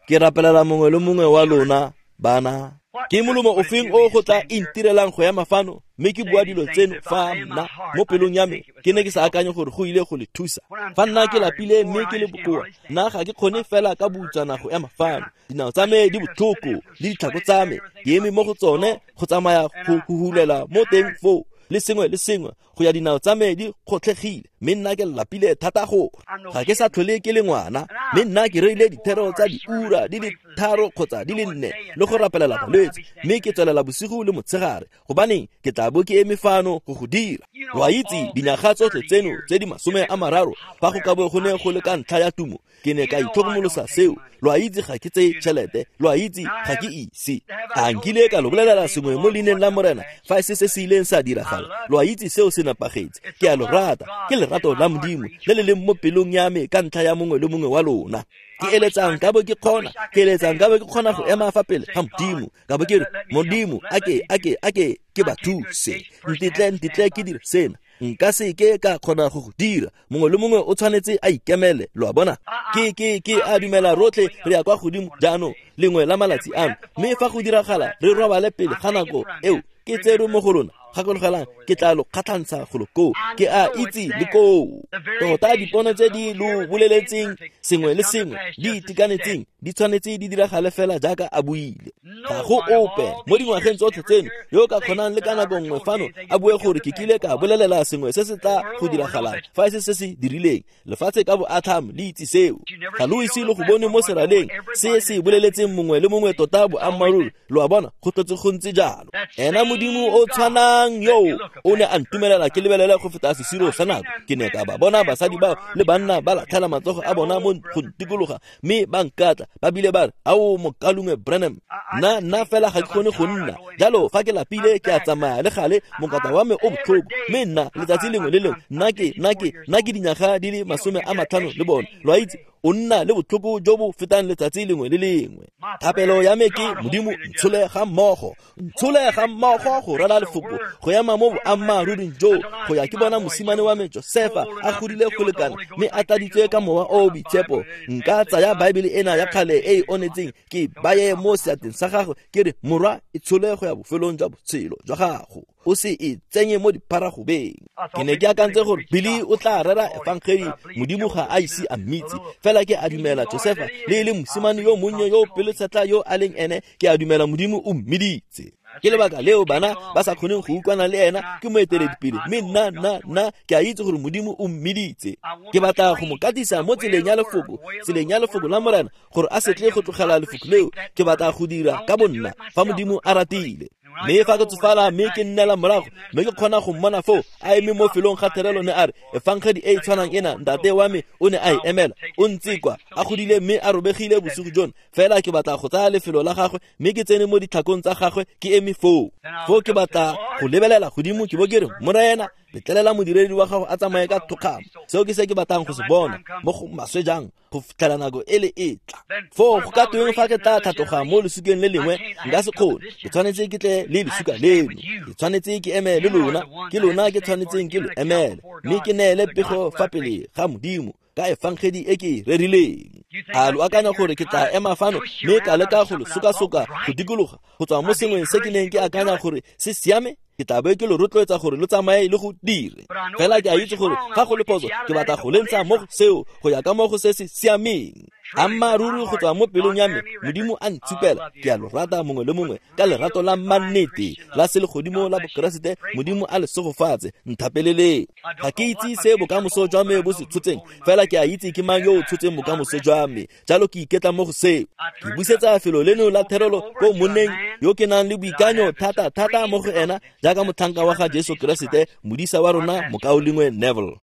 Ke rapelela mongwe le mongwe wa lona bana. Ke molomo ofeng o go tla intirelang go ema fano mme ke bua dilo tseno fa nna mo pelong ya me ke ne ke sa akanye gore go ile go le thusa. Fa nna ke lapile mme ke le bokoa, nna ga ke kgone fela ka boutsana go ema fano. Dinao tsa me di botlhoko le ditlhako tsa me, ke eme mo go tsone go tsamaya go huhulela mo teng foo le sengwe le sengwe go ya dinao tsa me di kgotlhegile, mme nna ke lapile thata go ga ke sa tlhole ke le ngwana. Mme nna ke reile dithero tsa diura di le tharo kgotsa di le nne le go rapelela balwetse, mme ke tswelela bosigo le motshegare, gobaneng ke tla bo ke eme fano go go dira. Lo a itse dinyaga tsotlhe tseno tse di masome a mararo, fa go ka bo go ne go le ka ntlha ya tumo, ke ne ka itlhokomolosa seo. Lo a itse ga ke tseye tšhelete, lo a itse ga ke ise. A nkile ka lo bolelela sengwe mo leineng la Morena fa e se se se ileng sa diragala. Lo a itse seo se nepagetse. Ke a lo rata, ke lerato la Modimo le le leng mo pelong ya me ka ntlha ya mongwe le mongwe wa lona. Ke eletsang ka bo ke kgona, ke eletsang ka bo ke kgona go ema fa pele ga Modimo, ka bo ke re, Modimo, a ke a ke a ke ke ba thuse, ntetle ntetle ke dire sena. Nka se ke ka kgona go go dira. Mongwe le mongwe o tshwanetse a ikemele, lo a bona. Ke ke ke a dumela rotlhe re ya kwa godimo jaanong lengwe la malatsi ano, mme fa go diragala re robale pele ga nako eo ke tserwe mo go lona. Gakologelang, ke tla lo kgatlhantsha golo koo. Ke a itse le koo. Tota dipono tse di lo boleletseng sengwe le sengwe di itekanetseng Di tshwanetse di diragale fela jaaka a buile. Ga go ope mo dingwageng tsotlhe tseno yo ka kgonang le ka nako nngwe fano a bue gore ke kile ka bolelela sengwe se se tla go diragalang fa e se se se dirileng. Lefatshe ka boatlhamo le itse seo. Ga lo ise lo go bone mo seraleng se se boleletseng mongwe le mongwe tota boammaaruri. Lo a bona, go tlotse go ntse jalo. Ena Modimo o tshwanang yo o ne a ntumelela ke lebelele go feta sesiro sa nako. Ke ne ka ba bona basadi bao le banna ba latlhela matsogo a bona mo go ntikologa mme ba nkatla ba bile ba re ao mokalungwe Branham, nna nna fela ga ke kgone go nna jalo. Fa ke lapile ke a tsamaya le gale mokata wa me o botlhoko, mme nna letsatsi lengwe le lengwe nna ke nna ke nna ke dinyaga di le masome a matlhano le bone. Lo a itse, o nna le botlhoko jo bo fetang letsatsi lengwe le lengwe. Thapelo ya me ke Modimo ntshole ga mmogo, ntshole ga mmogo go rwala lefoko, go ema mo boammaaruring jo, go ya ke bona mosimane wa me Josefa a godile go lekana mme a tladitswe ka mowa o o boitshepo. Nka tsaya Baebele ena ya kgale e e onetseng ke baye mo seatleng sa gagwe ke re morwa e tshole go ya bofelong jwa botshelo jwa gago, o se e tsenye mo dipharagobeng. Ke ne ke akantse gore Billy o tla rera efangedi, Modimo ga a ise a mmitse, fela ke a dumela Josefa le e le mosimane yo monnye yo pelotshetla yo a leng ene, ke a dumela Modimo o mmiditse. Ke lebaka leo bana ba sa kgoneng go utlwana le ena, ke moeteledipele, mme nna nna nna ke a itse gore Modimo o mmiditse. Ke batla go mo katisa mo tseleng ya lefoko, tseleng ya lefoko la Morena, gore a se tle go tlogela lefoko leo. Ke batla go dira ka bonna fa Modimo a ratile. Mme fa ke tsofala mme ke nnela morago mme ke kgona go mmona foo a eme mo felong ga therelo ne a re efangedi e e tshwanang ena ntate wa me o ne a e emela, o ntse kwa a godile mme a robegile bosigo jono. Fela ke batla go tsaya lefelo la gagwe mme ke tsene mo ditlhakong tsa gagwe ke eme foo. Foo ke batla go lebelela godimo ke bo ke re Morena, letlelela modiredi wa gago a tsamaye ka thokgamo. Seo ke se ke batlang go se bona mo go maswe jang go fitlhela nako e le e tla. Foo go ka tweng fa ke tla tlhatloga mo lesukeng le lengwe? Nka se kgone, ke tshwanetse ke tle le lesuka leno, ke tshwanetse ke eme le lona, ke lona ke tshwanetseng ke lo emele, mme ke neele pego fa pele ga Modimo ka efangedi e ke e rerileng. A lo akanya gore ke tla ema fano mme ka leka go lo sokasoka go dikologa go tswa mo sengweng se ke neng ke akanya gore se siame? Ke tla be ke lo rotloetsa gore lo tsamaye le go dire. Fela ke a itse gore ga go le phoso, ke batla go le ntsha mo go seo go ya ka mo go se se siameng. Ammaaruri go tswa mo pelong ya me, Modimo a ntshupela, ke a lo rata mongwe le mongwe ka lerato la mannete la selegodimo la Bokeresete. Modimo a le segofatse, nthapeleleng. Ga ke itse se bokamoso jwa me bo se tshotseng, fela ke a itse ke mang yo o tshotseng bokamoso jwa me, jalo ke iketla mo go seo. Ke busetsa felo leno la therelo ko monneng yo ke nang le boikanyo thata thata mo go ena, jaaka motlhanka wa ga Jesu Keresete, modisa wa rona mokaulengwe Neville.